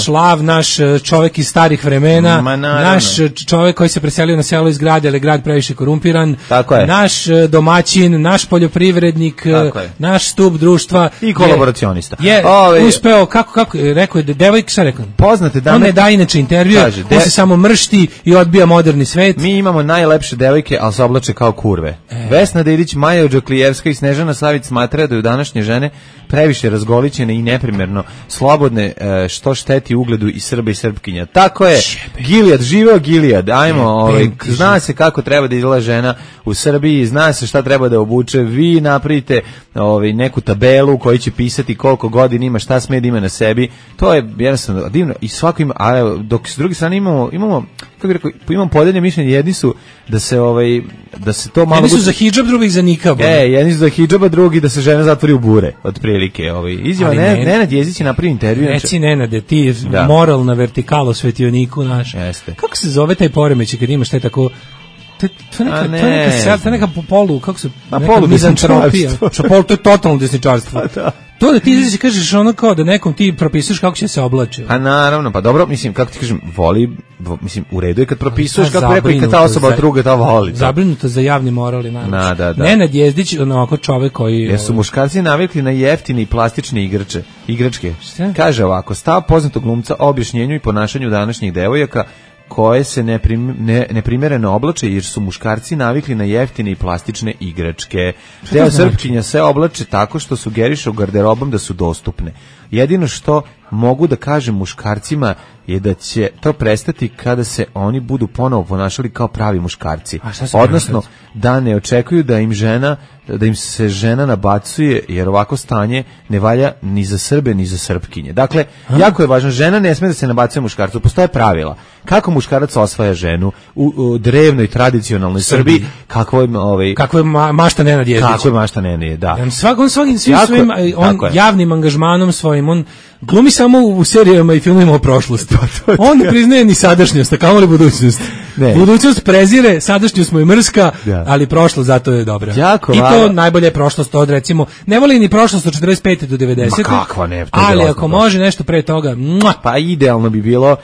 S5: lav, naš čovjek iz starih vremena, naš čovjek koji se preselio na selo iz grada, ali je grad previše korumpiran.
S6: Tako je.
S5: Naš domaćin, naš poljoprivrednik, naš stup društva
S6: i kolaboracionista.
S5: Je uspeo, kako rekao je, devojka, šta rekao?
S6: Poznate dame.
S5: On ne daje inače intervju, on se samo mršti i odbija moderni svet.
S6: Mi imamo najlepše devojke, ali se oblače kao kurve. Vesna Dedić, Maja Odžaklijevska i Snežana Savić smatraju da je današnje žene previše razgolićene i neprimerno slobodne, što šteti ugledu i Srba i Srpkinja. Tako je. Gilijad, živeo Gilijad. Ajmo, zna se kako treba da izgleda žena u Srbiji, zna se šta treba da obuče. Vi napravite neku tabelu koji će pisati koliko godina ima, šta sme da ima na sebi. To je jednostavno divno i svako ima, a dok s druge strane imamo kako bih rekao, imam podeljene mišljenje, jedni su da se to malo...
S5: Jedni su za hidžab, drugi za nikab.
S6: Jedni su za hidžaba, drugi da se žena zatvori u bure, otprilike. Izjava, Nenad Jezdić je napravio intervju.
S5: Reci Nenade, ti moralna vertikalo svetioniku naš.
S6: Jeste.
S5: Kako se zove taj poremećaj kad imaš taj tako... To je neka polu, kako se...
S6: Polu desničarstvo.
S5: To je totalno desničarstvo. To da ti izreći kažeš ono kao da nekom ti propisuješ kako će se oblače.
S6: Pa naravno, pa dobro, mislim, kako ti kažem, mislim, u redu je kad propisuješ kako rekao i kad ta osoba druga ta voli.
S5: Zabrinuta za javni moral i najviše.
S6: Da.
S5: Nenad Jezdić, onako čovek koji...
S6: Jesu muškarci navikli na jeftine i plastične igračke. Kaže ovako, stav poznatog glumca o objašnjenju i ponašanju današnjih devojaka koje se neprimjereno oblače jer su muškarci navikli na jeftine i plastične igračke. Deo Srpkinja se oblače tako što sugeriše u garderobom da su dostupne. Jedino što mogu da kažem muškarcima je da će to prestati kada se oni budu ponovo ponašali kao pravi muškarci. Odnosno da ne očekuju da im se žena nabacuje, jer ovako stanje ne valja ni za Srbe ni za Srpkinje. Dakle, jako je važno, žena ne sme da se nabacuje muškarcu. Postoje pravila. Kako muškarac osvaja ženu u drevnoj tradicionalnoj Srbiji, kako
S5: je mašta Nenad Jezdić.
S6: Kako je mašta Nenad, da.
S5: On svim svojim javnim angažmanom svojim, on glumi samo u serijama i filmima o prošlosti. On ne priznaje ni sadašnjost, a kamoli budućnost. Budućnost prezire, sadašnjost mu je mrska, ali prošlost zato je dobra. I to najbolje je prošlost od, recimo, ne voli ni prošlost od 45. do 90.
S6: Ma kakva ne,
S5: ali ako može nešto pre toga,
S6: pa idealno bi bilo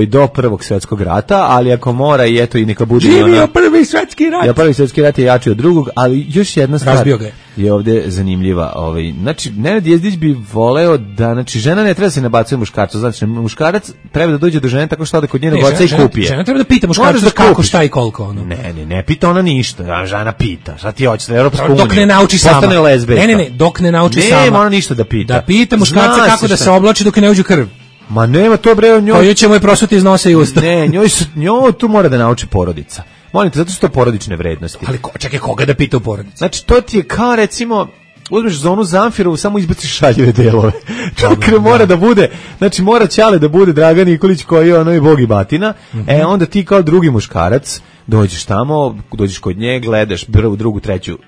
S6: do Prvog svjetskog rata, ali ako mora i eto i neka bude...
S5: Živio Prvi svjetski rat!
S6: Ja, Prvi svjetski rat je jači od drugog, ali još jedna stvar je ovdje zanimljiva. Znači, Nenad Jezdić bi voleo da, znači, žena ne treba se nabacuje muškarcu, znači, muškarac treba da dođe do žene tako što ode kod njenog oca i kupi je.
S5: Žena treba da pita muškarca kako, šta i koliko. Ono.
S6: Ne pita ona ništa, žena pita, šta ti hoćeš, Europska unija.
S5: Dok ne nauči sama.
S6: Postane lezbejka.
S5: Ne, dok ne nauči sama.
S6: Nema ona ništa da pita.
S5: Da pita muškarca kako da se oblači dok ne uđe krv.
S6: Ma nema to bre, njoj...
S5: Pa ćemo je prosuti iz nosa i usta.
S6: Ne, njoj tu mora da nauči porodica. Molim te, zato što to porodične vrednosti.
S5: Ali čekaj, koga da pita u porodici?
S6: Znači, to ti je kao, recimo, uzmeš zonu Zamfirovu, samo izbaciš šaljive delove. Čakre mora da bude, znači mora Ćale da bude Dragan Nikolić koji je ono i bog i batina, onda ti kao drugi muškarac dođeš tamo, dođeš kod nje, gledaš prvu, drugu, treću,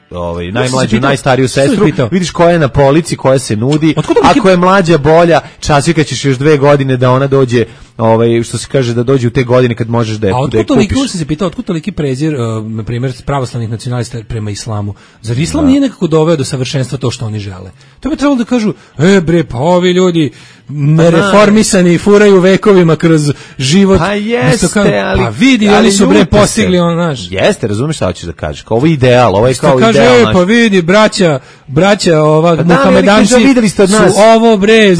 S6: najmlađu, najstariju sestru, vidiš koja je na polici, koja se nudi, ako je mlađa bolja, časika ćeš još 2 godine da ona dođe, što se kaže da dođe u te godine kad možeš da je kupiš. A
S5: otkud sam se pitao, otkud toliki prezir, na primjer, pravoslavnih nacionalista prema islamu? Zar islam nije nekako doveo do savršenstva to što oni žele? To bi trebalo da kažu, bre, pa ovi ljudi nereformisani furaju vekovima kroz život.
S6: Pa jeste, ali...
S5: Pa vidi, oni su bre postigli on naš.
S6: Jeste, razumiješ šta hoćeš da kažeš? Kao ovo je ideal, ovo je kao
S5: kaže,
S6: ideal naš.
S5: Pa vidi, braća muhamedanci su ovo bre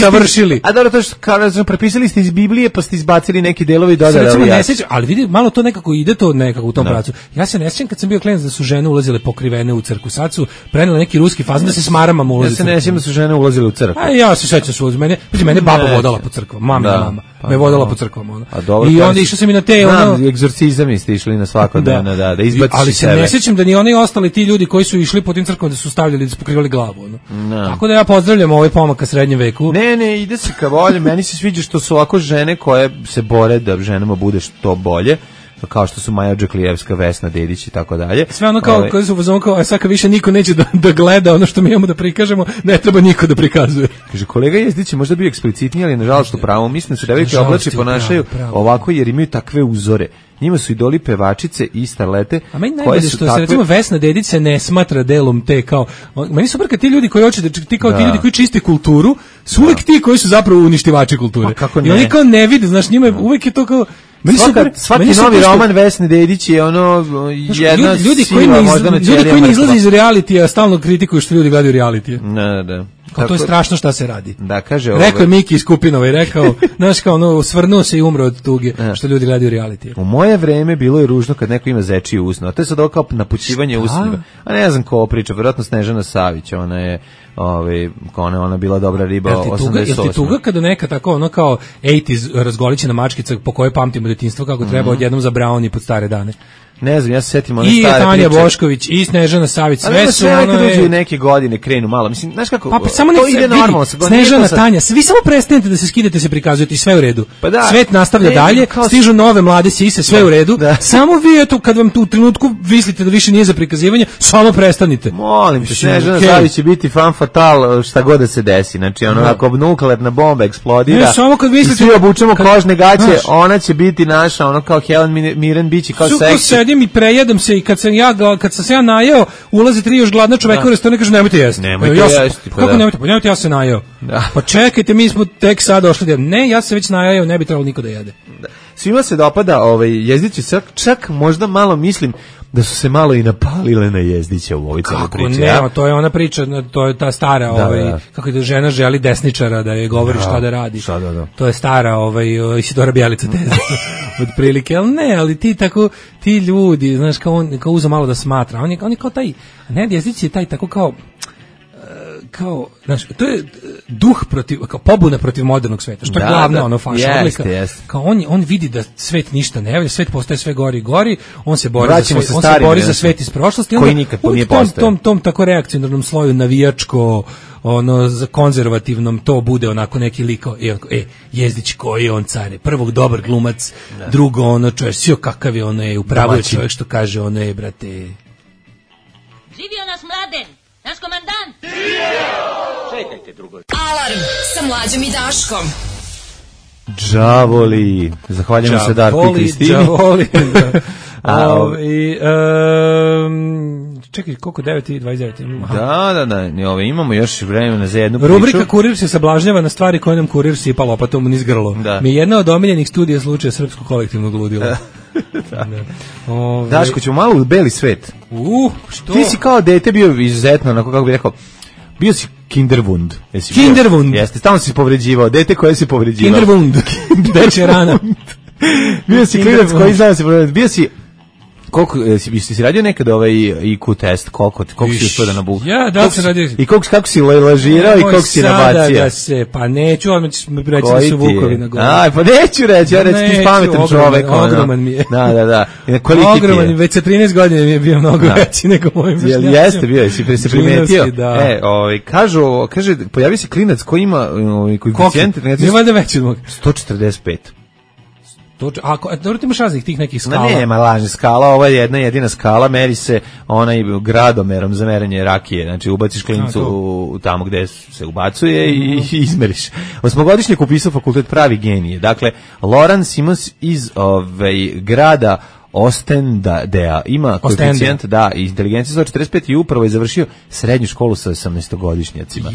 S5: savršili.
S6: A dobro, to što prepisali ste iz Biblije, pa ste izbacili neki delovi i dodali.
S5: Ali vidi, malo to nekako ide to nekako u tom pravcu. Ja se ne sjećam kad sam bio klinac da su žene ulazile pokrivene u crkvu. Sad su preneli neki ruski fazon da se s maramama ulazi.
S6: Ja se ne sjećam da su žene ulazile u crkvu.
S5: A ja se sjećam su mene baba vodala po crkvama, mama me vodala po crkvama. I onda išao sam i na te
S6: egzorcizami ste išli na svakodnevno da izbaciš
S5: ali se ne sjećam da ni oni ostali ti ljudi koji su išli po tim crkvama da su stavljali da su pokrivali glavu. Tako da ja pozdravljam ovaj pomak ka srednjem veku.
S6: Ne, ide se ka volje. Meni se sviđa što su ovako žene koje se bore da ženama bude što bolje, kao što su Maja Odžaklijevska, Vesna Dedić i tako dalje.
S5: Sve ono kao koje su uzmano kao, sad kad više niko neće da gleda ono što mi imamo da prikažemo, ne treba niko da prikazuje.
S6: Kaže, kolega Jezdić možda bio eksplicitniji, ali nažalost u pravu. Mislim da se devojke oblači ponašaju ovako jer imaju takve uzore. Njima su idoli pevačice i starlete.
S5: A meni najbolje što se recimo Vesna Dedić se ne smatra delom te kao... Meni super kad ti ljudi koji hoće ti kao ti ljudi koji čiste kulturu, su uvijek ti koji su zapravo uništivači kulture. I oni kao ne vide, znaš, njima uvijek je to kao...
S6: Svaki novi roman Vesne Dedić je ono jedna
S5: ljudi koji ne izlaze iz realitija stalno kritikuju što ljudi gledaju realitije.
S6: Da.
S5: To je strašno šta se radi.
S6: Da, kaže
S5: rekao je Miki iz Kupinova i rekao, znaš kao ono, svrnuo se i umro od tuge što ljudi gledaju realitije.
S6: U moje vreme bilo je ružno kad neko ima zečije usno, a to je sad kao napućivanje usnima. A ne znam ko priča, vjerojatno Snežana Savić, ona je ona bila dobra riba 88.
S5: Jel ti tuga kada neka tako ono kao 80s razgolićena mačkica po kojoj pamtimo detinjstvo kako treba odjednom za Brownie pod stare dane?
S6: Ne znam, ja se setim one stare priče.
S5: I Tanja Bošković, i Snežana Savić, sve su ono...
S6: Nekad uđe neke godine krenu malo, mislim, znaš kako,
S5: pa samo
S6: to ide normalno.
S5: Snežana, Tanja, vi samo prestanete da se skidate, se prikazujete i sve u redu.
S6: Pa da,
S5: svet nastavlja dalje, stižu nove mlade sise, sve u redu, samo vi, eto, kad vam tu u trenutku mislite da više nije za prikazivanje, samo prestanite.
S6: Molim te, Snežana Savić će biti fan fatal šta god da se desi, znači ono, ako nuklearna bomba eksplodira i svi obučemo kožne gaće, ona će biti naša, ono kao Helen Mirren, biće kao seksi.
S5: Sedim i prejedem se i kad sam se ja najeo, ulazi 3 još gladna čoveka u restoran i kaže nemojte jesti. Kako nemojte? Pa nemojte, ja se najeo. Pa čekajte, mi smo tek sad došli. Ne, ja se već najeo, ne bi trebalo niko da jede.
S6: Svima se dopada Jezdić, čak možda malo mislim da su se malo i napalile na Jezdića u ovoj celoj priči.
S5: Kako ne, to je ona priča, to je ta stara, kako da žena želi desničara da je govori šta da radi. To je stara, Isidora Bjelica teza. Otprilike, ali ti ljudi, znaš, kao uza malo da smatra. On je kao taj, ne, Jezdić je taj tako kao, znaš, to je duh protiv, kao pobuna protiv modernog sveta, što je glavna ono faša odlika. Kao on vidi da svet ništa ne valja, svet postaje sve gori i gori, on se bori za svet iz prošlosti,
S6: koji nikad nije postao.
S5: Tom tako reakcionarnom sloju navijačko, za konzervativnom to bude onako neki liko, Jezdić koji je on care, prvog dobar glumac, drugo čovjek, sio kakav je u pravu je čovjek što kaže brate.
S13: Živio nas Mladen, naš komandant.
S10: Čekajte drugo.
S3: Alarm sa Mlađom i Daškom.
S6: Đavoli. Zahvaljujemo se Darku i Kristini.
S5: Đavoli. Čekaj, koliko 9:29
S6: Da, imamo još vremena za jednu priču.
S5: Rubrika Kurir se sablažnjava na stvari koje nam kurir sipa lopatom niz grlo. Mi je jedna od omiljenih studija slučaja srpskog kolektivnog ludila.
S6: Daško, ćemo malo u beli svet.
S5: Što?
S6: Ti si kao dete bio izuzetno, onako kako bih rekao, bio si Kinderwund.
S5: Kinderwund.
S6: Jeste, stalno si povređivao, dete koje si povređivao.
S5: Kinderwund. Dečja rana.
S6: Bio si klinac koji zna se povređivao. Bio si... Koliko si radio nekad IQ test, koliko si uspio da nabuha?
S5: Ja, da sam radio.
S6: I kako si lažirao i koliko si nabacio?
S5: Pa neću, odmah ćeš mi reći da su vukovi na gore.
S6: Pa neću reći, ja reći ti pametan čovek.
S5: Ogroman mi je.
S6: Da.
S5: Ogroman, već sa 13 godina mi je bio mnogo veći nego mojim vršnjacima.
S6: Jeste bio, si se primetio. Kaže, pojavi se klinac koji ima koeficijent.
S5: Nije valjda veći od mog.
S6: 145.
S5: Dobro, ti imaš raznih tih nekih skala.
S6: Nema lažnih skala, ovo je jedna jedina skala, meri se onaj gradomerom za merenje rakije, znači ubaciš klincu tamo gde se ubacuje i izmeriš. 8-godišnjak upisao fakultet pravi genije. Dakle, Loran Simons iz grada Ostendea ima koeficijent, inteligencija 145 i upravo je završio srednju školu sa 18-godišnjacima.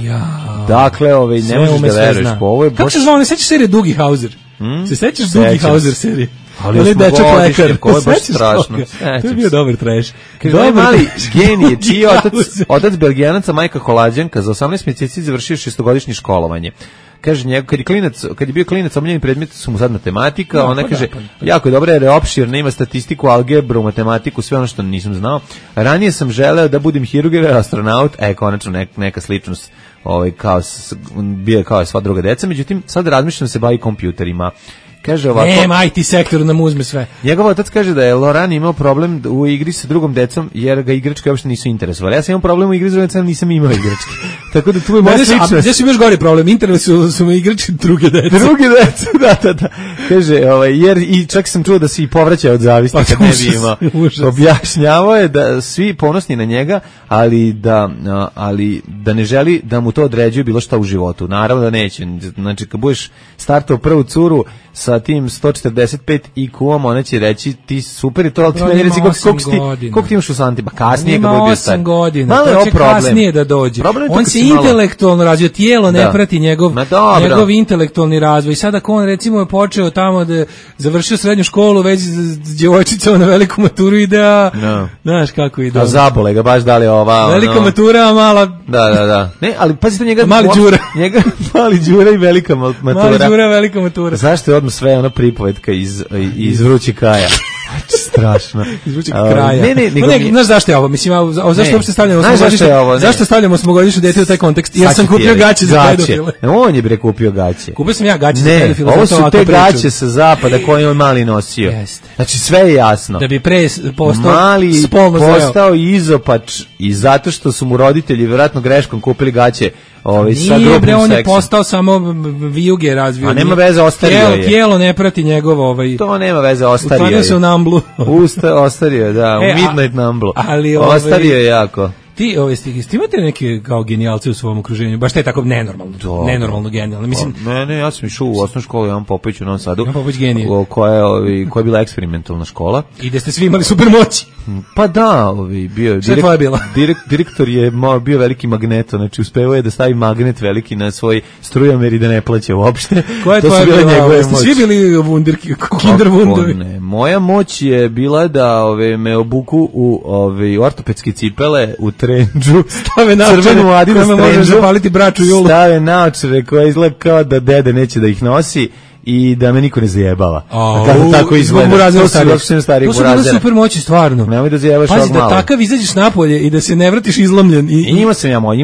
S6: Dakle, ne možeš da veruješ po ovo je baš...
S5: Kako se zvao, ne sećaš serije Dugi Hauser? Se sećaš Dugi Hauser serije?
S6: Ali je dečak lekar, ko je baš strašno.
S5: To je bio dobar trash.
S6: Kaže, mali genije, čiji otac Belgijanaca, majka Holanđanka, za 18 mjeseci završio 6-godišnje školovanje. Kaže, kad je bio klinac, omiljeni predmet su mu sad matematika, ona kaže, jako je dobra jer je opširna, ima statistiku, algebru, matematiku, sve ono što nisam znao. Ranije sam želeo da budem hirurg ili astronaut, konačno neka sličnost, bio kao sva druga deca, međutim, sad razmišljam se bavi kompjuterima. Kaže ovako,
S5: nema, IT sektor nam uzme sve.
S6: Njegov otac kaže da je Loran imao problem u igri sa drugom decom jer ga igračke uopšte nisu interesovali. Ja sam imao problem u igri sa drugom decom, nisam imao igračke. Tako da tu je moja sličnost.
S5: Gdje su još gori problem? Interesuju me igračke druge dece.
S6: Druge dece, da. Kaže, jer i čak sam čuo da se i povraćao od zavisti kad ne bi imao. Objašnjavao je da svi ponosni na njega, ali da ne želi da mu to određuje bilo šta u životu. Naravno da neće. Znači, kad budeš startao prvu curu, sa tim 145 IQ-om, ona će reći ti super i to, ali ti meni reci koliko ti imaš u santima, kasnije kad bude bio star.
S5: Ima 8 godina,
S6: malo
S5: to će kasnije da dođe. On se intelektualno razvio, tijelo ne prati njegov intelektualni razvoj. I sad ako on recimo je počeo tamo da završio srednju školu, već s djevojčicama na veliku maturu ide, znaš kako ide.
S6: A zabole ga baš dali ova...
S5: Velika matura, a mala...
S6: Da. Ne, ali pazite njega...
S5: Mali Đura.
S6: Mali Đura i velika matura.
S5: Mali Đura, velika matura.
S6: Zašto je odmah sve ona pripovetka iz Vrućeg kraja? Strašno.
S5: Iz Vrućeg kraja. Ne, znaš zašto je ovo? Mislim, zašto uopšte stavljamo osmogodišnje dete u taj kontekst? Jer sam kupio gaće za pedofile.
S6: On je bre kupio gaće.
S5: Kupio sam ja gaće za pedofile.
S6: Ovo su te gaće sa zapada koje on mali nosio. Znači sve je jasno.
S5: Da bi pre
S6: mali postao izopač i zato što su mu roditelji vjerojatno greškom kupili gaće.
S5: Nije bre, on je postao samo vijuge razvio.
S6: A nema veze, ostario je.
S5: Tijelo ne prati njegov
S6: To nema veze, ostario je.
S5: Ustario se u Namblu.
S6: Ostario je, da, u Midnight Namblu. Ostario je jako.
S5: Ti imate neke kao genijalce u svom okruženju, baš te tako nenormalno genijalno. Mislim,
S6: ne, ja sam išao u osnovnu školu Jovan Popović u Novom Sadu.
S5: Jovan Popović genije.
S6: Koja je bila eksperimentalna škola.
S5: I da ste svi imali supermoći.
S6: Pa da, bio direktor je bio veliki magneto, znači uspevao je da stavi magnet veliki na svoj strujomer i da ne plaća uopšte.
S5: Koja je tvoja bila? Ste svi bili kinder wundovi?
S6: Ne, moja moć je bila da me obuku u ortopedske cipele, u trendžu,
S5: stave crvenu Adidas trendžu,
S6: stave naočare koje izgleda kao da dede neće da ih nosi i da me niko ne zajebava. Kako tako izgleda? To su
S5: bile super moći, stvarno.
S6: Nemoj da zajebaš ovog malo.
S5: Pazi, da takav izađeš napolje i da se ne vratiš izlomljen.
S6: Imao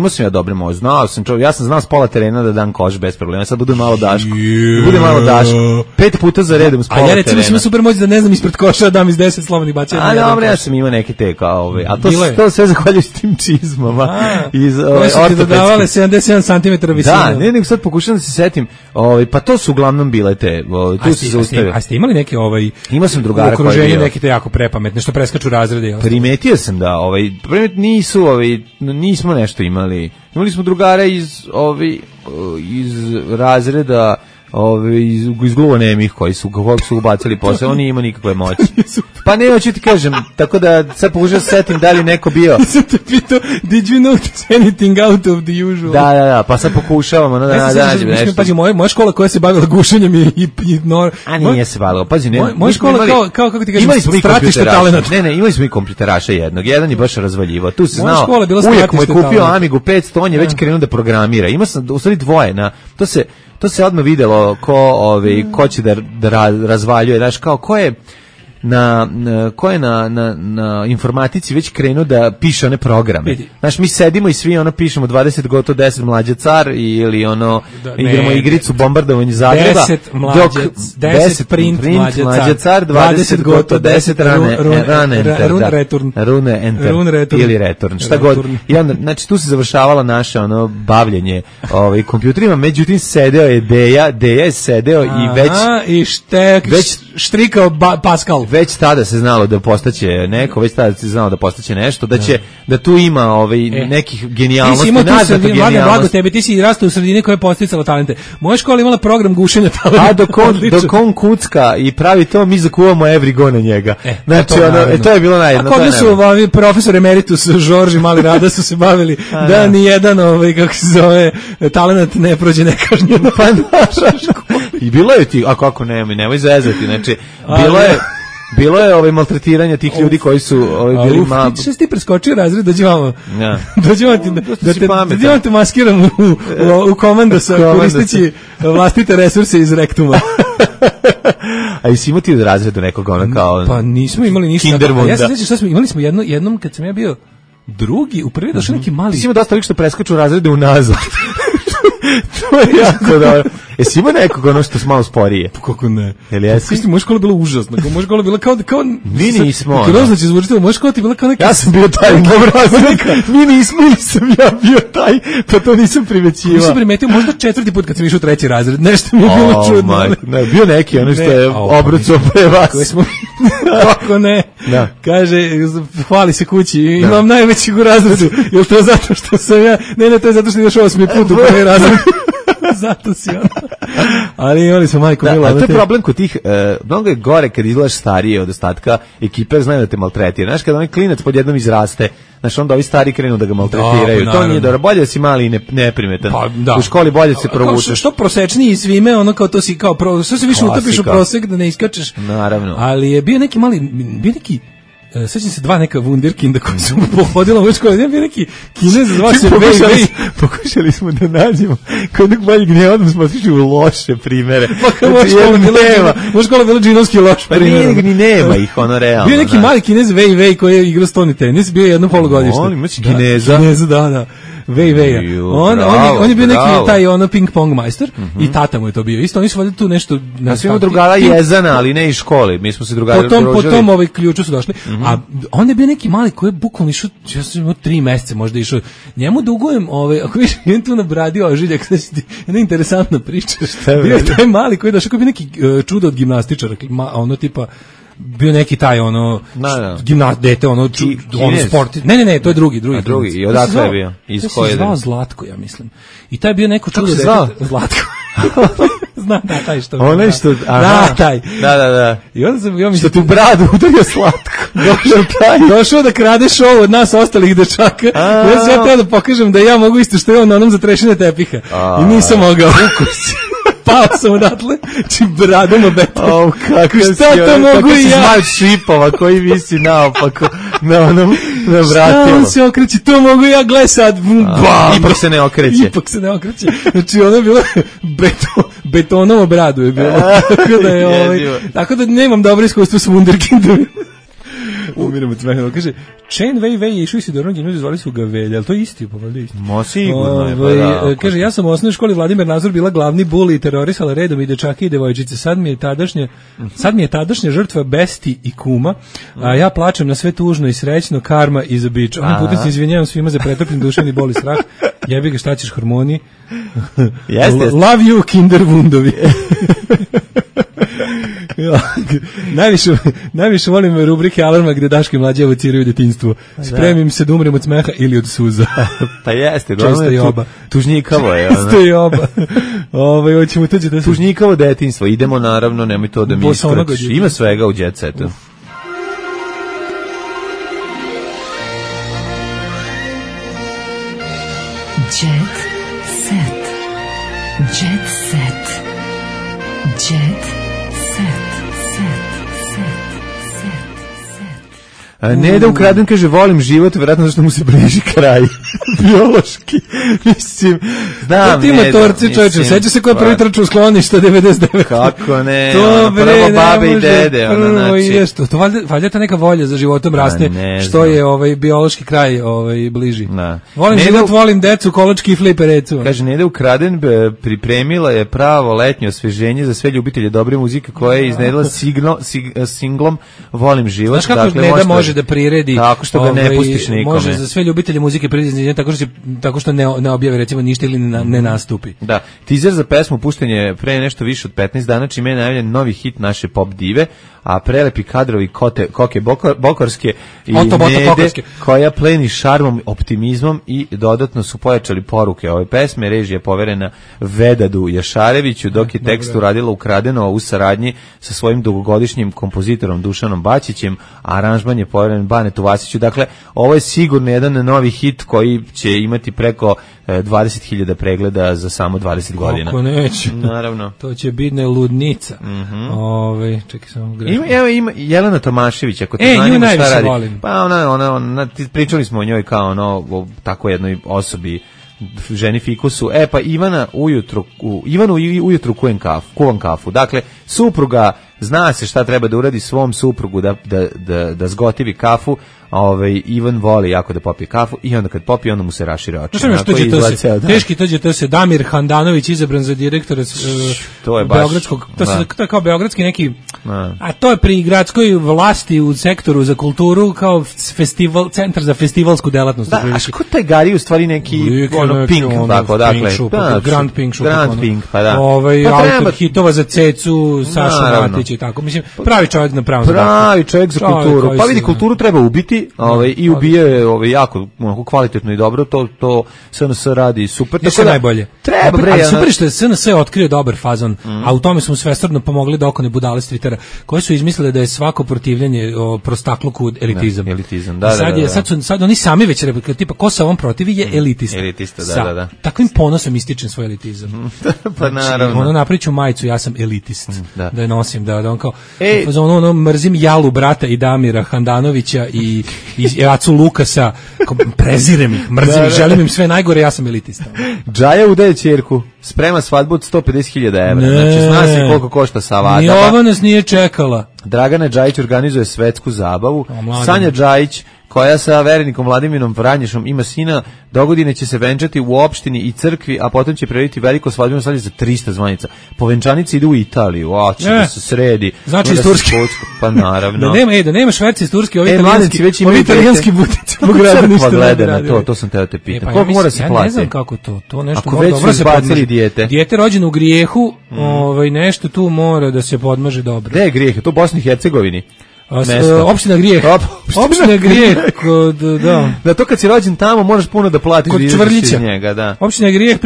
S6: sam ja dobre moći. Ja sam znao s pola terena da dam koš bez problema. Sad bude malo Daško. Bude malo Daško. 5 puta za redom s pola terena.
S5: A ja recimo sam super moći da ne znam ispred koša dam iz 10 slobodnih bacanja.
S6: A dobro, ja sam imao neke te kao a to sve zahvaljujući tim čizmama.
S5: Koje su ti dodavale 77 cm visine.
S6: Da, nego sad pokušam da se setim. Pa to su uglavnom bile te.
S5: A ste imali neke
S6: imao sam drugara
S5: koji je bio neke te jako prepametne što preskaču razrede?
S6: Primetio sam da nismo nešto imali. Imali smo drugara iz razreda iz gluvonemih koji su ubacili posao, on nije imao nikakve moći. Pa ne, hoću ti kažem, tako da sad pokušam se setim da li neko bio.
S5: Sam te pitao, did you notice anything out of the usual?
S6: Da, pa sad pokušavamo da nađem nešto.
S5: Pazi, moja škola koja se bavila gušenjem
S6: a nije se bavila, pazi, ne.
S5: Moja škola kao kako ti kažem, stratište talenata.
S6: Ne, imali smo i kompjuteraša jednog, jedan je baš razvaljivao. Tu se znao,
S5: uvijek
S6: mu je kupio Amigu 500, on je već krenuo da programira. Imao sam, u stvari dvoje, to se odmah videlo ko će da razvaljuje, znaš, kao ko je na informatici već krenuo da piše one programe. Znaš, mi sedimo i svi pišemo 20 gotovo 10 mlađa car ili igramo igricu bombardovanje Zagreba.
S5: 10 print mlađa car,
S6: 20 gotovo 10 run enter ili return. Šta god. I onda, znači, tu se završavala naše bavljenje kompjuterima, međutim sedeo je Deja je sedeo i već
S5: štrikao Pascal.
S6: Već tada se znalo da postaće neko, već tada se znalo da postaće nešto, da tu ima nekih genijalnosti, naznaku genijalnosti.
S5: Ti si rastao u sredini koja je posticala talente. Moja škola imala program gušenja talenta.
S6: A dok on kucka i pravi to, mi zakuvamo every go na njega. Znači, to je bilo najjedno.
S5: A kod su profesor emeritus Žorž i Mali Rada su se bavili da ni jedan, kako se zove, talent ne prođe nekažnjeno.
S6: Pa naša škola. I bilo je ti, a kako nemoj zezati, znači, bilo je maltretiranje tih ljudi koji su bili malo.
S5: Što si ti preskočio razred, dođemo da te maskiram u komandosa koristeći vlastite resurse iz rektuma.
S6: A jesi imao ti u razredu nekog kao...
S5: Pa nismo imali ništa.
S6: Kindermunda.
S5: Ja se sjećam šta smo, imali smo jednom kad sam ja bio drugi, u prvi došao neki mali...
S6: Ti si imao dosta što preskaču razrede unazad. To je jako dobro. Jesi imao nekog što je malo sporije?
S5: Pa kako ne?
S6: Jel jesi?
S5: Moja škola je bila užasna. Moja škola je bila kao...
S6: Mi nismo.
S5: Grozno će zvučiti, moja škola ti je bila kao neki...
S6: Ja sam bio taj Mi nismo, nisam ja bio taj, pa to nisam primećivao.
S5: Nisam primetio, možda 4. put kad sam išao u 3. razred, nešto mi je bilo čudno.
S6: Ne, bio neki, što je obrucao pre vas.
S5: Kako ne? Kaže, hvali se kući, imam najvećeg u razredu. Jel to zato što sam ja... Ne, to je zato što ideš 8. put u prvi razred. Zato si Ali imali smo majku Milo.
S6: A to je problem kod tih, mnogo je gore kad izgledaš starije od ostatka ekipe, jer znaju da te maltretira. Znaš, kada onaj klinac pod jednom izraste, znaš, onda ovi stari krenu da ga maltretiraju. To nije dobro. Bolje da si mali i neprimetan. U školi bolje se provučeš.
S5: Što prosečniji svime, ono kao to si kao što se više utopiš u prosek da ne iskačeš.
S6: Naravno.
S5: Ali je bio neki sećam se dva neka wunderkinda koji su pohodila u školu. Bio neki Kinez, zvao se Wei.
S6: Pokušali smo da nađemo kod nekog boljeg gneva, odmah smo otišli u loše primere.
S5: Moja škola bila džinovski loš primjer.
S6: Pa ni nema ih, ono realno.
S5: Bio neki mali Kinez Wei koji je igrao stoni tenis, bio jedno polugodište.
S6: On imaš Kineza.
S5: Kineza, da. Wei. On je bio neki taj ono ping pong majstor i tata mu je to bio. Isto oni su valjda tu nešto
S6: na svima drugara Jezana, ali ne iz škole. Mi smo se drugari
S5: potom ovaj ključu su došli. A on je bio neki mali koji je bukvalno išao, ja sam imao 3 meseca možda išao. Njemu dugujem, ako viš idem tu na bradi ožiljak, znači jedna interesantna priča. Bio je taj mali koji je došao, koji je neki čudo od gimnastičara, ono tipa bio neki taj ono dete ono sport. Ne, to je drugi.
S6: I odakle je bio?
S5: Iz koje je zvao Zlatko, ja mislim. I taj je bio neko čudo dete. Zlatko. Znam da taj što.
S6: Onaj što,
S5: taj.
S6: Da.
S5: I onda sam ja
S6: što tu bradu udario Zlatko.
S5: Došao da krade show od nas ostalih dečaka. Ja sam teo da pokažem da ja mogu isto što je on na onom za trešine tepiha. I nisam mogao. Pao sam odatle, či bradom obetom. Šta to mogu i ja?
S6: Kako si šipova koji visi naopako na onom vratilo.
S5: Šta on se okreće, to mogu ja, gle sad.
S6: Ipak se ne okreće.
S5: Znači ono je bilo betonovo bradu je bilo. Tako da nemam dobro iskustvo s wunderkindom. Umiramo od smeha. Kaže, Chen Wei je išao i Sidornog gimnaziju, zvali su ga Velja, ali to je isti, pa valjda isti.
S6: Mo sigurno je.
S5: Kaže, ja sam u osnovnoj školi Vladimir Nazor bila glavni buli i terorisala redom i dečake i devojčice. Sad mi je tadašnja žrtva besti i kuma, a ja plačem na sve tužno i srećno, karma i za bič. Ovim putem se izvinjavam svima za pretrpljeni duševni bol i strah. Jebi ga, šta ćeš, hormoni? Love you, kinder wundovi. Najviše volim rubrike Alarma gde Daško i Mlađa evociraju detinjstvo. Spremim se da umrem od smeha ili od suza.
S6: Pa jeste,
S5: često i oba.
S6: Tužnjikavo je.
S5: Često i oba. Hoćemo tuđe da se...
S6: Tužnjikavo detinjstvo. Idemo, naravno, nemoj to da mi iskračiš. Ima svega u Jet Setu.
S3: Jet Set. Jet Set. Jet Set.
S6: Ne da ukraden, kaže, volim život, vjerojatno zašto mu se bliži kraj. Biološki. Mislim, znam,
S5: ne da. Torci, čovječe, seća se ko je prvi trčao u skloništa 99.
S6: Kako ne, prvo babe i dede.
S5: To valjda ta neka volja za životom raste, što je biološki kraj bliži. Volim život, volim decu, kolački i fliperecu.
S6: Kaže, ne da ukraden, pripremila je pravo letnje osveženje za sve ljubitelje dobre muzike koja je iznedila singlom Volim život.
S5: Znaš kako ne da može da priredi,
S6: tako što ga ne pustiš nikome.
S5: Može za sve ljubitelje muzike priredi tako što ne objave recimo ništa ili ne nastupi.
S6: Da, teaser za pesmu pušten je pre nešto više od 15 dana, čime je najavljen novi hit naše pop dive, a prelepi kadrovi Koke Bokorske i Nede koja pleni šarmom, optimizmom i dodatno su pojačali poruke ove pesme. Režija je poverena Vedadu Jašareviću, dok je tekst uradila ukradeno u saradnji sa svojim dugogodišnjim kompozitorom Dušanom Bačićem, a aranžman je poveren Banetu Vasiću. Dakle, ovo je sigurno jedan novi hit koji će imati preko 20.000 pregleda za samo 20 godina.
S5: Kako neće.
S6: Naravno.
S5: To će biti ludnica. Čekaj samo grešno.
S6: Ima Jelena Tomašević, ako te zanima šta radi. Volim. Pa ona, pričali smo o njoj kao o tako jednoj osobi, ženi fikusu. Pa Ivanu ujutru kuvam kafu. Dakle, supruga zna se šta treba da uradi svom suprugu da zgotivi kafu. Ivan voli jako da popije kafu i onda kad popije, onda mu se rašire oči.
S5: Teški to se Damir Handanović izabran za direktora beogradskog, to je kao beogradski neki, a to je pri gradskoj vlasti u sektoru za kulturu kao festival, centar za festivalsku delatnost.
S6: Da, a ško taj gari u stvari neki Pink, tako, dakle.
S5: Grand Pink,
S6: pa da.
S5: Autor hitova za Cecu, Saša Matić, pomoći i tako. Mislim, pravi čovjek na pravom
S6: zadatku. Pravi čovjek za kulturu. Pa vidi,
S5: se,
S6: kulturu treba ubiti, i ubije jako kvalitetno i dobro, to SNS radi super.
S5: Tako da najbolje.
S6: Treba bre.
S5: Ali super što je SNS otkrio dobar fazon, a u tome smo svesrdno pomogli da oko ne budale s Twittera, koji su izmislili da je svako protivljenje prostakluku elitizam.
S6: Elitizam,
S5: Sad oni sami već tipa ko se ovom protivi je elitista.
S6: Elitista, da.
S5: Takvim ponosom ističem svoj elitizam.
S6: Pa naravno.
S5: Ono napriču majicu, ja sam elitist. Da je nosim, da on kao ono mrzim Jalu brata i Damira Handanovića i Acu Lukasa, prezirem ih, mrzim ih, želim im sve najgore, ja sam elitista.
S6: Džaja udaje ćerku, sprema svadbu od 150.000 evra. Znači, zna se koliko košta savadaba.
S5: Ni ova nas nije čekala.
S6: Dragana Džajić organizuje svetsku zabavu. Sanja Džajić, koja sa verenikom Vladimirom Vranješom ima sina, dogodine će se venčati u opštini i crkvi, a potom će preliti veliko svadbeno slavlje za 300 zvanica. Po venčanici ide u Italiju, će da se sredi.
S5: Znači iz Turske.
S6: Pa naravno.
S5: Da nema šverci iz Turske, ovi italijanski butici.
S6: Pa gleda na to sam teo te pitam. Koliko mora se platiti?
S5: Ne znam kako to nešto
S6: mora dobro se podmaže.
S5: Dijete rođeno u grijehu, nešto tu mora da se podmaže dobro.
S6: Gde je grijeh? To u Bosni i Hercegovini.
S5: Opština Grijeh. Opština Grijeh
S6: da to kad si rođen tamo možeš puno da platiš
S5: kod Čvrljića
S6: njega, da.
S5: Opština Grijeh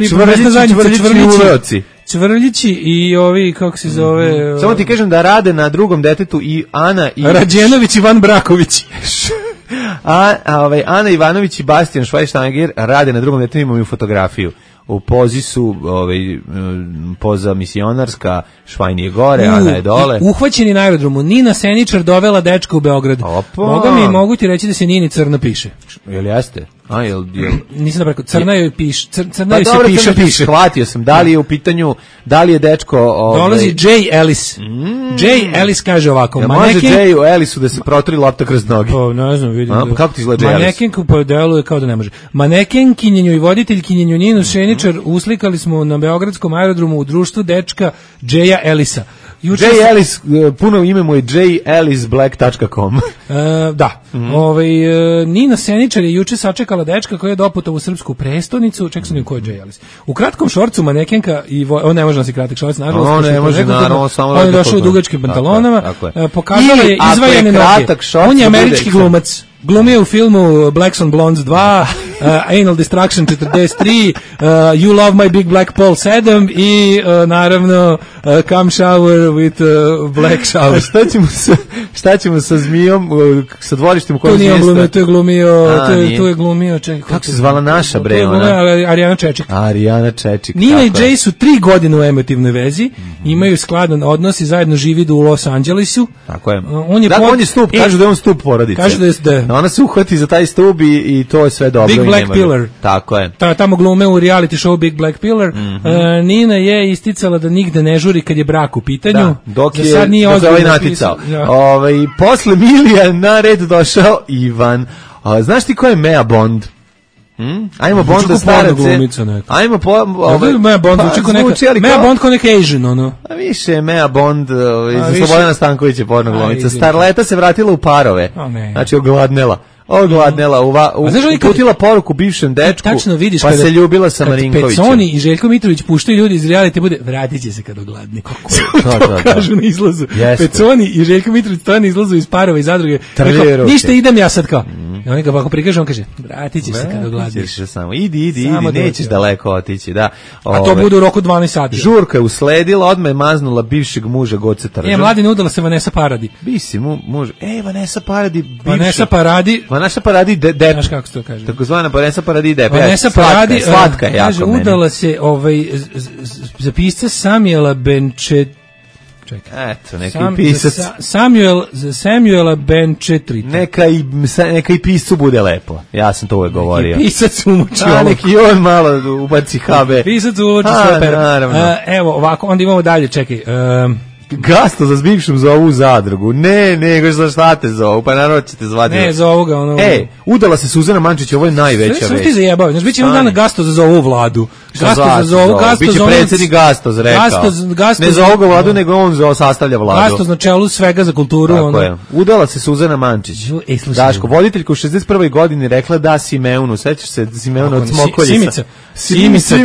S5: Čvrljići i ovi kako se zove.
S6: Samo ti kažem da rade na drugom detetu i Ana i
S5: Rađenović Ivan Braković.
S6: Ana Ivanović i Bastian Schweinsteiger rade na drugom detetu, imaju fotografiju. U pozi su poza misionarska, Švajn je gore, Ana je dole.
S5: Uhvaćeni na aerodromu, Nina Seničar dovela dečka u Beograd. Mogu ti reći da se Nini crno piše.
S6: Jel jeste?
S5: Nisam da preko, crna joj piše. Crna joj se piše.
S6: Shvatio sam, da li je u pitanju, da li je dečko...
S5: Dolazi Jay Ellis. Jay Ellis kaže ovako.
S6: Može Jayu Ellisu da se protri lopta kroz noge?
S5: Ne znam, vidim.
S6: Kako ti izgleda Jay Ellis?
S5: Manekenku po deluje kao da ne može. Manekenkinjenju i voditeljkinjenju Ninu Seničar uslikali smo na beogradskom aerodromu u društvu dečka Jaya Ellisa.
S6: Jay Ellis, puno ime mu je jayellisblack.com.
S5: Da. Nina Seničar je juče sačekala dečka koji je doputovao u srpsku prestonicu. Ček sam ko je Jay Ellis. U kratkom šorcu manekenka i on ne može nositi kratak šorc, nažalost.
S6: On ne može, naravno, samo
S5: on je došao u dugačkim pantalonama. Pokazala je izvajane noge. On je američki glumac. Glumio u filmu Blacks on Blondes 2, Anal Destruction 43, You Love My Big Black Paul 7 i naravno Come Shower with Black Shower.
S6: Šta ćemo sa zmijom, sa dvorištem u kojem
S5: mjesta? Tu je glumio, čekaj.
S6: Kako se zvala naša bre?
S5: Arijana Čečik.
S6: Nina
S5: i Jay su 3 godine u emotivnoj vezi, imaju skladan odnos i zajedno živi u Los Angelesu.
S6: Tako je. On je stup, kažu da je on stup porodice.
S5: Kažu da je
S6: ona se uhvati za taj stub i to je sve dobro.
S5: Big Black Pillar.
S6: Tako je.
S5: Tamo glume u reality show Big Black Pillar. Nina je isticala da nigde ne žuri kad je brak u pitanju.
S6: Dok je ovaj naticao. Posle Milija na red došao Ivan. Znaš ti ko je Mea Bond? Ajmo Bond da starace. Ajmo
S5: Mea Bond Mea Bond kao neka Asian, ono.
S6: A više Mea Bond za Slobodana Stankovića porno glumica. Starleta se vratila u parove. Znači ogladnela, uputila poruku bivšem dečku, pa se ljubila sa Marinkovićem.
S5: Peconi i Željko Mitrović puštaju ljudi iz reality, bude vratit će se kad ogladni. To kažu na izlazu. Peconi i Željko Mitrović to na izlazu iz parova i zadruge. Ništa, idem ja sad kao. I oni ga ako prikaže, on kaže, vratit će se kad ogladniš.
S6: Idi, nećeš daleko otići. A
S5: to bude u roku 12 sati.
S6: Žurka je usledila, odmah je maznula bivšeg muža Goce Tržan.
S5: Mladine, udala se Vanessa Paradis.
S6: Bisi muž. Vanessa Paradis.
S5: Vanessa Paradis
S6: Dep.
S5: Znaš kako se to kaže?
S6: Takozvana Vanessa Paradis Dep.
S5: Vanessa Paradis,
S6: slatka je jako
S5: kaže,
S6: meni.
S5: Udala se za pisca Samuela Benčet.
S6: Čekaj. Eto, neki pisac.
S5: Samuela Benčetri.
S6: Neka i piscu bude lepo. Ja sam to uvek govorio.
S5: Neki pisac umoči ovo.
S6: Neki on malo ubaci HB.
S5: Pisac umoči sve pera. Evo, ovako, onda imamo dalje, čekaj.
S6: Gasto za bivšem zovu u zadrugu. Ne, šta te zovu? Pa naravno ćete zvati.
S5: Ne, zovu ga ono.
S6: Udala se Suzana Mančić, ovo je najveća već.
S5: Sve ti zajebao. Znaš, bit će jedan dana Gasto za zovu u Vladu. Gasto zovu,
S6: biće predsjednik Gastoz, rekao. Ne za ovu vladu, nego on sastavlja vladu.
S5: Gastoz na čelu svega za kulturu.
S6: Tako je. Udala se Suzana Mančić. Daško, voditeljka u 61. godini rekla da Simeonu, sećaš se Simeona od Smokoljica?
S5: Simica,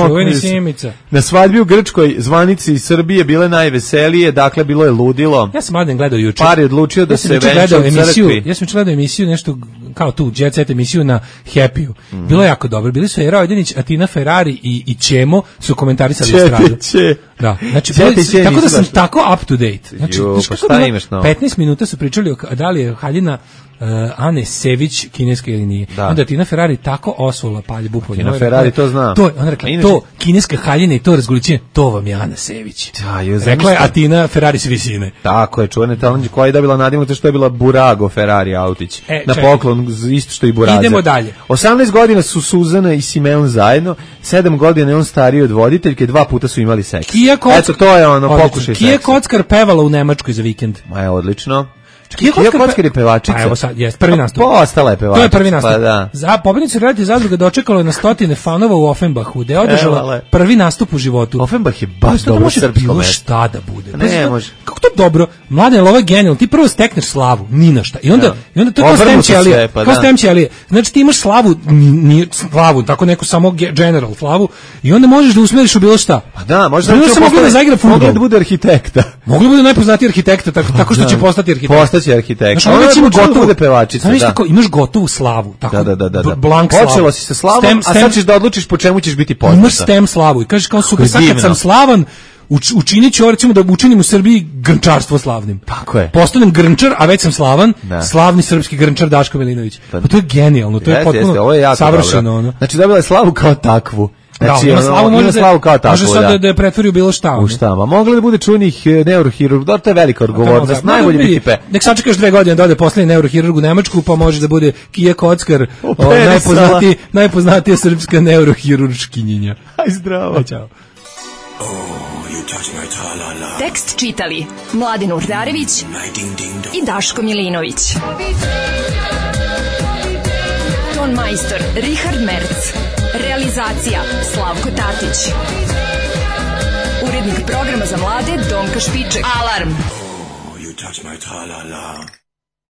S5: čuveni Simica.
S6: Na svadbi u Grčkoj zvanici iz Srbije bile najveselije, dakle bilo je ludilo.
S5: Ja sam Mladen gledao juče.
S6: Par je odlučio da se venča u crkvi.
S5: Ja sam gledao emisiju, nešto kao tu, Jet Set emisiju na Happy-u. Bilo je jako dobro. Bili su Era Ojdenić, Atina Ferrari i Ćemo su komentarisali estradu. Da, znači, tako da sam tako up to date. Znači,
S6: pa šta imaš novo?
S5: 15 minuta su pričali da li je haljina Ane Sević kineska ili nije. Da. Onda Tina Ferrari tako osula paljbu.
S6: Tina Ferrari to zna.
S5: To, ona rekla, to kineska haljina i to razgoličenje, to vam je Ana Sević. Rekla je Atina Ferrari s visine.
S6: Tako je, čuvene talent koja je dobila nadimak to što je bila Burago Ferrari autić. Na poklon, isto što i Burazer.
S5: Idemo dalje.
S6: 18 godina su Suzana i Simeon zajedno, 7 godina je on stariji od voditeljke, 2 puta su imali seks. Eto, to je ono, pokušaj seksa.
S5: Kija Kockar pevala u Nemačkoj za vikend.
S6: Odlično.
S5: Kija
S6: Kockar je pevačica.
S5: Pa evo sad, jest, prvi nastup.
S6: Ostala je pevačica.
S5: To je prvi nastup.
S6: Pa da.
S5: Za pobednicu reality zadruga dočekalo je na stotine fanova u Offenbachu, gde je održala prvi nastup u životu.
S6: Offenbach je baš dobro srpsko mesto.
S5: Šta da bude.
S6: Ne može.
S5: Kako to dobro? Mladen, ovo je genijalno. Ti prvo stekneš slavu, ni na šta. I onda to kao stem ćelije. Kao stem ćelije. Znači ti imaš slavu, tako neku samo general slavu i onda možeš da usmeriš u bilo šta.
S6: Pa da, možeš
S5: da zaigra fudbal.
S6: Mogli da bude arhitekta.
S5: Mogli bude najpoznatiji arhitekta, tako što će postati arhitekta.
S6: Postaće arhitekta.
S5: Recimo
S6: gotovo da pevačica,
S5: da. Tako, imaš gotovu slavu, tako.
S6: Da.
S5: Blank slavu.
S6: Počelo si sa slavom, a sad ćeš da odlučiš po čemu ćeš biti poznata.
S5: Imaš stem slavu i kažeš kao super, sad kad sam slavan, učinit ću, recimo da učinim u Srbiji grnčarstvo slavnim.
S6: Tako je.
S5: Postanem grnčar, a već sam slavan, slavni srpski grnčar Daško Milinović. Pa to je genijalno, to je potpuno savršeno.
S6: Znači dobila je slavu kao takvu. Znači,
S5: ima slavu
S6: kao tako,
S5: može sad da je pretvori u bilo šta.
S6: U šta, ma mogla da bude čuvenih neurohirurg, to je velika odgovornost, najbolje biti pe.
S5: Nek sačekaš 2 godine da ode poslednji neurohirurg u Nemačku, pa može da bude Kija Kockar, najpoznatija srpska neurohirurškinjenja.
S6: Aj zdravo.
S5: Ćao.
S14: Tekst čitali Mladen Urdarević i Daško Milinović. Ton majstor Richard Merc. Realizacija Slavko Tatić. Urednik programa za mlade Donka Špiček. Alarm! Oh, you touch my tra-la-la.